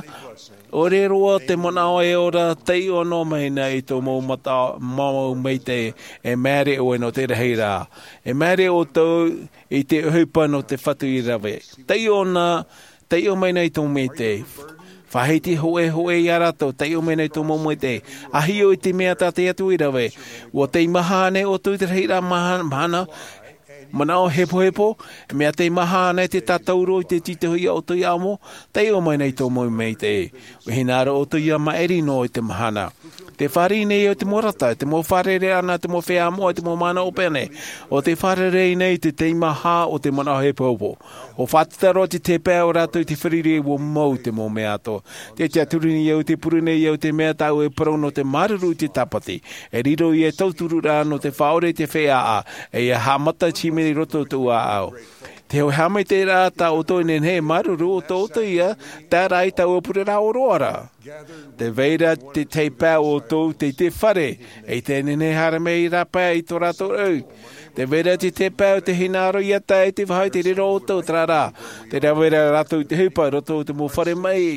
ʻore roa te manaʻo e ora, taiʻo noa mai na i tō mau mata-, mau maitaʻi, e māere ʻoe nō te rahi ra. E māere ʻoutou i te ʻohipa nō te Fatu i rave. Taiʻo na, taiʻo mai na i tō maitaʻi. Faʻahiti hōʻē hōʻē ia rātou, taiʻo mai na i tō mau maitaʻi. ʻA hiʻo i te mea tā te Atua i rave. ʻUa teimaha ānei ʻoutou i te rahiraʻa maha-, mahana, manaʻo hepohepo, mea teimaha ānei te tātauro i te tītauhia ʻoutou ia amo, taiʻo mai na i tō mau maitaʻi. ʻUa hinaʻaro ʻoutou ʻia maʻiri noa i te mahana. Tē fāriʻi nei au i te mau rata, i te mau fārereiraʻa nā te mau feiā moʻa, i te mau mahana hopeʻa nei. ʻO tē fārerei nei i te teimaha o te manaʻo hepohepo. ʻUa faʻatītau roa te tahi pae o rātou i te fārereiraʻa ʻua mau i te mau mea atoʻa. Tē tiʻaturi nei au, tē pure nei au i te mea tāʻu e parau nō te māuruuru i te Tāpati. E riro ia ei tauturu ra nō te faʻaʻore i te feiā, e ʻia haʻamata i te hīmene i roto i tōʻu ʻāʻau. Te hōʻē haʻamaitaʻiraʻa tā ʻoutou e nehenehe e māuruuru, ʻo tō ʻoutou ia, terā ia tāʻu pureraʻa ʻōroʻa ra. Tē vai ra te tahi pae o ʻoutou i te fare, e tē nehenehe e haere mai i rāpae i tō rātou rau. Tē vai ra te tahi pae ʻo tē hinaʻaro ʻia tae i te vāhi tei reira ʻoutou, terā rā. Tē rave ra rātou i te ʻohipa i roto i te mau fare maʻi.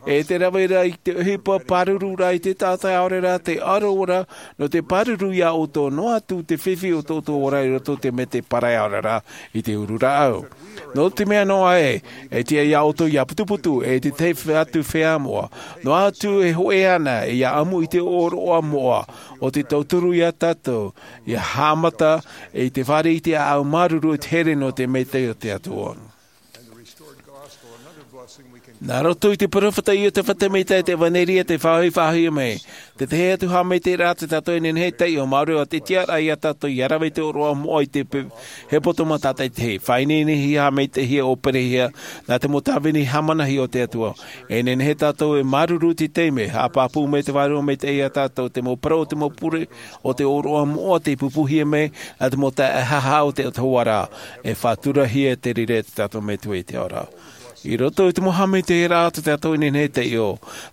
E tē rave ra i te ʻohipa pāruru ra i te taʻata, ʻaore rā te aro ra, nō te pāruru ia ʻoutou noa atu te fifi o tō ʻoutou ora i roto i te mea tē pārahi ʻaore rā i te uru rāʻau. Nō te mea noa ē, e tiʻa iā ʻoutou ia putuputu e te tahi atu feiā moʻa, noa atu e hoʻi ana ia ʻamu i te ʻōroʻa moʻa o te tauturu iā tātou ia haʻamata i te fāriʻi i te ʻāʻau māuruuru i te here nō te maitaʻi o te Atua. Nā roto i te peropheta Iosepha Semita e te ʻevanelia te faʻahoʻi faʻahoʻi mai, te tahi atu haʻamaitaʻiraʻa tā tātou e nehenehe e taiʻo, māuruuru te tiʻaraʻa iā tātou ia rave i te ʻōroʻa moʻa i te pe-, hepetoma tātaʻitahi. Faʻaineine haʻamaitaʻihia ʻōperehia nā te mau tāvini haʻamanahi o te Atua. E nehenehe tātou e māuruuru i te taime, haʻapāpū mai te Vārua Maitaʻi iā tātou, te mau parau, te mau pure o te ʻōroʻa moʻa tei pupuhia mai nā te mau taeaʻe haʻahaʻa o te Atua ra, e faʻaturahia te reira e tā tātou Metua i te ao ra. I roto i te mau haʻamaitaʻiraʻa tā tātou e nehenehe e taiʻo,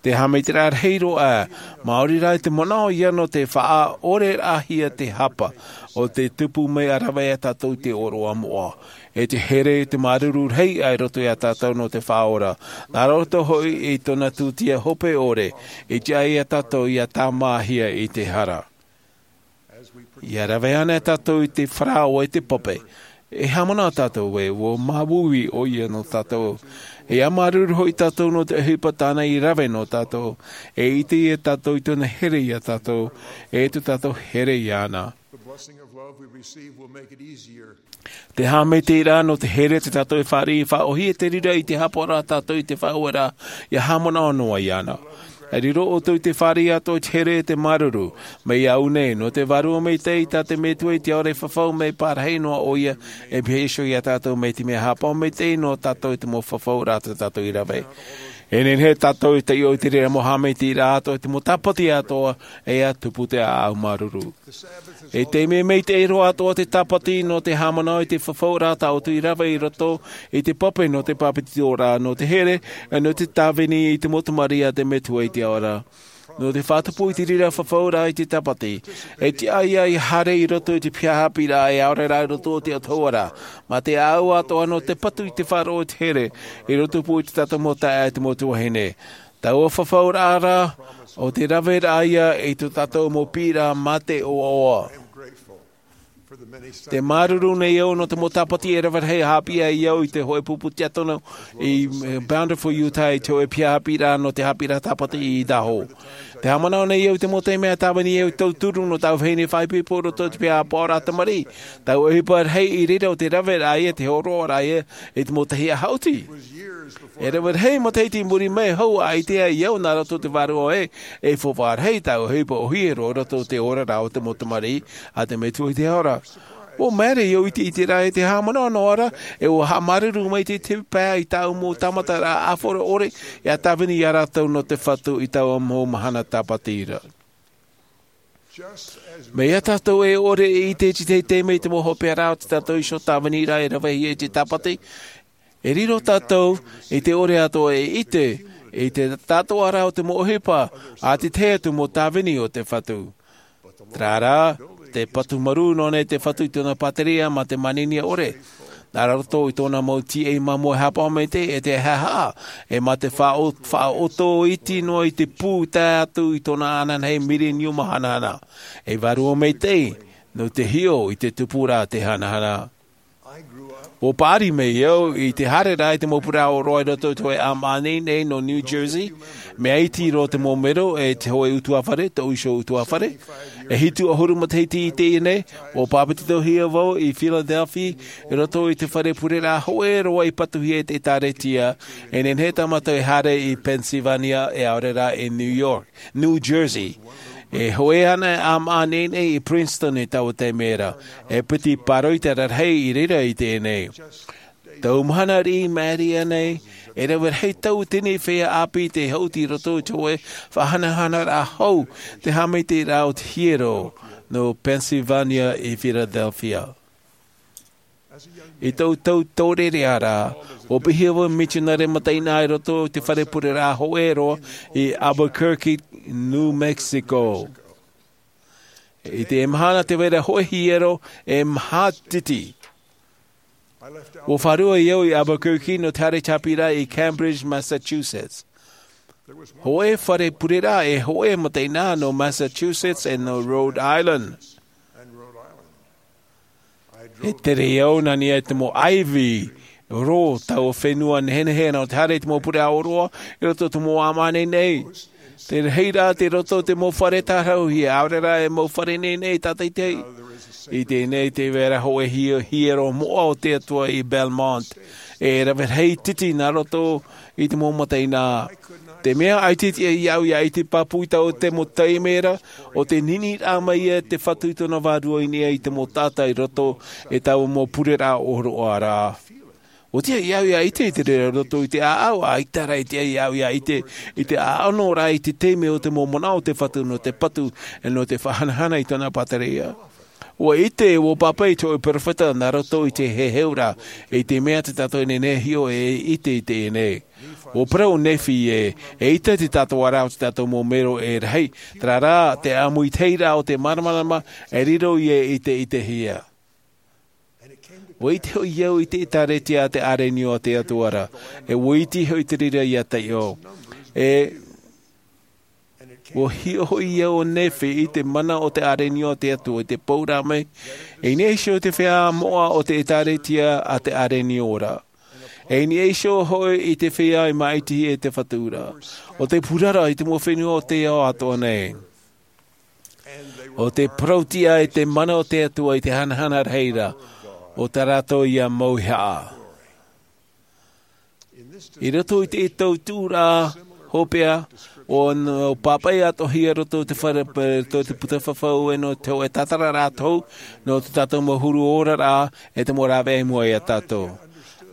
te haʻamaitaʻiraʻa rahi roa, maori rā te manaʻo ia nō te faʻaʻoreraʻahia te hapa o te tupu mai ʻa rave iā tātou i te ʻōroʻa moʻa, e te here, te māuruuru rahi i roto iā tātou nō te Faʻaora, nā roto hoʻi i tōna tūtia hope ʻore, i tiʻa iā tātou ia tāmāhia i te hara. Ia rave ana tātou i te parau e te pape, e haʻamanaʻo tātou ē ʻua māuiui ʻoia nō tātou. E māuruuru hoʻi tātou nō te ʻohipa tāna i rave nō tātou, e ʻite ia tātou i tōna here iā tātou, e tō tātou here iāna. The blessing of love we receive will make it easier. Te haʻamaitaʻiraʻa nō te here tā tātou e fāriʻi, faʻaʻōhie te reira i te haʻapaʻoraʻa tātou i te Faʻaora, ia haʻamanaʻo noa iāna. E riro ʻoutou i te fāriʻi atoʻa i te here e te māuruuru, mai iā ʻu nei, nō te Vārua Maitaʻi tā te Metua i te ao ra e fafau mai, pārahi noa ʻoia e pihaʻi iho iā tātou mai te mea haʻapaʻo maitaʻi nō tātou i te mau fafauraʻa tā tātou i rave. E nehenehe tātou e taiʻo i te reira mau haʻamaitaʻiraʻa atoʻa, i te mau tāpati atoʻa, e ʻia tupu te ʻāʻau māuruuru. E te mea maitaʻi roa atoʻa te tāpati nō te haʻamanaʻo i te fafauraʻa tā ʻoutou i rave i roto i te pape nō te pāpetitoraʻa, nō te here, nō te tāvini i te mau tamariʻi a te Metua i te ao ra. Nō te faʻatupu i te reira fafauraʻa i te tāpati, e tiʻa ia haere i roto i te piha haʻapiʻiraʻa e ʻaore rā i roto i te Atua ra, mā te ʻāʻau atoʻa nō te patu i te faʻaroʻo i te here, i roto pū i tā tātou mau taeaʻe, te mau tuahine. Taua fafauraʻa ra, ʻo te raveraʻa ia i tō tātou mau piʻiraʻa mā te ʻoaʻoa. Te māuruuru nei au nō te mau tāpati e rave rahi haʻapiʻi ai au i te hōʻē pupu tiakono i, eh, Bountiful, Utah, i te hōʻē piha haʻapiʻiraʻa nō te haʻapiʻiraʻa tāpati i Idaho. Te haʻamanaʻo nei au i te mau taime a tāvini au i tauturu nō tāʻu vahine faʻaipoipo i roto i te piha haʻapaʻoraʻa tamariʻi. Taua ʻohipa rahi i reira ʻo te raveraʻa ia, te hōroʻaraʻa ia i te mau tahi ʻahaʻoti. E rave rahi matahiti i muri mai, hou ʻaita ai au nā roto i te Vārua ē, e faufaʻa rahi taua ʻohipa ʻōhie roa i roto i te oraraʻa o te mau tamariʻi a te Metua i te ao ra. ʻUa maere au i te ʻiteraʻa e te haʻamanaʻo noa ra, e ʻua haʻamāuruuru mai te, te pae i tāʻu mau tāmataraʻa ʻāfaʻi ʻore, ʻia tāvini iā rātou nō te Fatu i taua mau mahana tāpati ra. Mea tātou e ʻore i ʻite i te teitei mai te mau hopeʻa ra o tā tātou iho tāviniraʻa e ravehia i te tāpati, e riro tātou i te ʻore atoʻa e ʻite i te tātaʻuraʻa o te mau ʻohipa a te tahi atu mau tāvini o te Fatu. Terā rā, te patu marū noa nei te Fatu i tōna pātireia mā te manihini ʻore. Nā roto i tōna mau tīaʻi māmā e haʻapaʻo maitaʻi e te haʻahaʻa, e mā te faʻa-, faʻaʻoto iti noa i te pū tae atu i tōna ananahi mileniuma hanahana. E Vārua Maitaʻi, nō te hiʻo i te tupuraʻa te hanahana. ʻUa paʻari mai au i te haereraʻa i te mau parau ʻōroʻa i roto i te hōʻē ʻāmaʻa nei nō New Jersey, mea iti roa te mau mero e te hōʻē ʻutuāfare, tōʻu iho ʻutuāfare. E hitu ʻahuru matahiti i teie nei, ʻua pāpetitohia vau i Philadelphia, i roto i te fare pureraʻa hōʻē roa i patuhia e te ʻĒtārētia, e nehenehe tā mātou e haere i Pennsylvania, e ʻaore rā i New York, New Jersey. E hōʻē anaʻe ʻāmaʻa nei i Princeton i taua taime ra, e piti pāroita rarahi i reira i teie nei. Tau mahana riʻi maʻiri aʻe nei, e rave rahi tauatini feiā ʻāpī tei haʻuti i roto i te hōʻē faʻahanahanaraʻa hou, te haʻamaitaʻiraʻa o te hiero, nō Pennsylvania i Philadelphia. I tōʻu tau taureʻareʻa ra, ʻua piʻihia vau mitionare mataʻeinaʻa i roto i te fare pureraʻa hōʻē roa i Albuquerque, New Mexico. I te mahana tē vai ra hōʻē hiero e maha titi. ʻUa fārua au i Albuquerque nō te haere tāpiri i Cambridge, Massachusetts. Hōʻē fare pureraʻa e hōʻē mataʻeinaʻa nō Massachusetts e nō Rhode Island. E tere au nā niʻa i te mau ʻaivi rō taua fenua nehenehe nō te haere i te mau pure ʻāʻoroʻa i roto i te mau ʻāmāne nei. Te rahiraʻa te roto i te mau fare tārahu hia ʻaore rā e mau fare nei nei tātaitahi. I teie nei te vera hoʻe hiero moʻa o te atua i belmont, e rave rahi titi nā roto i te mau mataʻina. Te mea ʻaita tiʻa iāʻu ia ʻite pāpū i taua mau taime ra o te niniraʻa mai ia te fatu i tōna vārua i niʻa i te mau taʻata i roto i taua mau pureraʻa ʻōroʻa ra. Ua tiʻa iāʻu ia ʻite i te reira roto i te ʻāʻau ʻaita rā e tiʻa iāʻu ia ʻite i te ʻāʻano rā i te taime o te mau manaʻo o te fatu nō te patu e nō te faʻahanahana i tōna pātereia. Ua ʻite ua pāpaʻi te hoʻe peropheta nā roto i te heheuraʻa i te mea te tātou e nehenehe hiʻo e ʻite i teie nei. Ua parau nephi e e ʻite te tātou ara o te tātou mau mero e rahi, tērā rā te ʻāmuitahiraʻa o te māramarama e riro ia i te ʻitehia. Ua ʻite hoʻi au i te ʻētāretia a te ʻārenio a te atua ra, e ua ʻite hoʻi te reira ia taiʻo. E ua hiʻo hoʻi au o nephi i te mana o te ʻārenio a te atua i te pō ra mai, e i niʻa iho i te feiā moʻa o te ʻētāretia a te ʻārenio ra, e i niʻa iho hoʻi i te feiā i māʻitihia e te fatu ra, o te purara i te mau fenua o te ao atoʻa nei. O te parauʻtiʻa i te mana o te atua i te hanahana rahi ra o tā rātou ia mau ihaʻa. I roto i te tau tuʻuraʻa hopeʻa o nō pāpaʻi atoʻa hia roto i te fare roto i te puta fafau e nō te hoʻe tātararaʻa tohu nō te tātou mau huru oraraʻa e te mau rāveʻa i mua iā tātou.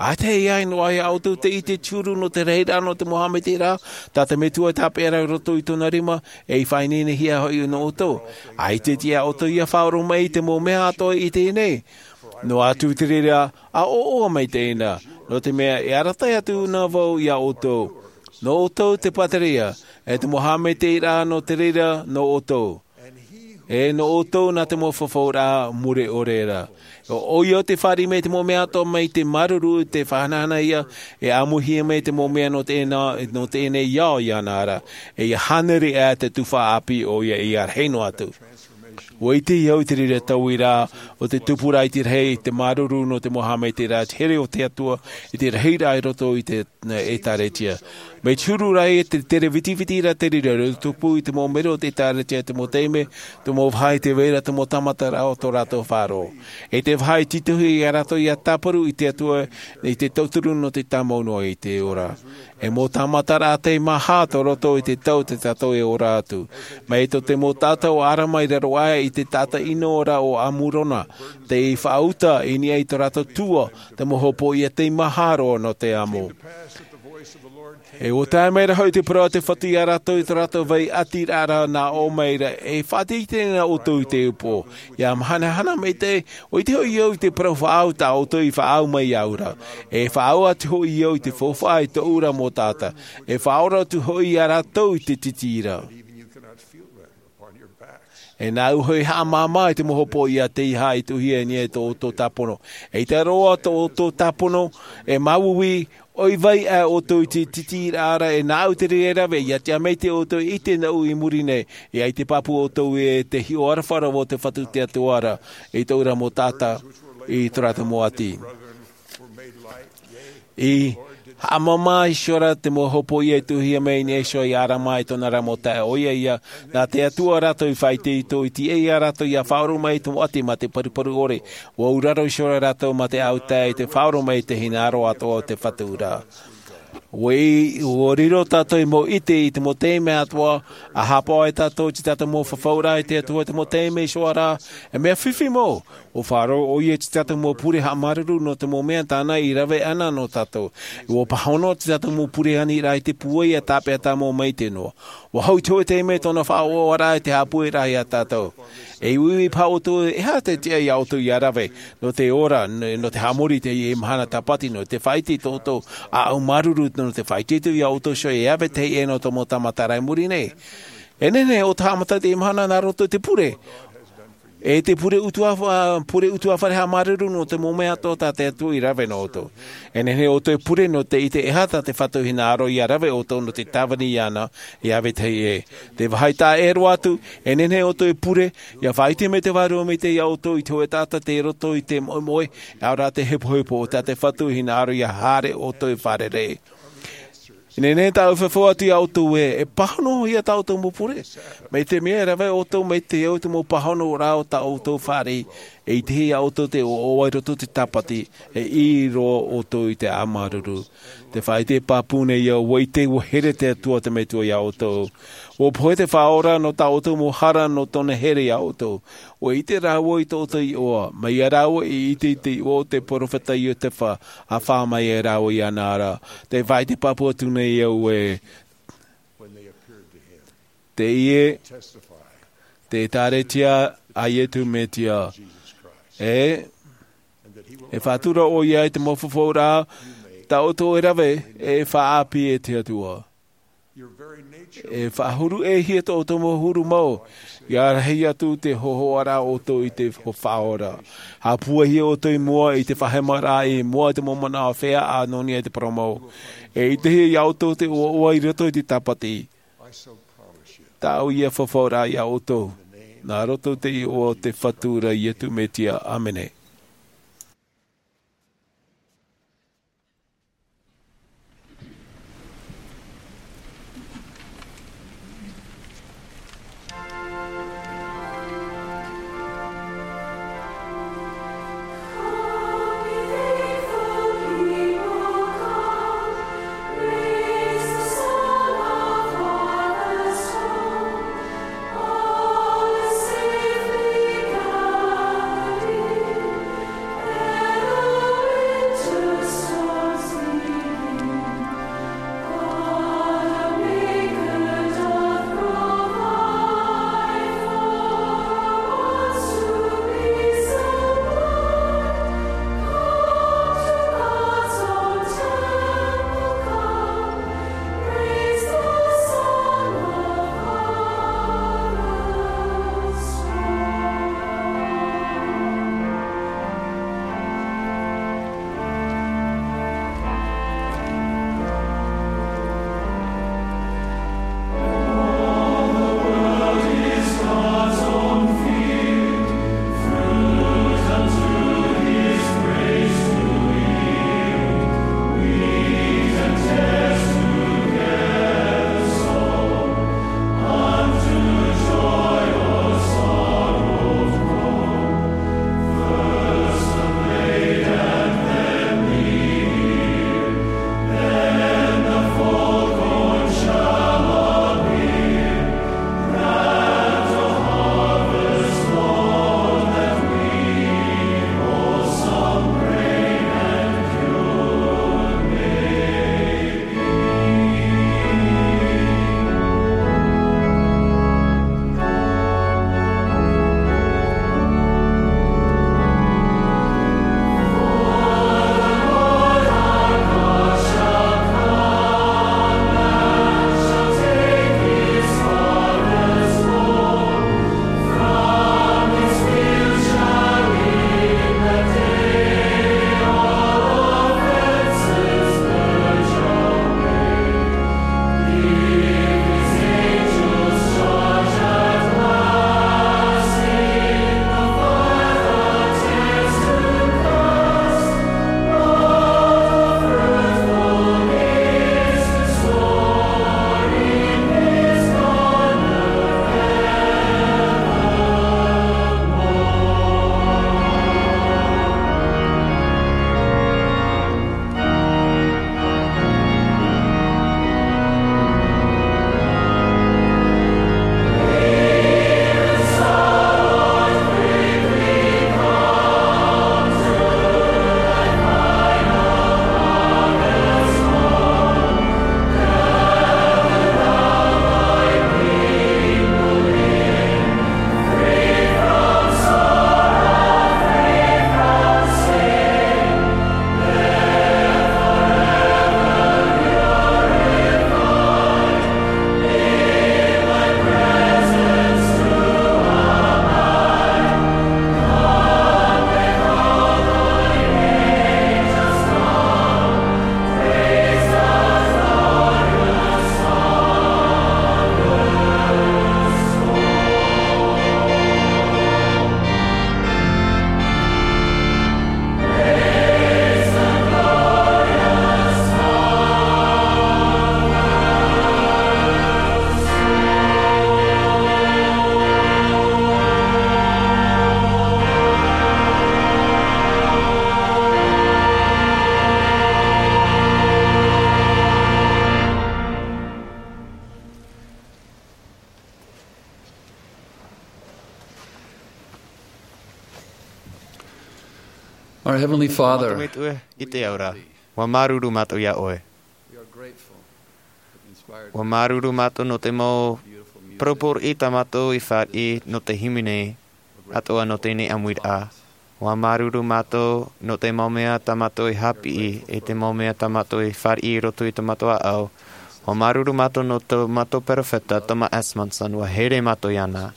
ʻAita e ai noa iā ʻoutou te ʻite te huru nō te rahiraʻa nō te mau haʻamaitaʻiraʻa tā te metua i tāpeʻa ra i roto i tōna rima, e i faʻaineinehia hoʻi nō ʻoutou. ʻAita tiʻa ʻoutou ia faʻaroʻo mai i te mau mea atoʻa i teie nei, noa atu te reira a ʻoaʻoa mai teie nei, nō te mea e arataʻi atu na vau iā ʻoutou. Nō ʻoutou te pātereia, e te mau haʻamaitaʻiraʻa nō te reira nō ʻoutou, e nō ʻoutou nā te mau fafauraʻa mure ʻore ra. ʻO ʻoia te fāriʻi mai te mau mea atoʻa mai te māuruuru te faʻahanahana ia, e ʻāmuihia mai te mau mea nō teie nei, nō teie nei ao iāna ra, e ia hānere ʻā te tufaʻa ʻāpī ʻoia ia rahi noa atu. Ua ʻite au i te reira tauiraʻa o te tupu ra i te rahi i te māuruuru nō te mau haʻamaitaʻiraʻa te here o te atua i te rahiraʻa i roto i te ʻētāretia. Mai te huru ra e te tere vitiviti ra te reira e tupu i te mau mero o te ʻētāretia te mau taime, te mau vāhi te vai ra te mau tāmataraʻa o tō rātou faʻaroʻo, e te vāhi titohi iā rātou ia tāparu i te atua i te tauturu nō te tāmau noa i te ora. E mau tāmataraʻa tei maha tō roto i te tau te tātou e ora atu. Mai tō te mau taʻata o arama i raro aʻe i te taʻata ʻino ra o amurona, tei faʻauta i niʻa i tō rātou tua te mau hopoiʻa tei maha roa nō te amo. E ua tae mai ra hoʻi te parau a te fatu iā rātou i tō rātou vai ʻati ra nā ʻō mai ra e faʻateiteina ʻoutou i te upoʻo ia mahanahana mai te ʻoe i te hoʻi au i te parau faʻaau tā ʻoutou i faʻaau mai iāʻu ra, e faʻaau atu hoʻi au i te faufaʻa i tōʻu ra mau taʻata, e faʻaora atu hoʻi iā rātou i te titi ra. E nāʻu hoʻi haʻamāmā i te mau hopoiʻa tei haʻaitohia i niʻa i tō ʻoutou tāpono. E ʻita roa tō ʻoutou tāpono e māuiui, ʻoi vai ʻā ʻoutou i te titi ra e nāʻu te reira rave ia tiʻa mai te ʻoutou i te nau i muri nei. Ia i te pāpū ʻoutou e te hiʻo aroha ra o te fatu te atua ra i tōʻu ra mau taʻata i tō rātou mau ʻati. I haʻamāmā iho ra te mau hopoiʻa i tuʻuhia mai i niʻa iho iā arama i tōna ra mau taeaʻe ʻoia ia nā te atua rātou i faʻaitoito i tiʻa iā rātou ia faʻaroʻo mai i te mau ʻati mā te paruparu ʻore. Ua auraro iho ra rātou mā te autae i te faʻaroʻo mai i te hinaʻaro atoʻa o te fatu ra. Ua riro tātou i mau ʻite i te mau taime atoʻa a haʻapaʻo ai tātou i te tātou mau fafauraʻa i te atua i te mau taime iho ra. E mea fifi mau ua faʻaroʻo ʻoia i te tātou mau pure haʻamāuruuru nō te mau mea tāna i rave ana nō tātou. Ua pāhono te tātou mau pure aniraʻa i te pūai a tāpeʻa tāmau mai te noa. Ua hau i te hoʻe taime tōna faʻaoʻoraʻa i te haʻapueraʻa iā tātou. E uiui paha ʻoutou e aha te tiʻa iā ʻoutou ia rave nō te ora nō te haʻamori i teie mahana tāpati nō te faʻaite i tō ʻoutou ʻāʻau māuruuru nō te faʻaitoito iā ʻoutou iho e ave teie nō tō mau tāmataraʻa i muri nei. E nehenehe ʻo te haʻamata i teie mahana nā roto i te pure E te pure utuafare haʻamāuruuru nō te mau mea atoʻa tā te Atua i rave nō ʻoutou. E nehenehe ʻoutou e pure nō te ʻite e aha tā te Fatu i hinaʻaro ia rave ʻoutou nō te tāvini iāna. Ia vetahi ē, te vāhi taʻa ʻē roa atu, e nehenehe ʻoutou e pure ia faʻaʻite mai te Vārua Maitaʻi iā ʻoutou i te hōʻē taʻata tei roto i te moʻemoʻe, ʻaore rā te hepohepo, tā te Fatu i hinaʻaro ia haere ʻoutou e fārerei. E nehenehe tāʻu e fafau atu iā ʻoutou ē, e pāhonohia tā ʻoutou mau pure, mai te mea e rave ʻoutou mai te au i te mau pāhonoraʻa o tā ʻoutou fāriʻi. E ʻitehia iā ʻoutou te ʻoaʻoa i roto i te tāpati, e ʻī roa ʻoutou i te haʻamāuruuru. Te faʻaʻite pāpū nei au, ʻua ʻite ʻua here te Atua te Metua iā ʻoutou. ʻUa pohe te Faʻaora nō tā ʻoutou mau hara nō tōna here iā ʻoutou. ʻUa ʻite rāua i tō ʻoutou iʻoa, mai ia rāua i ʻite i te iʻoa o te peropheta Iotefa, ʻa fā mai ia rāua iāna ra. Te faʻaʻite pāpū atu nei au ē, teie te ʻĒkālesia a Iesu Mesia. E e faʻatura ʻoia i te mau fafauraʻa tā ʻoutou e rave, e faʻaʻāpī e te Atua. E faʻahuru ʻē hia tō ʻoutou mau huru mau, ia rahi atu te hōhoʻaraʻa ʻoutou i te Faʻaora. Haʻapūaihia ʻoutou i mua i te faʻahemaraʻa, i mua i te mau manaʻo feiā, ʻa nō niʻa i te parau mau. E ʻitehia iā ʻoutou te ʻoaʻoa i roto i te tāpati. Tāʻu ia fafauraʻa iā ʻoutou, nā roto i te iʻoa o te Fatu ra Iesu Mesia. ʻĀmene. Our Heavenly Father, Mātou Metua i te ao ra, ʻua māuruuru mātou iā ʻoe. We are grateful for the inspired ʻUa māuruuru mātou nō te mau beautiful music. Parau pōriʻi tā mātou i fāriʻi nō te hīmene atoʻa nō teie nei ʻāmuiraʻa. ʻUa māuruuru mātou nō te mau mea tā mātou i haʻapiʻi, e te mau mea tā mātou i fāriʻi i roto i tō mātou ʻāʻau. ʻUa māuruuru mātou nō tō mātou perofeta, Thomas S. Monson, ʻua here mātou iāna.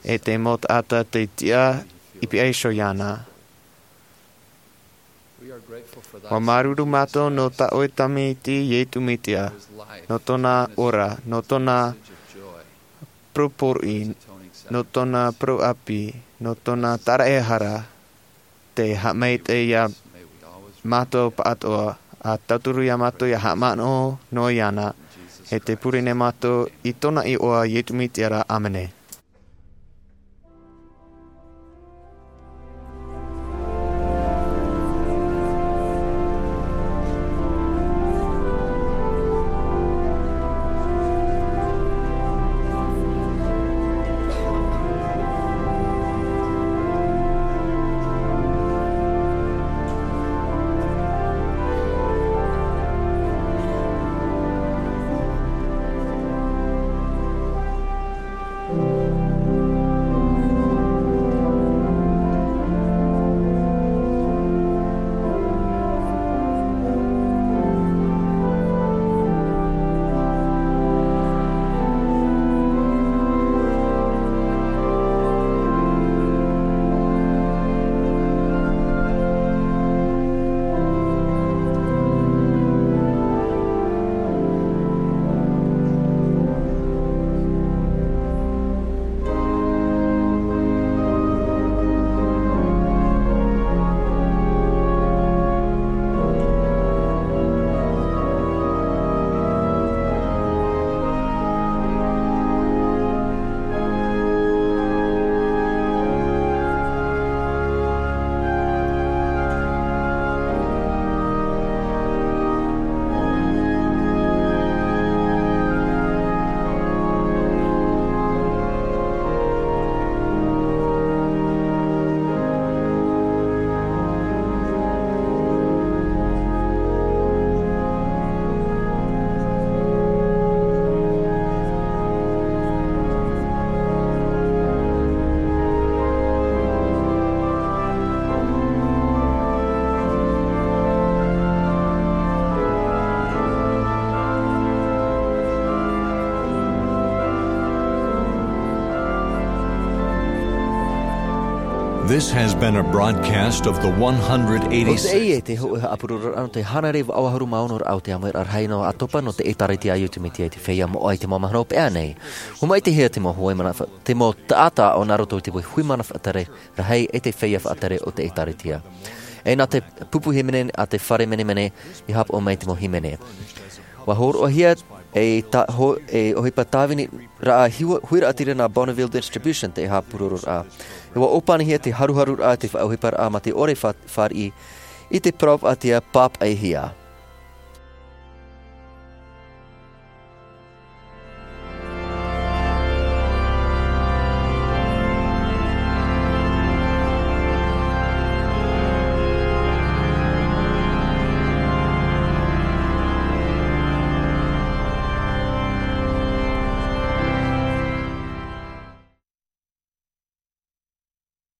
E te mau taʻata tei tiʻa i pihaʻi iho iāna. We are grateful for thy ʻUa māuruuru mātou nō tā ʻoe tamaiti Iesu Mesia, nō tōna ora, nō tōna parau pōriʻi, nō tōna parau ʻāpī, nō tōna tāraʻehara, tei haʻamaitaʻi iā mātou pāʻatoʻa, ʻa tauturu iā mātou ʻia haʻamanaʻo noa iāna, e tē pure nei mātou i tōna iʻoa Iesu Mesia ra, ʻāmene. This has been a broadcast of the one hundred eighty-six. ʻO teie te hōʻē haʻapurororaʻa nō te hānere vaʻu ʻahuru mā ono raʻa o te ʻāmuiraʻa rahi noa ʻātopa nō te ʻĒtārētia a Iesu Mesia i te feiā moʻa i te mau mahana hopeʻa nei. ʻUa maitaʻi hia te mau huaʻai manava-, te mau taʻata ʻo nā roto i te hui manava faʻatere rahi e te feiā faʻatere o te ʻĒtārētia. E nā te pupu hīmene a te fare menemene i haʻapaʻo mai te mau hīmene. ʻUa hōroʻahia e tā-, ho-, e ʻohipa tāvini raʻa hiu-, huiraʻatira nā Bonneville Distribution te haʻapurororaʻa. E ʻua ʻōpanihia te haruharuraʻa te faʻaʻohiparaʻa mā te ʻore fa-, fāriʻi i te parau faʻaʻite pāpaʻihia.